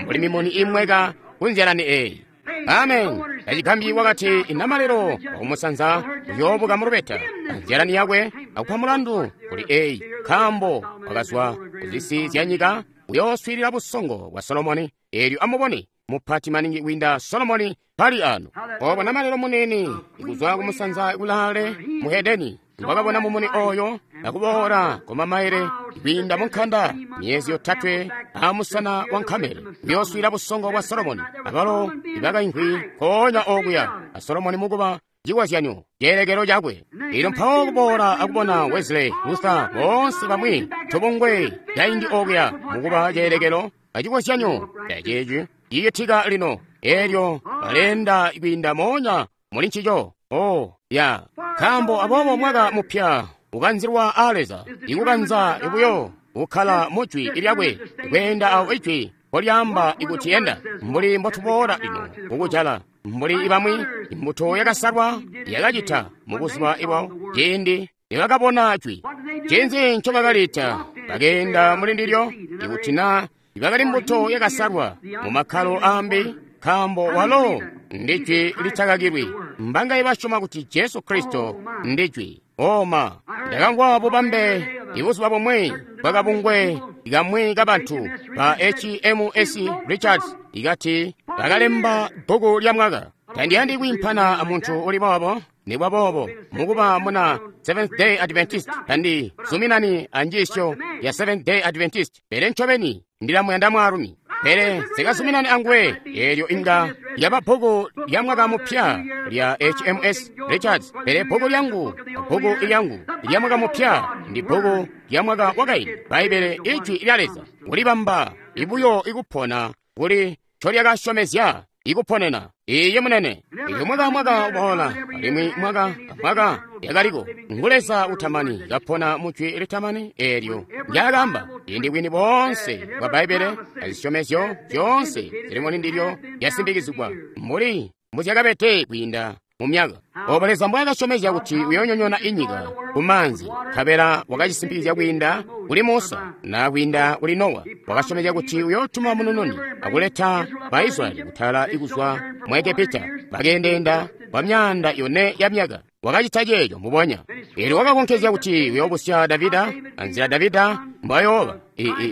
mbuli mimuni imweka ku nzyalani eeyi. Amen. Tacigambyi wakati inamalelo wakumusanza uyoobuka mulubeta anzyalani yakwe akupa mulandu kuli eeyi, nkaambo wakazwa kuzisi zya nyika uyooswiilila busongo bwa Solomoni. Eelyo amubone mupati maningi kwiinda Solomoni pali ano. Obo namalelo munene kuzwa kumusanza kulaale mu Hedeni wakabona mumuni oyo akuboola kumamaile kwiinda munkanda myezi yotatwe amusana wa nkamele uyooswiila busongo bwa Solomoni. Abalo ibakaimvwi nkoonya okuya a Solomoni mukuba cikozyanyo ceelekelo cakwe. Elyo mpawo kuboola akubona Wesley, Luther, boonse bamwi tubungwe kaindi okuya mukuba ceelekelo acikozyanyo caceeci cicitika lino. Elyo baleenda kwiinda moonya muli ncico. Oh, ya. Nkaambo aboobo mwaka mupya ukanzilwa aa Leza, ikukanza buyo kukkala mu jwi lyakwe, kweenda awo ijwi mpolyaamba ikuti enda, mbuli mbotuboola lino kukujala. Mbuli bamwi imbuto yakasalwa yakacita mu buzuba ibwawo ciindi nibakabona jwi. Ncinzi ncobakalita? Bakeenda muli ndilyo. Ikuti na ibakali mbuto yakasalwa mu makkalo ambi, nkaambo walo ndi jwi litakakilwi. Mbangaye basyoma kuti Jesu Kristo ndi jwi? Oma, ndakamvwa bubambe ibuzuba bumwi bwakabungwe kamwi kabantu ba HMS Richards ikati bakalemba bbuku lya mwaka. Tandiyandi kwiimpana amuntu uli boobo, nibwa boobo mukuba muna Seventh Day Adventist tandi zuminani anjiisyo ya Seventh Day Adventist, pele ncobeni ndilamuyanda mwaalumi. Pele sikazuminani anguwe. Eelyo inga yaba bbuku lya mwaka mupya lya HMS Richards, pele bbuku lyangu, bbuku lyangu lya mwaka mupya ndi bbuku lya mwaka wakaindi, Bbaibbele, ijwi lya Leza, kulibamba ibuyo ikupona kuli ncolyakasyomezya ikuponena. Iye munene. Ilyo mwaka mwaka uboola, alimwi mwaka mwaka yakaliko ngu Leza utamani kapona mu jwi litamani eelyo ndyakamba. Ciindi bwini boonse bwa Bbaibbele azisyomezyo zyoonse zili muli ndilyo lyasimbikizigwa mbuli mbuzyakabede kwiinda mu myaka. Obo Leza mbwaakasyomezya kuti uyoonyonyoona inyika ku maanzi, nkabela wakacisimpikizya kwiinda kuli Musa na kwiinda kuli Nowa. Wakasyomezya kuti uyootuma munununi akuleta Baisraeli kutala ikuzwa mu Egepita. Bakeendeenda kwa myaanda yone ya myaka. Wakacita ceeco mbubonya. Eelyo wakakonkezya kuti uyoobusya Davida, anzila Davida mbwayooba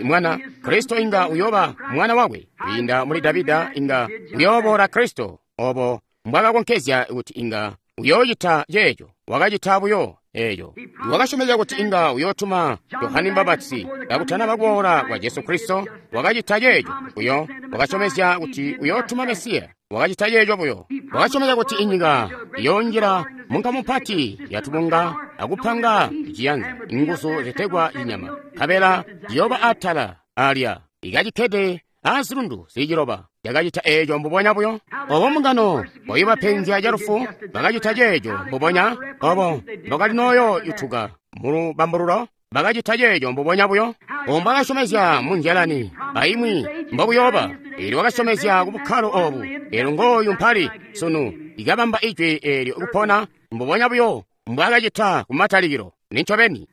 mwana Kristo inga uyooba mwana wakwe. Kwiinda muli Davida inga uyooboola Kristo. Obo mbwakakonkezya kuti inga uyoocita ceeco, wakacita buyo eeco. Wakasyomezya kuti inga uyootuma Yohane Mbapatizi kakutanaba kuboola kwa Jesu Kristo, wakacita ceeco buyo. Wakasyomezya kuti uyootuma Mesiya, wakacita ceeco buyo. Wakasyomezya kuti inyika iyoonjila munkamu mpati yatubunga akupanga ciyanza, inguzu zitegwa cinyama, nkabela ciyooba atala alya ikacikkede azilundu zili ciloba. Yakacita eeco mbubonya buyo. Obo mbungano bwayibapenzya calufu bakacita ceeco mbubonya. Obo mbakali nooyo yutuka mulubambululo bakacita ceeco mbubonya buyo. Obo mbwakasyomezya mu nzyalani aimwi mbokuyooba. Eelyo wakasyomezya ku bukkalo obu. Eelyo ngooyu mpali sunu ikabamba ijwi eelyo kupona mbubonya buyo mbwakacita kumatalikilo. Nincobeni.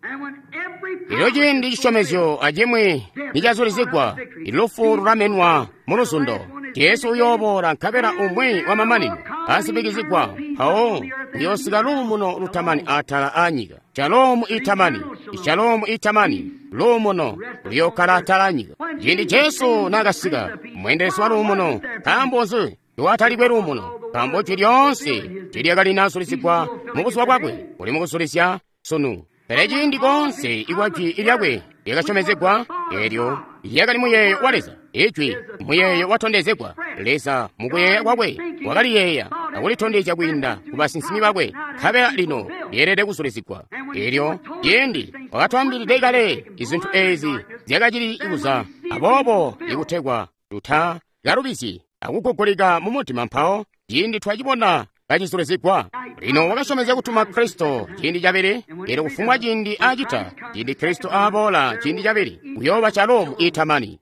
Elyo ciindi cisyomezyo acimwi nicazulizigwa, ilufu lulamenwa mu luzundo. Jesu uyooboola nkabela umwi wamamanino asimbikizigwa, mpawo uyoosika luumuno lutamani atala aanyika. Shalomu itamani, shalomu itamani, luumuno luyookkala atala aanyika. Ciindi Jesu naakasika, mweendelezi wa luumuno, nkaambo nzi lwatalikwe luumuno? Nkaambo jwi lyoonse tilyakalinasulizigwa mu buzuba bwakwe, uli mukusulizya sunu. Pele ciindi koonse ikwa jwi lyakwe lyakasyomezegwa, eelyo lyakali muyeeyo wa Leza. Ijwi muyeeyo watondezegwa. Leza mukuyeeya kwakwe wakaliyeeya akulitondezya kwiinda ku basinsimi bakwe, nkabela lino lyeelede kusulizigwa. Eelyo ciindi wakatwaambilide kale izintu eezi zyakacili kuza, aboobo ikutegwa tutakalubizyi akugugulika mu mutima mpawo ciindi twacibona kacizulizigwa. Lino wakasyomezya kutuma Kristo ciindi cabili, elyo kufumbwa ciindi acita, ciindi Kristo aboola ciindi cabili, uyooba calo mu itamani.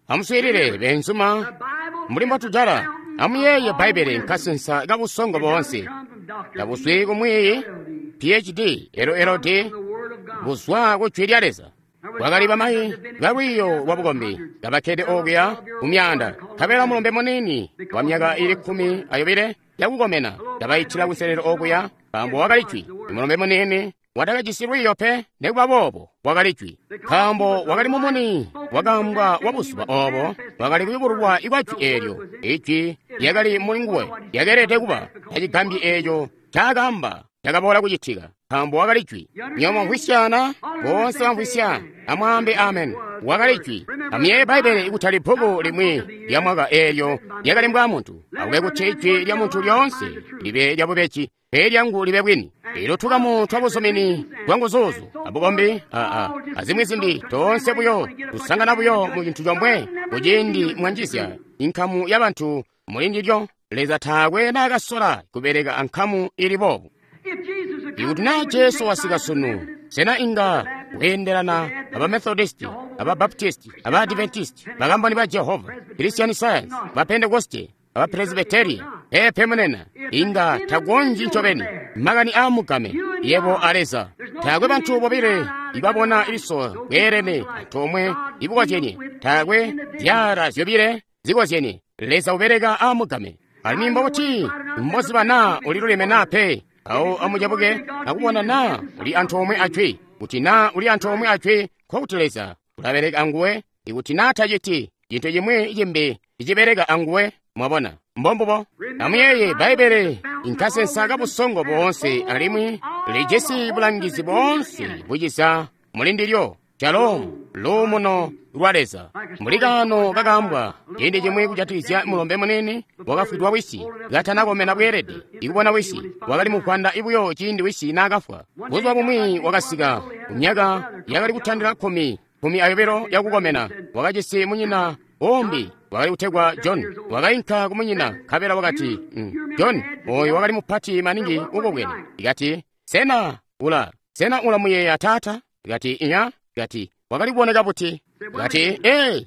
Amuswiilile beenzuma, mbuli mbotujala, amuyeeye Bbaibbele nkasensa kabusongo boonse. Tabuzwi kumwiiyi PhD, LLD, buzwa ku Jwi lya Leza. Kwakali bamayi balwiiyo lwa bukombi kabakkede okuya ku myaanda, nkabela mulombe muniini wa myaka ili 12 yakukomena kabaitila kunselelo okuya, nkaambo wakali Jwi. Mulombe muniini watakajisi lwiiyo pe, nikuba boobo wakali Jwi, nkaambo wakali mumuni wakaambwa wa buzuba oobo, wakali kuyubululwa kwa Jwi eelyo. Ijwi lyakali muli nguwe, lyakeelede kuba tacigambyi eeco ncaakaamba cakaboola kucitika, nkaambo wakali Jwi. Nywebo mvwisyana, boonse bamvwisya, amwaambe amen. Wakali Jwi. Amuyeeye Bbaibbele ikutali bbuku limwi lya mwaka eelyo lyakalembwa muntu. Akube kuti ijwi lya muntu lyoonse libe lyabubeji, pele lyangu libe bwini. Elyo tukamu twa buzumini bwanguzuuzu abukombi azimwi zimbi, toonse buyo tusangana buyo mu cintu comwe. Kuciindi mwanjizya inkamu ya bantu muli ndilyo, Leza taakwe naakasola kubeleka ankamu ili boobu. Ikuti naa Jesu wasika sunu, sena inga weendelana aba Methodisti, aba Baptisti, aba Adventisti, Bakamboni ba Jehova, Christian Science, ba Pentekoste, aba Presbyteria? Peepe munena, inga takonzyi ncobeni. Makani aamugame, yebo a Leza. Taakwe bantu bobile ibabona liso bweelene antoomwe ibukozyenye. Taakwe zyaala zyobile zikozyenye. Leza ubeleka aamugame. Alimwi mbobuti mboziba naa uliluleme naa pe? Awo amucabuke akubona naa uli antoomwe a Jwi. Kuti naa uli antoomwe a Jwi, nkokuti Leza ulabeleka anguwe. Ikuti naa taciti, cintu cimwi cimbi cicibeleka anguwe. Mwabona, mbombubo. Amuyeeye Bbaibbele nkasensa kabusongo boonse, alimwi lijisi bulangizi boonse buciza muli ndilyo, calo luumuno lwa Leza. Mbuli kaano kakaambwa ciindi cimwi kujatikizya mulombe muniini wakafwidwa wisi katanakomena bweelede ikubona wisi. Wakali muvwanda buyo ciindi wisi naakafwa. Buzuba bumwi wakasika kumyaka yakali kutandila 12 yakukomena. Wakajisi munyina umbi wakali kutegwa John. Wakainka kumunyina nkabela wakati, John oyo wakali mupati maningi ukobwene. Ikati, sena ulamuyeeya taata? Ikati, inya. Ikati, wakali kuboneka buti? Ikati,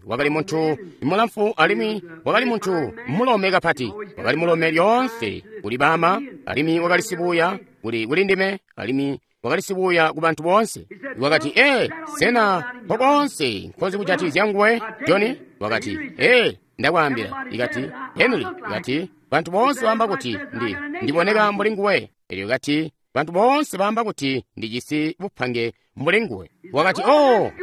wakali muntu mulamfu alimwi wakali muntu mulome kapati. Wakali mulome lyoonse kuli baama, alimwi wakali sibuya kuli ndime, alimwi wakali sibuya ku bantu boonse. Wakati, sena kokonse nkozi kujatikizya nguwe, Johnny? Wakati, ndakwaambila. Ikati, Henry. Ikati, bantu boonse baamba kuti ndiboneka mbuli nguwe. Elyo ikati, bantu boonse baamba kuti ndijisi bupange mbuli nguwe. Wakati,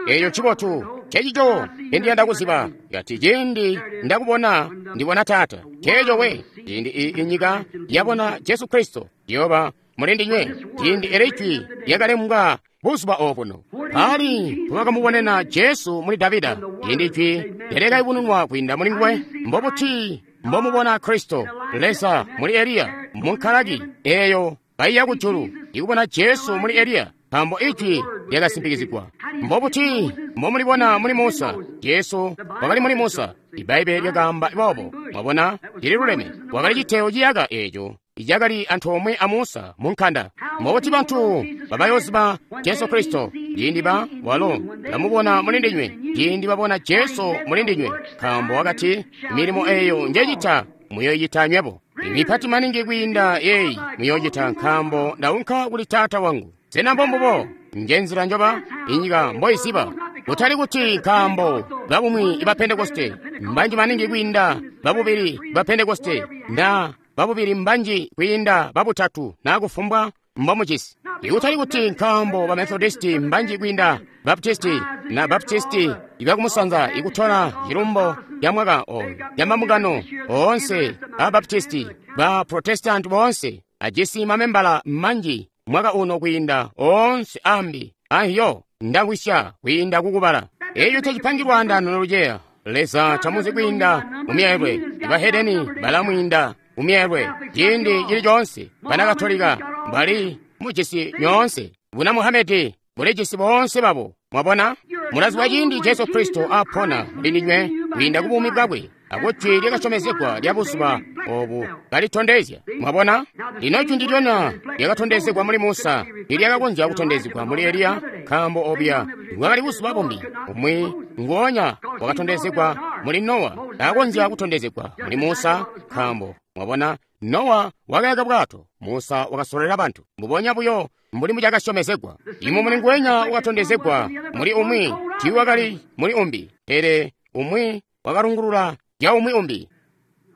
eeyo ncibotu, cecico ndiyanda kuziba. Ikati, ciindi ndakubona, ndibona taata. Ceeco we, ciindi inyika yabona Jesu Kristo, yoba muli ndinywe. Ciindi eli Jwi lyakalembwa buzuba obuno, pali mpobakamubonena Jesu muli Davida. Ciindi Jwi lyakayubununwa kwiinda muli nguwe, mbobuti mbomubona Kristo Leza muli Eliya munkalaki eeyo kaiya kujulu, ikubona Jesu muli Eliya, nkaambo Ijwi lyakasimpikizigwa. Mbobuti mbomulibona muli Musa? Jesu wakali muli Musa. Ibbaibbele lyakaamba boobo. Mwabona, lililuleme. Wakali citewo ciyaka eeco icakali antoomwe a Musa mu nkanda. Mbobuti bantu babayoziba Jesu Kristo ciindi walo bamubona muli ndinywe, ciindi babona Jesu muli ndinywe, nkaambo wakati, milimo eeyo njecita muyoyicita nywebo, mipati maningi kwiinda yeeyi muyoocita, nkaambo ndaunka kuli Taata wangu. Sena mbombubo? Njenzila njoba inyika mboiziba. Kutali kuti nkaambo babumwi iba Pentekoste mbanji maningi kwiinda babubili ba Pentekoste, na babubili mbanji kwiinda babutatu, na kufumbwa mbomucisi. Ikutali kuti nkaambo ba Methodisti mbanji kwiinda Baptisti, na Baptisti ibakumusanza ikutola cilumbo ya mwaka oyo ya mambungano oonse a Baptisti, ba Protestanti boonse ajisi mamembala manji mwaka uno kwiinda oonse ambi ahiyo ndakwisya kwiinda kukubala. Eeyo tacipangilwa andano noluceya. Leza tamuzi kwiinda mumyeelwe. Ibahedeni balamwiinda mumyeelwe ciindi cili coonse. Banakatolika bali mujisi nyoonse. Buna Muhamedi bulijisi boonse babo. Mwabona, mulaziba ciindi Jesu Kristo apona muli ndinywe kwiinda ku buumi bwakwe. akujwi lyakasyomezegwa lya buzuba obu kalitondezya. Mwabona? Lino jwi ndilyonya lyakatondezegwa muli Musa tilyakakonzya kutondezegwa muli Eliya, nkaambo obuya bwakali buzuba bumbi. Umwi nguonya wakatondezegwa muli Nowa taakonzya kutondezegwa muli Musa, nkaambo mwabona, Nowa wakayaka bwato, Musa wakasololela bantu. Mbubonya buyo mbuli mbucakasyomezegwa. Imumuni nguwenya wakatondezegwa muli umwi tiiwakali muli umbi, pele umwi wakalungulula zya umwi umbi.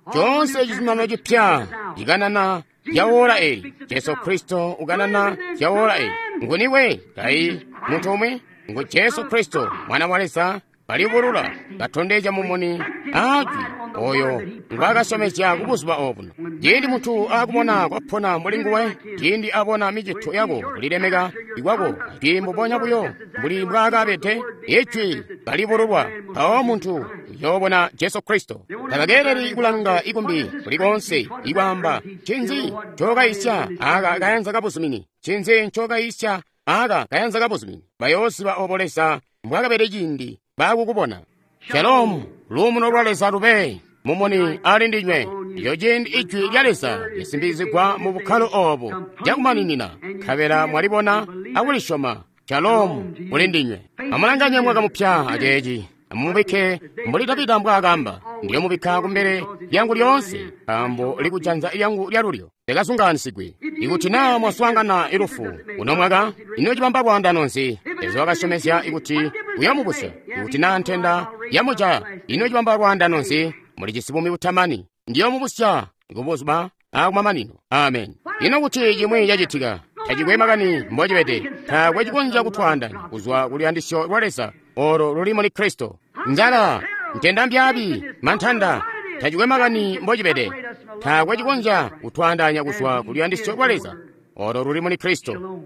Coonse cizuminano cipya cikanana zya woola eli. Jesu Kristo ukanana zya woola eli. Nguni we? Kayi muntu umwi? Ngu Jesu Kristo, Mwana wa Leza, kalibulula, katondezya mumuni aajwi oyo ngwaakasyomezya ku buzuba obuno. Ciindi muntu akubona kwapona mbuli nguwe, ciindi abona micito yako, kulilemeka kwako, ajwi mbubonya buyo mbuli mbwaakabede, ijwi kalibululwa, mpawo muntu uyoobona Jesu Kristo. Tabakeeleli kulanga ikumbi kuli koonse ikwaamba, ncinzi ncokayisya aka kayanza kabuzumini? Ncinzi ncokayisya aka kayanza kabuzumini? Bayooziba obo Leza mbwaakabede ciindi baakukubona. Shalomu, luumuno lwa Leza lube mumuni ali ndinywe. Iyo ciindi ijwi lya Leza lisimbizigwa mu bukkalo obu cakumaninina, nkabela mwalibona akulisyoma. Shalomu kuli ndinywe. Amulanganye mwaka mupya aceeci. Amumubikke mbuli Davida mbwaakamba, ndiyomubikka kumbele lyangu lyoonse, nkaambo likujanza lyangu lyalulyo likazungaanisigwe. Ikuti naa mwaswaangana ilufu uno mwaka, ino cibamba lwaandano nzi? Leza wakasyomezya kuti uyomubusya. Ikuti naa ntenda yamuca, ino cibamba lwaandano nzi? Mulijisi buumi butamani. Ndiyomubusya kubuzuba akumamanino. Amen. Ino kuti cimwi cacitika, tacikwe makani mbocibede, taakwe cikonzya kutwaandanya kuzwa kuluyandisyo lwa Leza olo luli muli Kristo. Nzala, ntenda mbyaabi, mantanda, tacikwe makani mbocibede, taakwe cikonzya kutwaandanya kuzwa kuluyandisyo lwa Leza olo luli muli Kristo.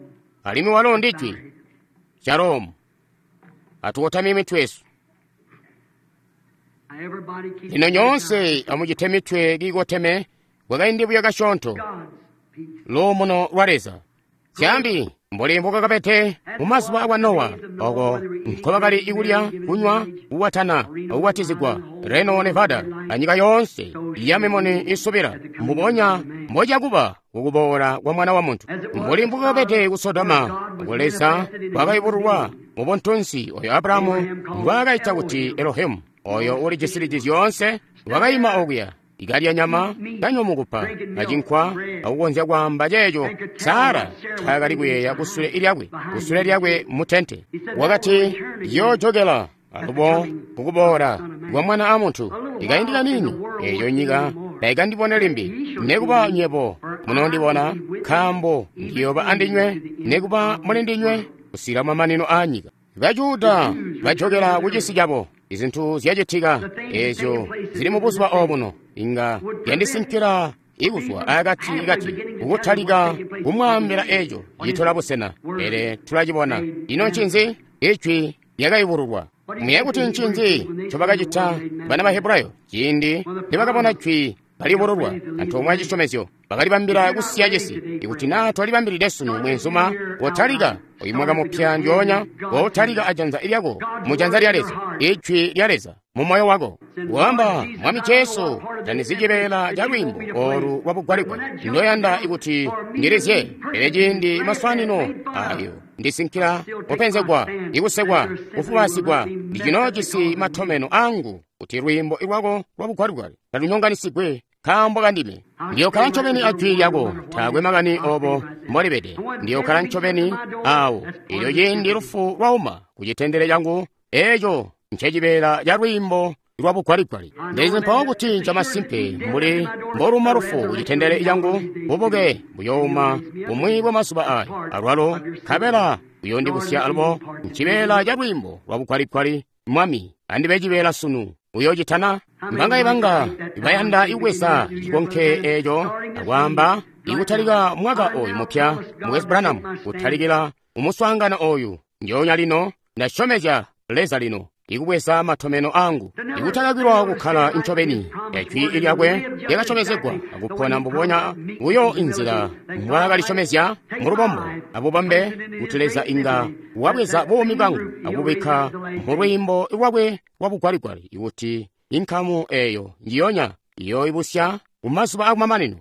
Alimwi walo ndi Jwi. Shalomu. Atukotamye mitwe yesu. Lino nyoonse amucite mitwe kiikoteme kwakaindi buyo kasyoonto. Luumuno lwa Leza. Zyambi mbuli mbukakabede mu mazuba akwa Nowa, oko nkobakali ikulya, kunywa, kukwatana, akukwatizigwa, Reno, Nevada, anyika yoonse ya mimuni isubila, mbubonya mbocakuba kukuboola kwa Mwana wa Muntu. Mbuli mbukakabede ku Sodoma, oko Leza wakayubululwa mu buntunsi oyo Abrahamu ngwaakaita kuti Elohimu, oyo ulijisilidi zyoonse, wakayima okuya ikalya nyama, kanywa mukupa, acinkwa, akukonzya kwaamba ceeco Sara ncaakali kuyeeya kusule lyakwe mutente. Wakati, yoojokela alubo kukuboola kwa Mwana a Muntu. Ikaindi kaniini, eeyo nyika taikandibone limbi, nekuba nywebo munoondibona, nkaambo ndiyooba andinywe, nekuba muli ndinywe, kusika mamanino aanyika. Bajuda bajokela ku cisi cabo. Izintu zyacitika eezyo zili mu buzuba obuno inga yandisinkila ikuzwa akati kati kukutalika kumwaambila eco citola busena, pele tulacibona. Ino ncinzi? Ijwi lyakayubululwa. Muyeeya kuti ncinzi ncobakacita bana ba Hebrayo ciindi nibakabona jwi kaliyubululwa antoomwe acisyomezyo? Bakalibambila kusiya cisi. Ikuti naa twalibambilide sunu, mweenzuma, wotalika oyu mwaka mupya ndyoonya, wotalika ajanza lyako mujanza lya Leza, ijwi lya Leza mu moyo wako. Wamba, Mwami Jesu, tandizi cibeela ca lwiimbo olu lwa bugwaligwali ndoyanda ikuti ndilizye, pele ciindi maswaanino ayo ndisinkila kupenzegwa, ikusekwa, kufubasigwa, ndicinoojisi matomeno angu kuti lwiimbo lwako lwa bugwaligwali talunyonganisigwe nkaambo kandime. Ndiyokkala ncobeni ajwi lyako, taakwe makani obo mbolibede. Ndiyokkala ncobeni awo. Elyo ciindi lufu lwauma ku citendele cangu, eco ncecibeela ca lwiimbo lwa bugwaligwali. Ndizi mpawo kuti ncamasimpe mbuli mboluma lufu ku citendele cangu, bubuke buyouma bumwi bwa mazuba ayo alwalo, nkabela buyondibusya alubo ncibeela ca lwiimbo lwa bugwaligwali. Mwami, andibe cibeela sunu. Uyoocitana? Mbangaye banga bayanda ikubweza cikonke eco akwaamba, ikutalika mwaka oyu mupya, Mukwesu Branham, kutalikila umuswaangano oyu ndyoonya lino, ndasyomezya Leza lino ikubweza matomeno angu, ikutakakilwa kukkala ncobeni ejwi lyakwe lyakasyomezegwa akupona mbubonya buyo inzila mbwaakalisyomezya mulubombo abubambe, kuti Leza inga wabweza buumi bwangu akububikka mu lwiimbo lwakwe lwa bugwaligwali ikuti Inkamu eyo njiyonya iyoibusya kumazuba akumamanino.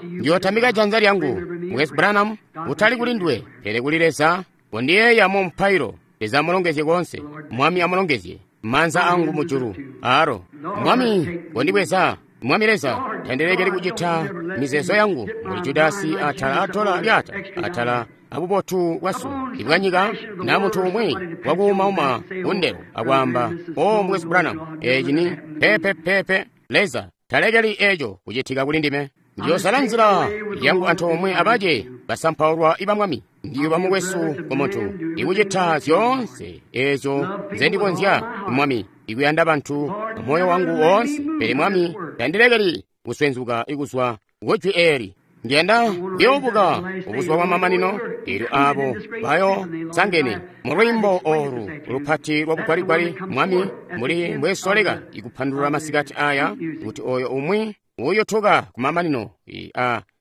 Ndiyotamika janza lyangu, Mukwesu Branham, utali kuli nduwe, pele kuli Leza. Kondiyeeya mu mpailo. Leza amulongezye konse. Mwami amulongezye. Maanza angu mujulu aro. Mwami, kondibweza. Mwami Leza, tandilekeli kucita mizeezo yangu mbuli Judasi atala atola lyata atala abubotu bwasu ibwanyika na muntu umwi wakuumauma kundelo akwaamba, o Mukwesu Branham, eci ni pepe pepe. Leza talekeli eco kucitika kuli ndime. Ndiyosala nzila yangu antoomwe abace basampaulwa iba Mwami. Ndiyoba mukwesu ku muntu ikucita zyoonse eezyo nzendikonzya, Mwami, ikuyanda bantu moyo wangu woonse. Pele Mwami, tandilekeli kuswenzuka ikuzwa kujwi eeli. Ndiyanda kuyoobuka ubuzuba bwa mamanino, eelyo aabo bayo sangene mu lwiimbo oolu lupati lwa bugwaligwali. Mwami, mbuli mbwesoleka ikupandulula masikati aya, kuti oyo umwi uyotuka kumamanino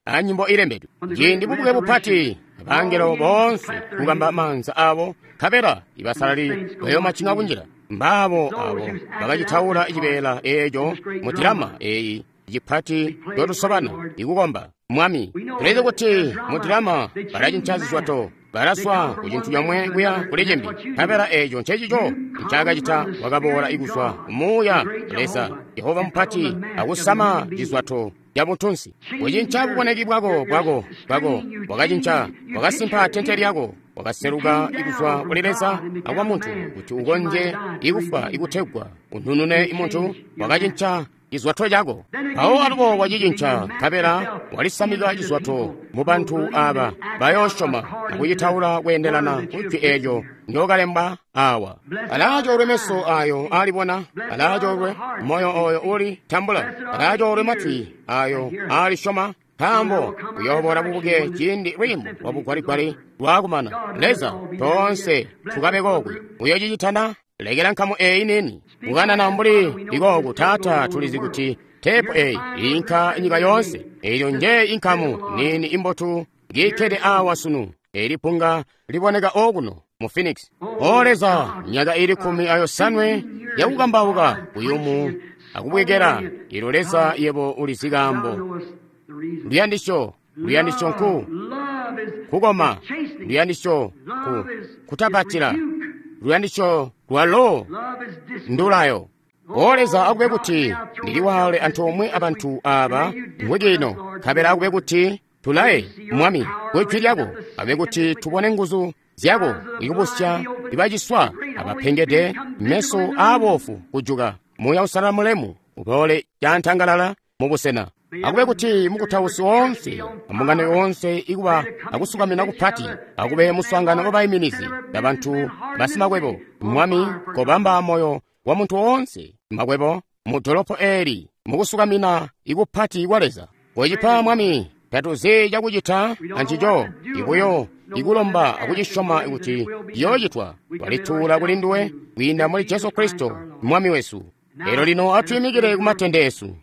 a nyimbo ilembedwe. Ciindi bubuke bupati, abangelo boonse kukamba maanza abo, nkabela ibasalali bayoomacing'a kunjila. Mbaabo abo bakacitaula cibeela eeco mu dilama eeyi cipati cotusobana ikukomba Mwami. Tulizi kuti mu dilama balacinca zizwato, balaswa ku cintu comwe kuya kuli cimbi, nkabela eeco ncecico ncakacita. Wakaboola ikuzwa kumuuya Leza Jehova mupati akusama cizwato cabuntunsi. Kucinca buboneki bwako bwako bwako, wakacinca, wakasimpa tente lyako, wakaseluka ikuzwa kuli Leza akwa muntu kuti ukonje ikufwa ikutegwa ununune muntu. Wakacinca cizwato cako, mpawo alubo wacicinca, nkabela walisamika cizwato mu bantu aba bayoosyoma akucitaula kweendelana kujwi eelyo ndyokalembwa awa. Alaacoolwe meso ayo aalibona, alaacoolwe moyo oyo uli tambula, alaacoolwe matwi ayo aalisyoma, nkaambo uyooboola bubuke ciindi lwiimbo lwa bugwaligwali lwakumana. Leza, toonse tukabe kokwe. Uyoocicitana? Lekela nkamu eeyi nini kukanana mbuli ikooku. Taata, tulizi kuti teepu eeyi iinka nyika yoonse. Eelyo nje inkamu nini imbotu ngiikkede awa sunu. Eeli punga liboneka okuno mu Phoenix. O Leza, myaka ili 17 yakukambauka kuyumu akubwekela. Ilo Leza, yebo ulizi kaambo. Luyandisyo, luyandisyo nku kukoma, luyandisyo ku kutapatila, luyandisyo lwalo ndulayo. O Leza, akube kuti ndiliwale antoomwe abantu aba mwiki ino, nkabela akube kuti tulaye, Mwami, kwijwi lyako, akube kuti tubone nguzu zyako ikubusya ibaciswa abapengede, meso aabofu kujuka, Muuya Uusalala mulemu uboole cantangalala mu busena. Akube kuti mukutausi woonse ambungano yoonse ikuba akusukamina kupati, akube muswaangano wabayiminizi babantu basimakwebo. Mwami, kobamba moyo wa muntu woonse makwebo mu dolopo eeli mukusukamina ikupati kwa Leza. Kocipa, Mwami, tatuzi cakucita ancico, ibuyo ikulomba akucisyoma kuti ciyoocitwa. Twalituula kuli nduwe kwiinda muli Jesu Kristo Mwami wesu. Lero lino atwiimikile kumatende esu.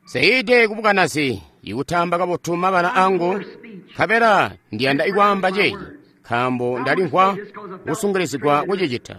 Seide kubukanazi ikutamba kabotu mabala angu, nkabela ndiyanda ikwaamba ceeci, nkaambo ndalimvwa kusungilizigwa kucicita.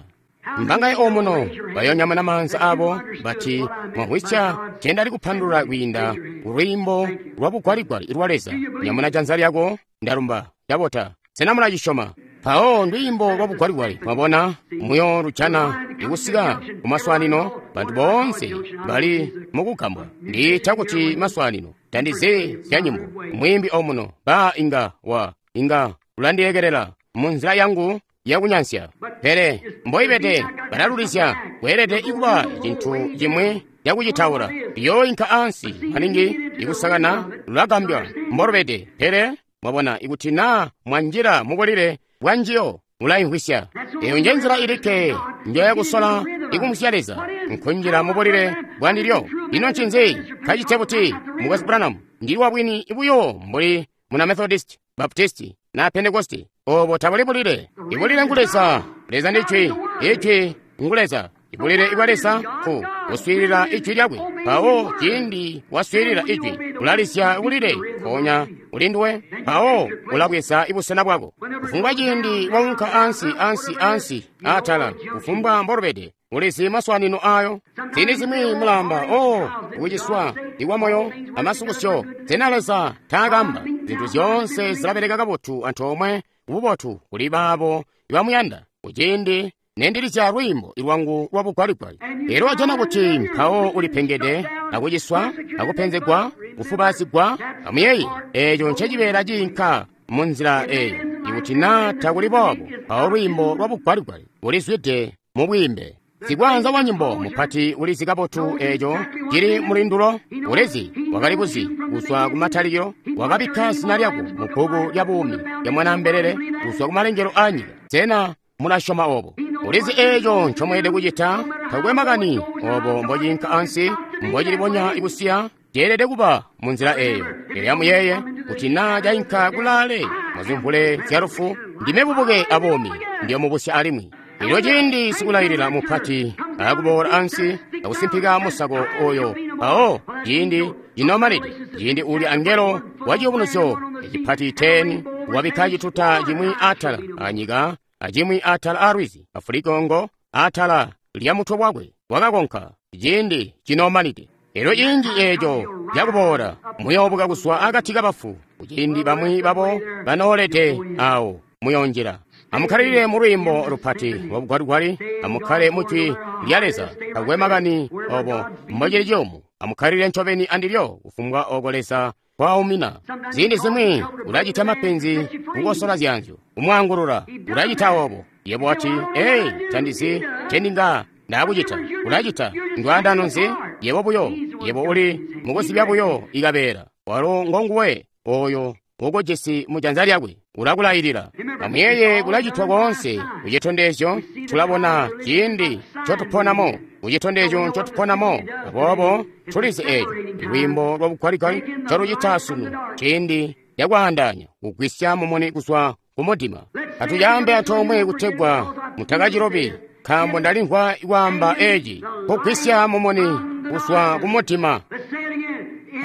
Mbangaye omuno bayonyamuna maanza abo bati mwamvwisya cendali kupandulula kwiinda kulwiimbo lwa bugwaligwali lwa Leza. Nyamuna janza lyako, ndalumba, ndabota. Sena mulacisyoma? Mpawo ndwiimbo lwa bugwaligwali, mwabona, muyo lujana ikusika kumaswaanino. Bantu boonse bali mukugambwa. Ndiita kuti maswaanino, tandizi zya nyimbo. Mwiimbi omuno ba inga wa inga ulandiyekelela mu nzila yangu yakunyansya, pele mboibede balalulizya. Kweelede ikuba cintu cimwi cakucitaula. Iyooinka ansi maningi ikusakana, lulagambya mbolubede. Pele mwabona, ikuti naa mwanjila mubulile bwanjiyo mulayimvwisya. Eyo nje nzila ilikke njoyakusola ikumvwisya Leza, nkunjila mubulile bwandilyo. Ino ncinzi kacite buti, Mukwesu Branham? Ndili wabwini buyo mbuli muna Methodist, Baptisti na Pentekosti. Obo tabuli bulile. Ibulile ngu Leza. Leza ndi Ijwi. Ijwi ngu Leza. Ibulile ibwa Leza ku kuswiilila Ijwi lyakwe. Mpawo ciindi waswiilila Ijwi, ulalisya bulile mpoonya uli nduwe, mpawo ulabweza busena bwako. Kufumbwa ciindi waunka ansi, ansi, ansi, atala, kufumbwa mbolubede, ulizi maswanino ayo. Ziindi zimwi mulamba, oh, kuciswa ikwamoyo amasukusyo. Sena Leza taakamba zintu zyoonse zilabeleka kabotu antoomwe kububotu kuli baabo ibamuyanda? Kuciindi nendilizya lwiimbo lwangu lwa bugwaligwali, elyo wajana kuti mpawo ulipengede akuciswa akupenzegwa kufubazigwa. Amuyeeye, eeco ncecibeela ciinka mu nzila eyo. Ikuti naa takuli boobo, mpawo lwiimbo lwa bugwaligwali bulizwide mu bwiimbe. Sikwaanza wa nyimbo mupati ulizi kabotu eeco cili mulindulo. Ulizi, wakali kuzi kuzwa kumatalikilo, wakabikka zina lyako mu bbuku lya buumi lya Mwanaambelele kuzwa kumalengelo a nyika. Sena mulasyoma obo? Ulizi eeco ncomweelede kucita. Takwe makani obo mbociinka ansi, mbocilibonya kusiya, ceelede kuba mu nzila eeyo. Pele amuyeeye kuti naa cainka kulaale muzimvule zya lufu, ndime bubuke abuumi, ndiyomubusya alimwi. Elyo ciindi sikulailila mupati akuboola ansi akusimpika musako oyo, mpawo ciindi cinomanide, ciindi uli angelo wa ciyubunuzyo ecipati 10 wabikka cituta cimwi atala anyika acimwi atala a lwizi, afulikongo atala lya mutwe wakwe, wakakonka ciindi cinomanide. Elyo ciindi eeco cakuboola muyoobuka kuzwa akati kabafu, kuciindi bamwi babo banoolede awo muyonjila. Amukkalilile mu lwiimbo lupati lwa bugwaligwali, amukkale mu jwi lya Leza. Takwe makani obo mbocili ciyumu, amukkalilile ncobeni andilyo kufumbwa oko Leza kwaumina. Ziindi zimwi ulacita mapenzi kukosola zyanzyo, kumwaangulula, ulacita obo. Yebo wati, "Ei, tandizi cendinga ndakucita." Ulacita ndwaandano nzi? Yebo buyo, yebo uli mukuzibya buyo ikabeela. Walo ngonguwe oyo ukujisi mu janza lyakwe, ulakulailila. Amuyeeye, kulacitwa koonse kucitondezyo. Tulabona ciindi ncotuponamo, kucitondezyo ncotuponamo. Aboobo tulizi eeco lwiimbo lwa bugwaligwali ncolucita sunu, ciindi cakwaandaanya, kugwisya mumuni kuzwa kumudima. Atuyambe antoomwe kutegwa mutakacilobi, nkaambo ndalimvwa kwaamba eci, kugwisya mumuni kuzwa kumudima.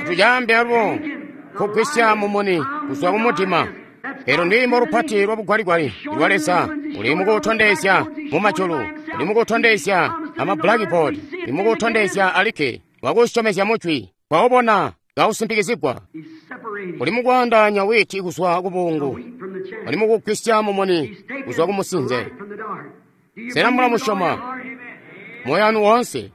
Atuyambe alubo, kugwisya mumuni kuzwa kumudima. Elo ndwiimbo lupati lwa bugwaligwali lwa Leza. Uli mukutondezya mu majulu, uli mukutondezya ama blackboard, uli mukutondezya alikke wakusyomezya mujwi, kwaubona kausimpikizigwa. Uli mukwaandaanya witi kuzwa kubungu, uli mukugwisya mumuni kuzwa kumusinze. Sena mulamusyoma moyo wanu woonse?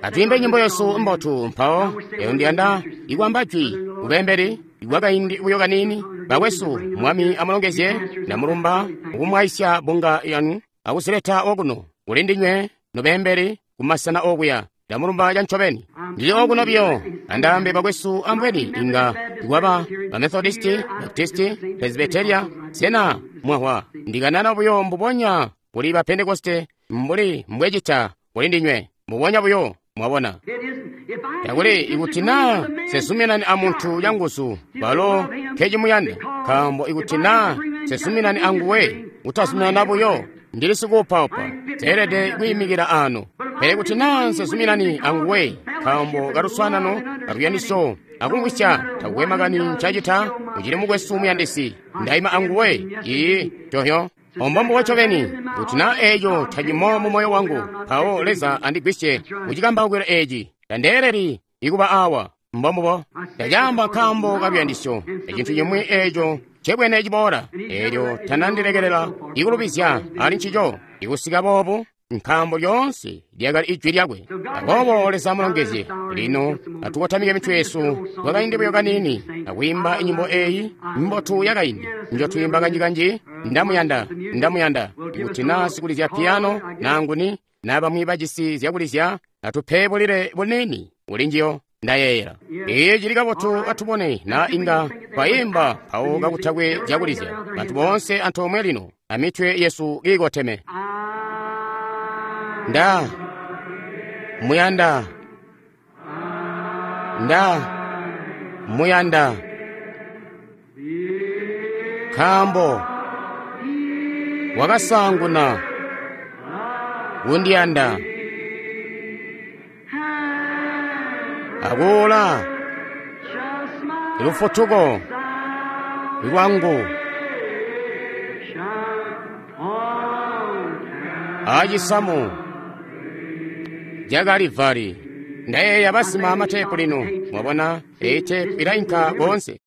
Atwiimbe nyimbo yesu mbotu mpawo. Eyo ndiyanda ikwamba jwi kubembeli ikwakaindi buyo kaniini. Bakwesu, Mwami amulongezye. Ndamulumba ukumwaisya bunga yanu akuzileta okuno kuli ndinywe nobembeli kumasena okuya. Ndamulumba cancobeni. Ndili okuno biyo andaambe bakwesu, ambweni inga ikwaba ba Methodisti, Baptisti, Presbyteria. Sena mwahwa ndikanana buyo mbubonya kuli ba Pentekoste mbuli mbwecita kuli ndinywe, mbubonya buyo, mwabona. Takuli ikuti naa sezuminani amuntu canguzu, balo nkecimuyanda, nkaambo ikuti naa sezuminani anguwe, utazuminana buyo, ndili sikuupaupa, teelede kwiimikila ano. Pele kuti naa nsezuminani anguwe, nkaambo kaluswaanano kaluyandisyo akumvwisya, takwe makani ncacita, ucili mukwesu muyandisi, ndaima anguwe. Ii tohyo ombombubo ncobeni. Kuti naa eeco tacimo mu moyo wangu, mpawo Leza andigwisye kucikambaukilo eeci. Tandeeleli ikuba awa. Mbombubo ndacaamba nkaambo kaluyandisyo, ecintu cimwi eeco ncebwene ciboola, eelyo tanandilekelela ikulubizya ali ncico ikusika boobu, nkaambo lyoonse lyakali ijwi lyakwe. Aboobo Leza amulongezye. Lino atukotamike mitwe yesu kwakaindi buyo kaniini akwiimba inyimbo eeyi mbotu yakaindi njotwiimba kanjikanji. Ndamuyanda, ndamuyanda. Ikuti naa sikulizya piyano naa nguni naa bamwi bajisi zyakulizya, atupe bulile buniini kuli njiyo. Ndayeeyela iyi cili kabotu. Atubone naa inga twayimba mpawo kakutakwe zyakulizya. Bantu boonse antoomwe lino amitwe yesu kiikoteme. Nda muyanda, nda muyanda, nkaambo wakasaanguna kundiyanda akuula Lufutuko lwangu aacisamu ca Kalivari. Ndayeeya basima mateepu lino, mwabona, eyi teepu ilainka koonse.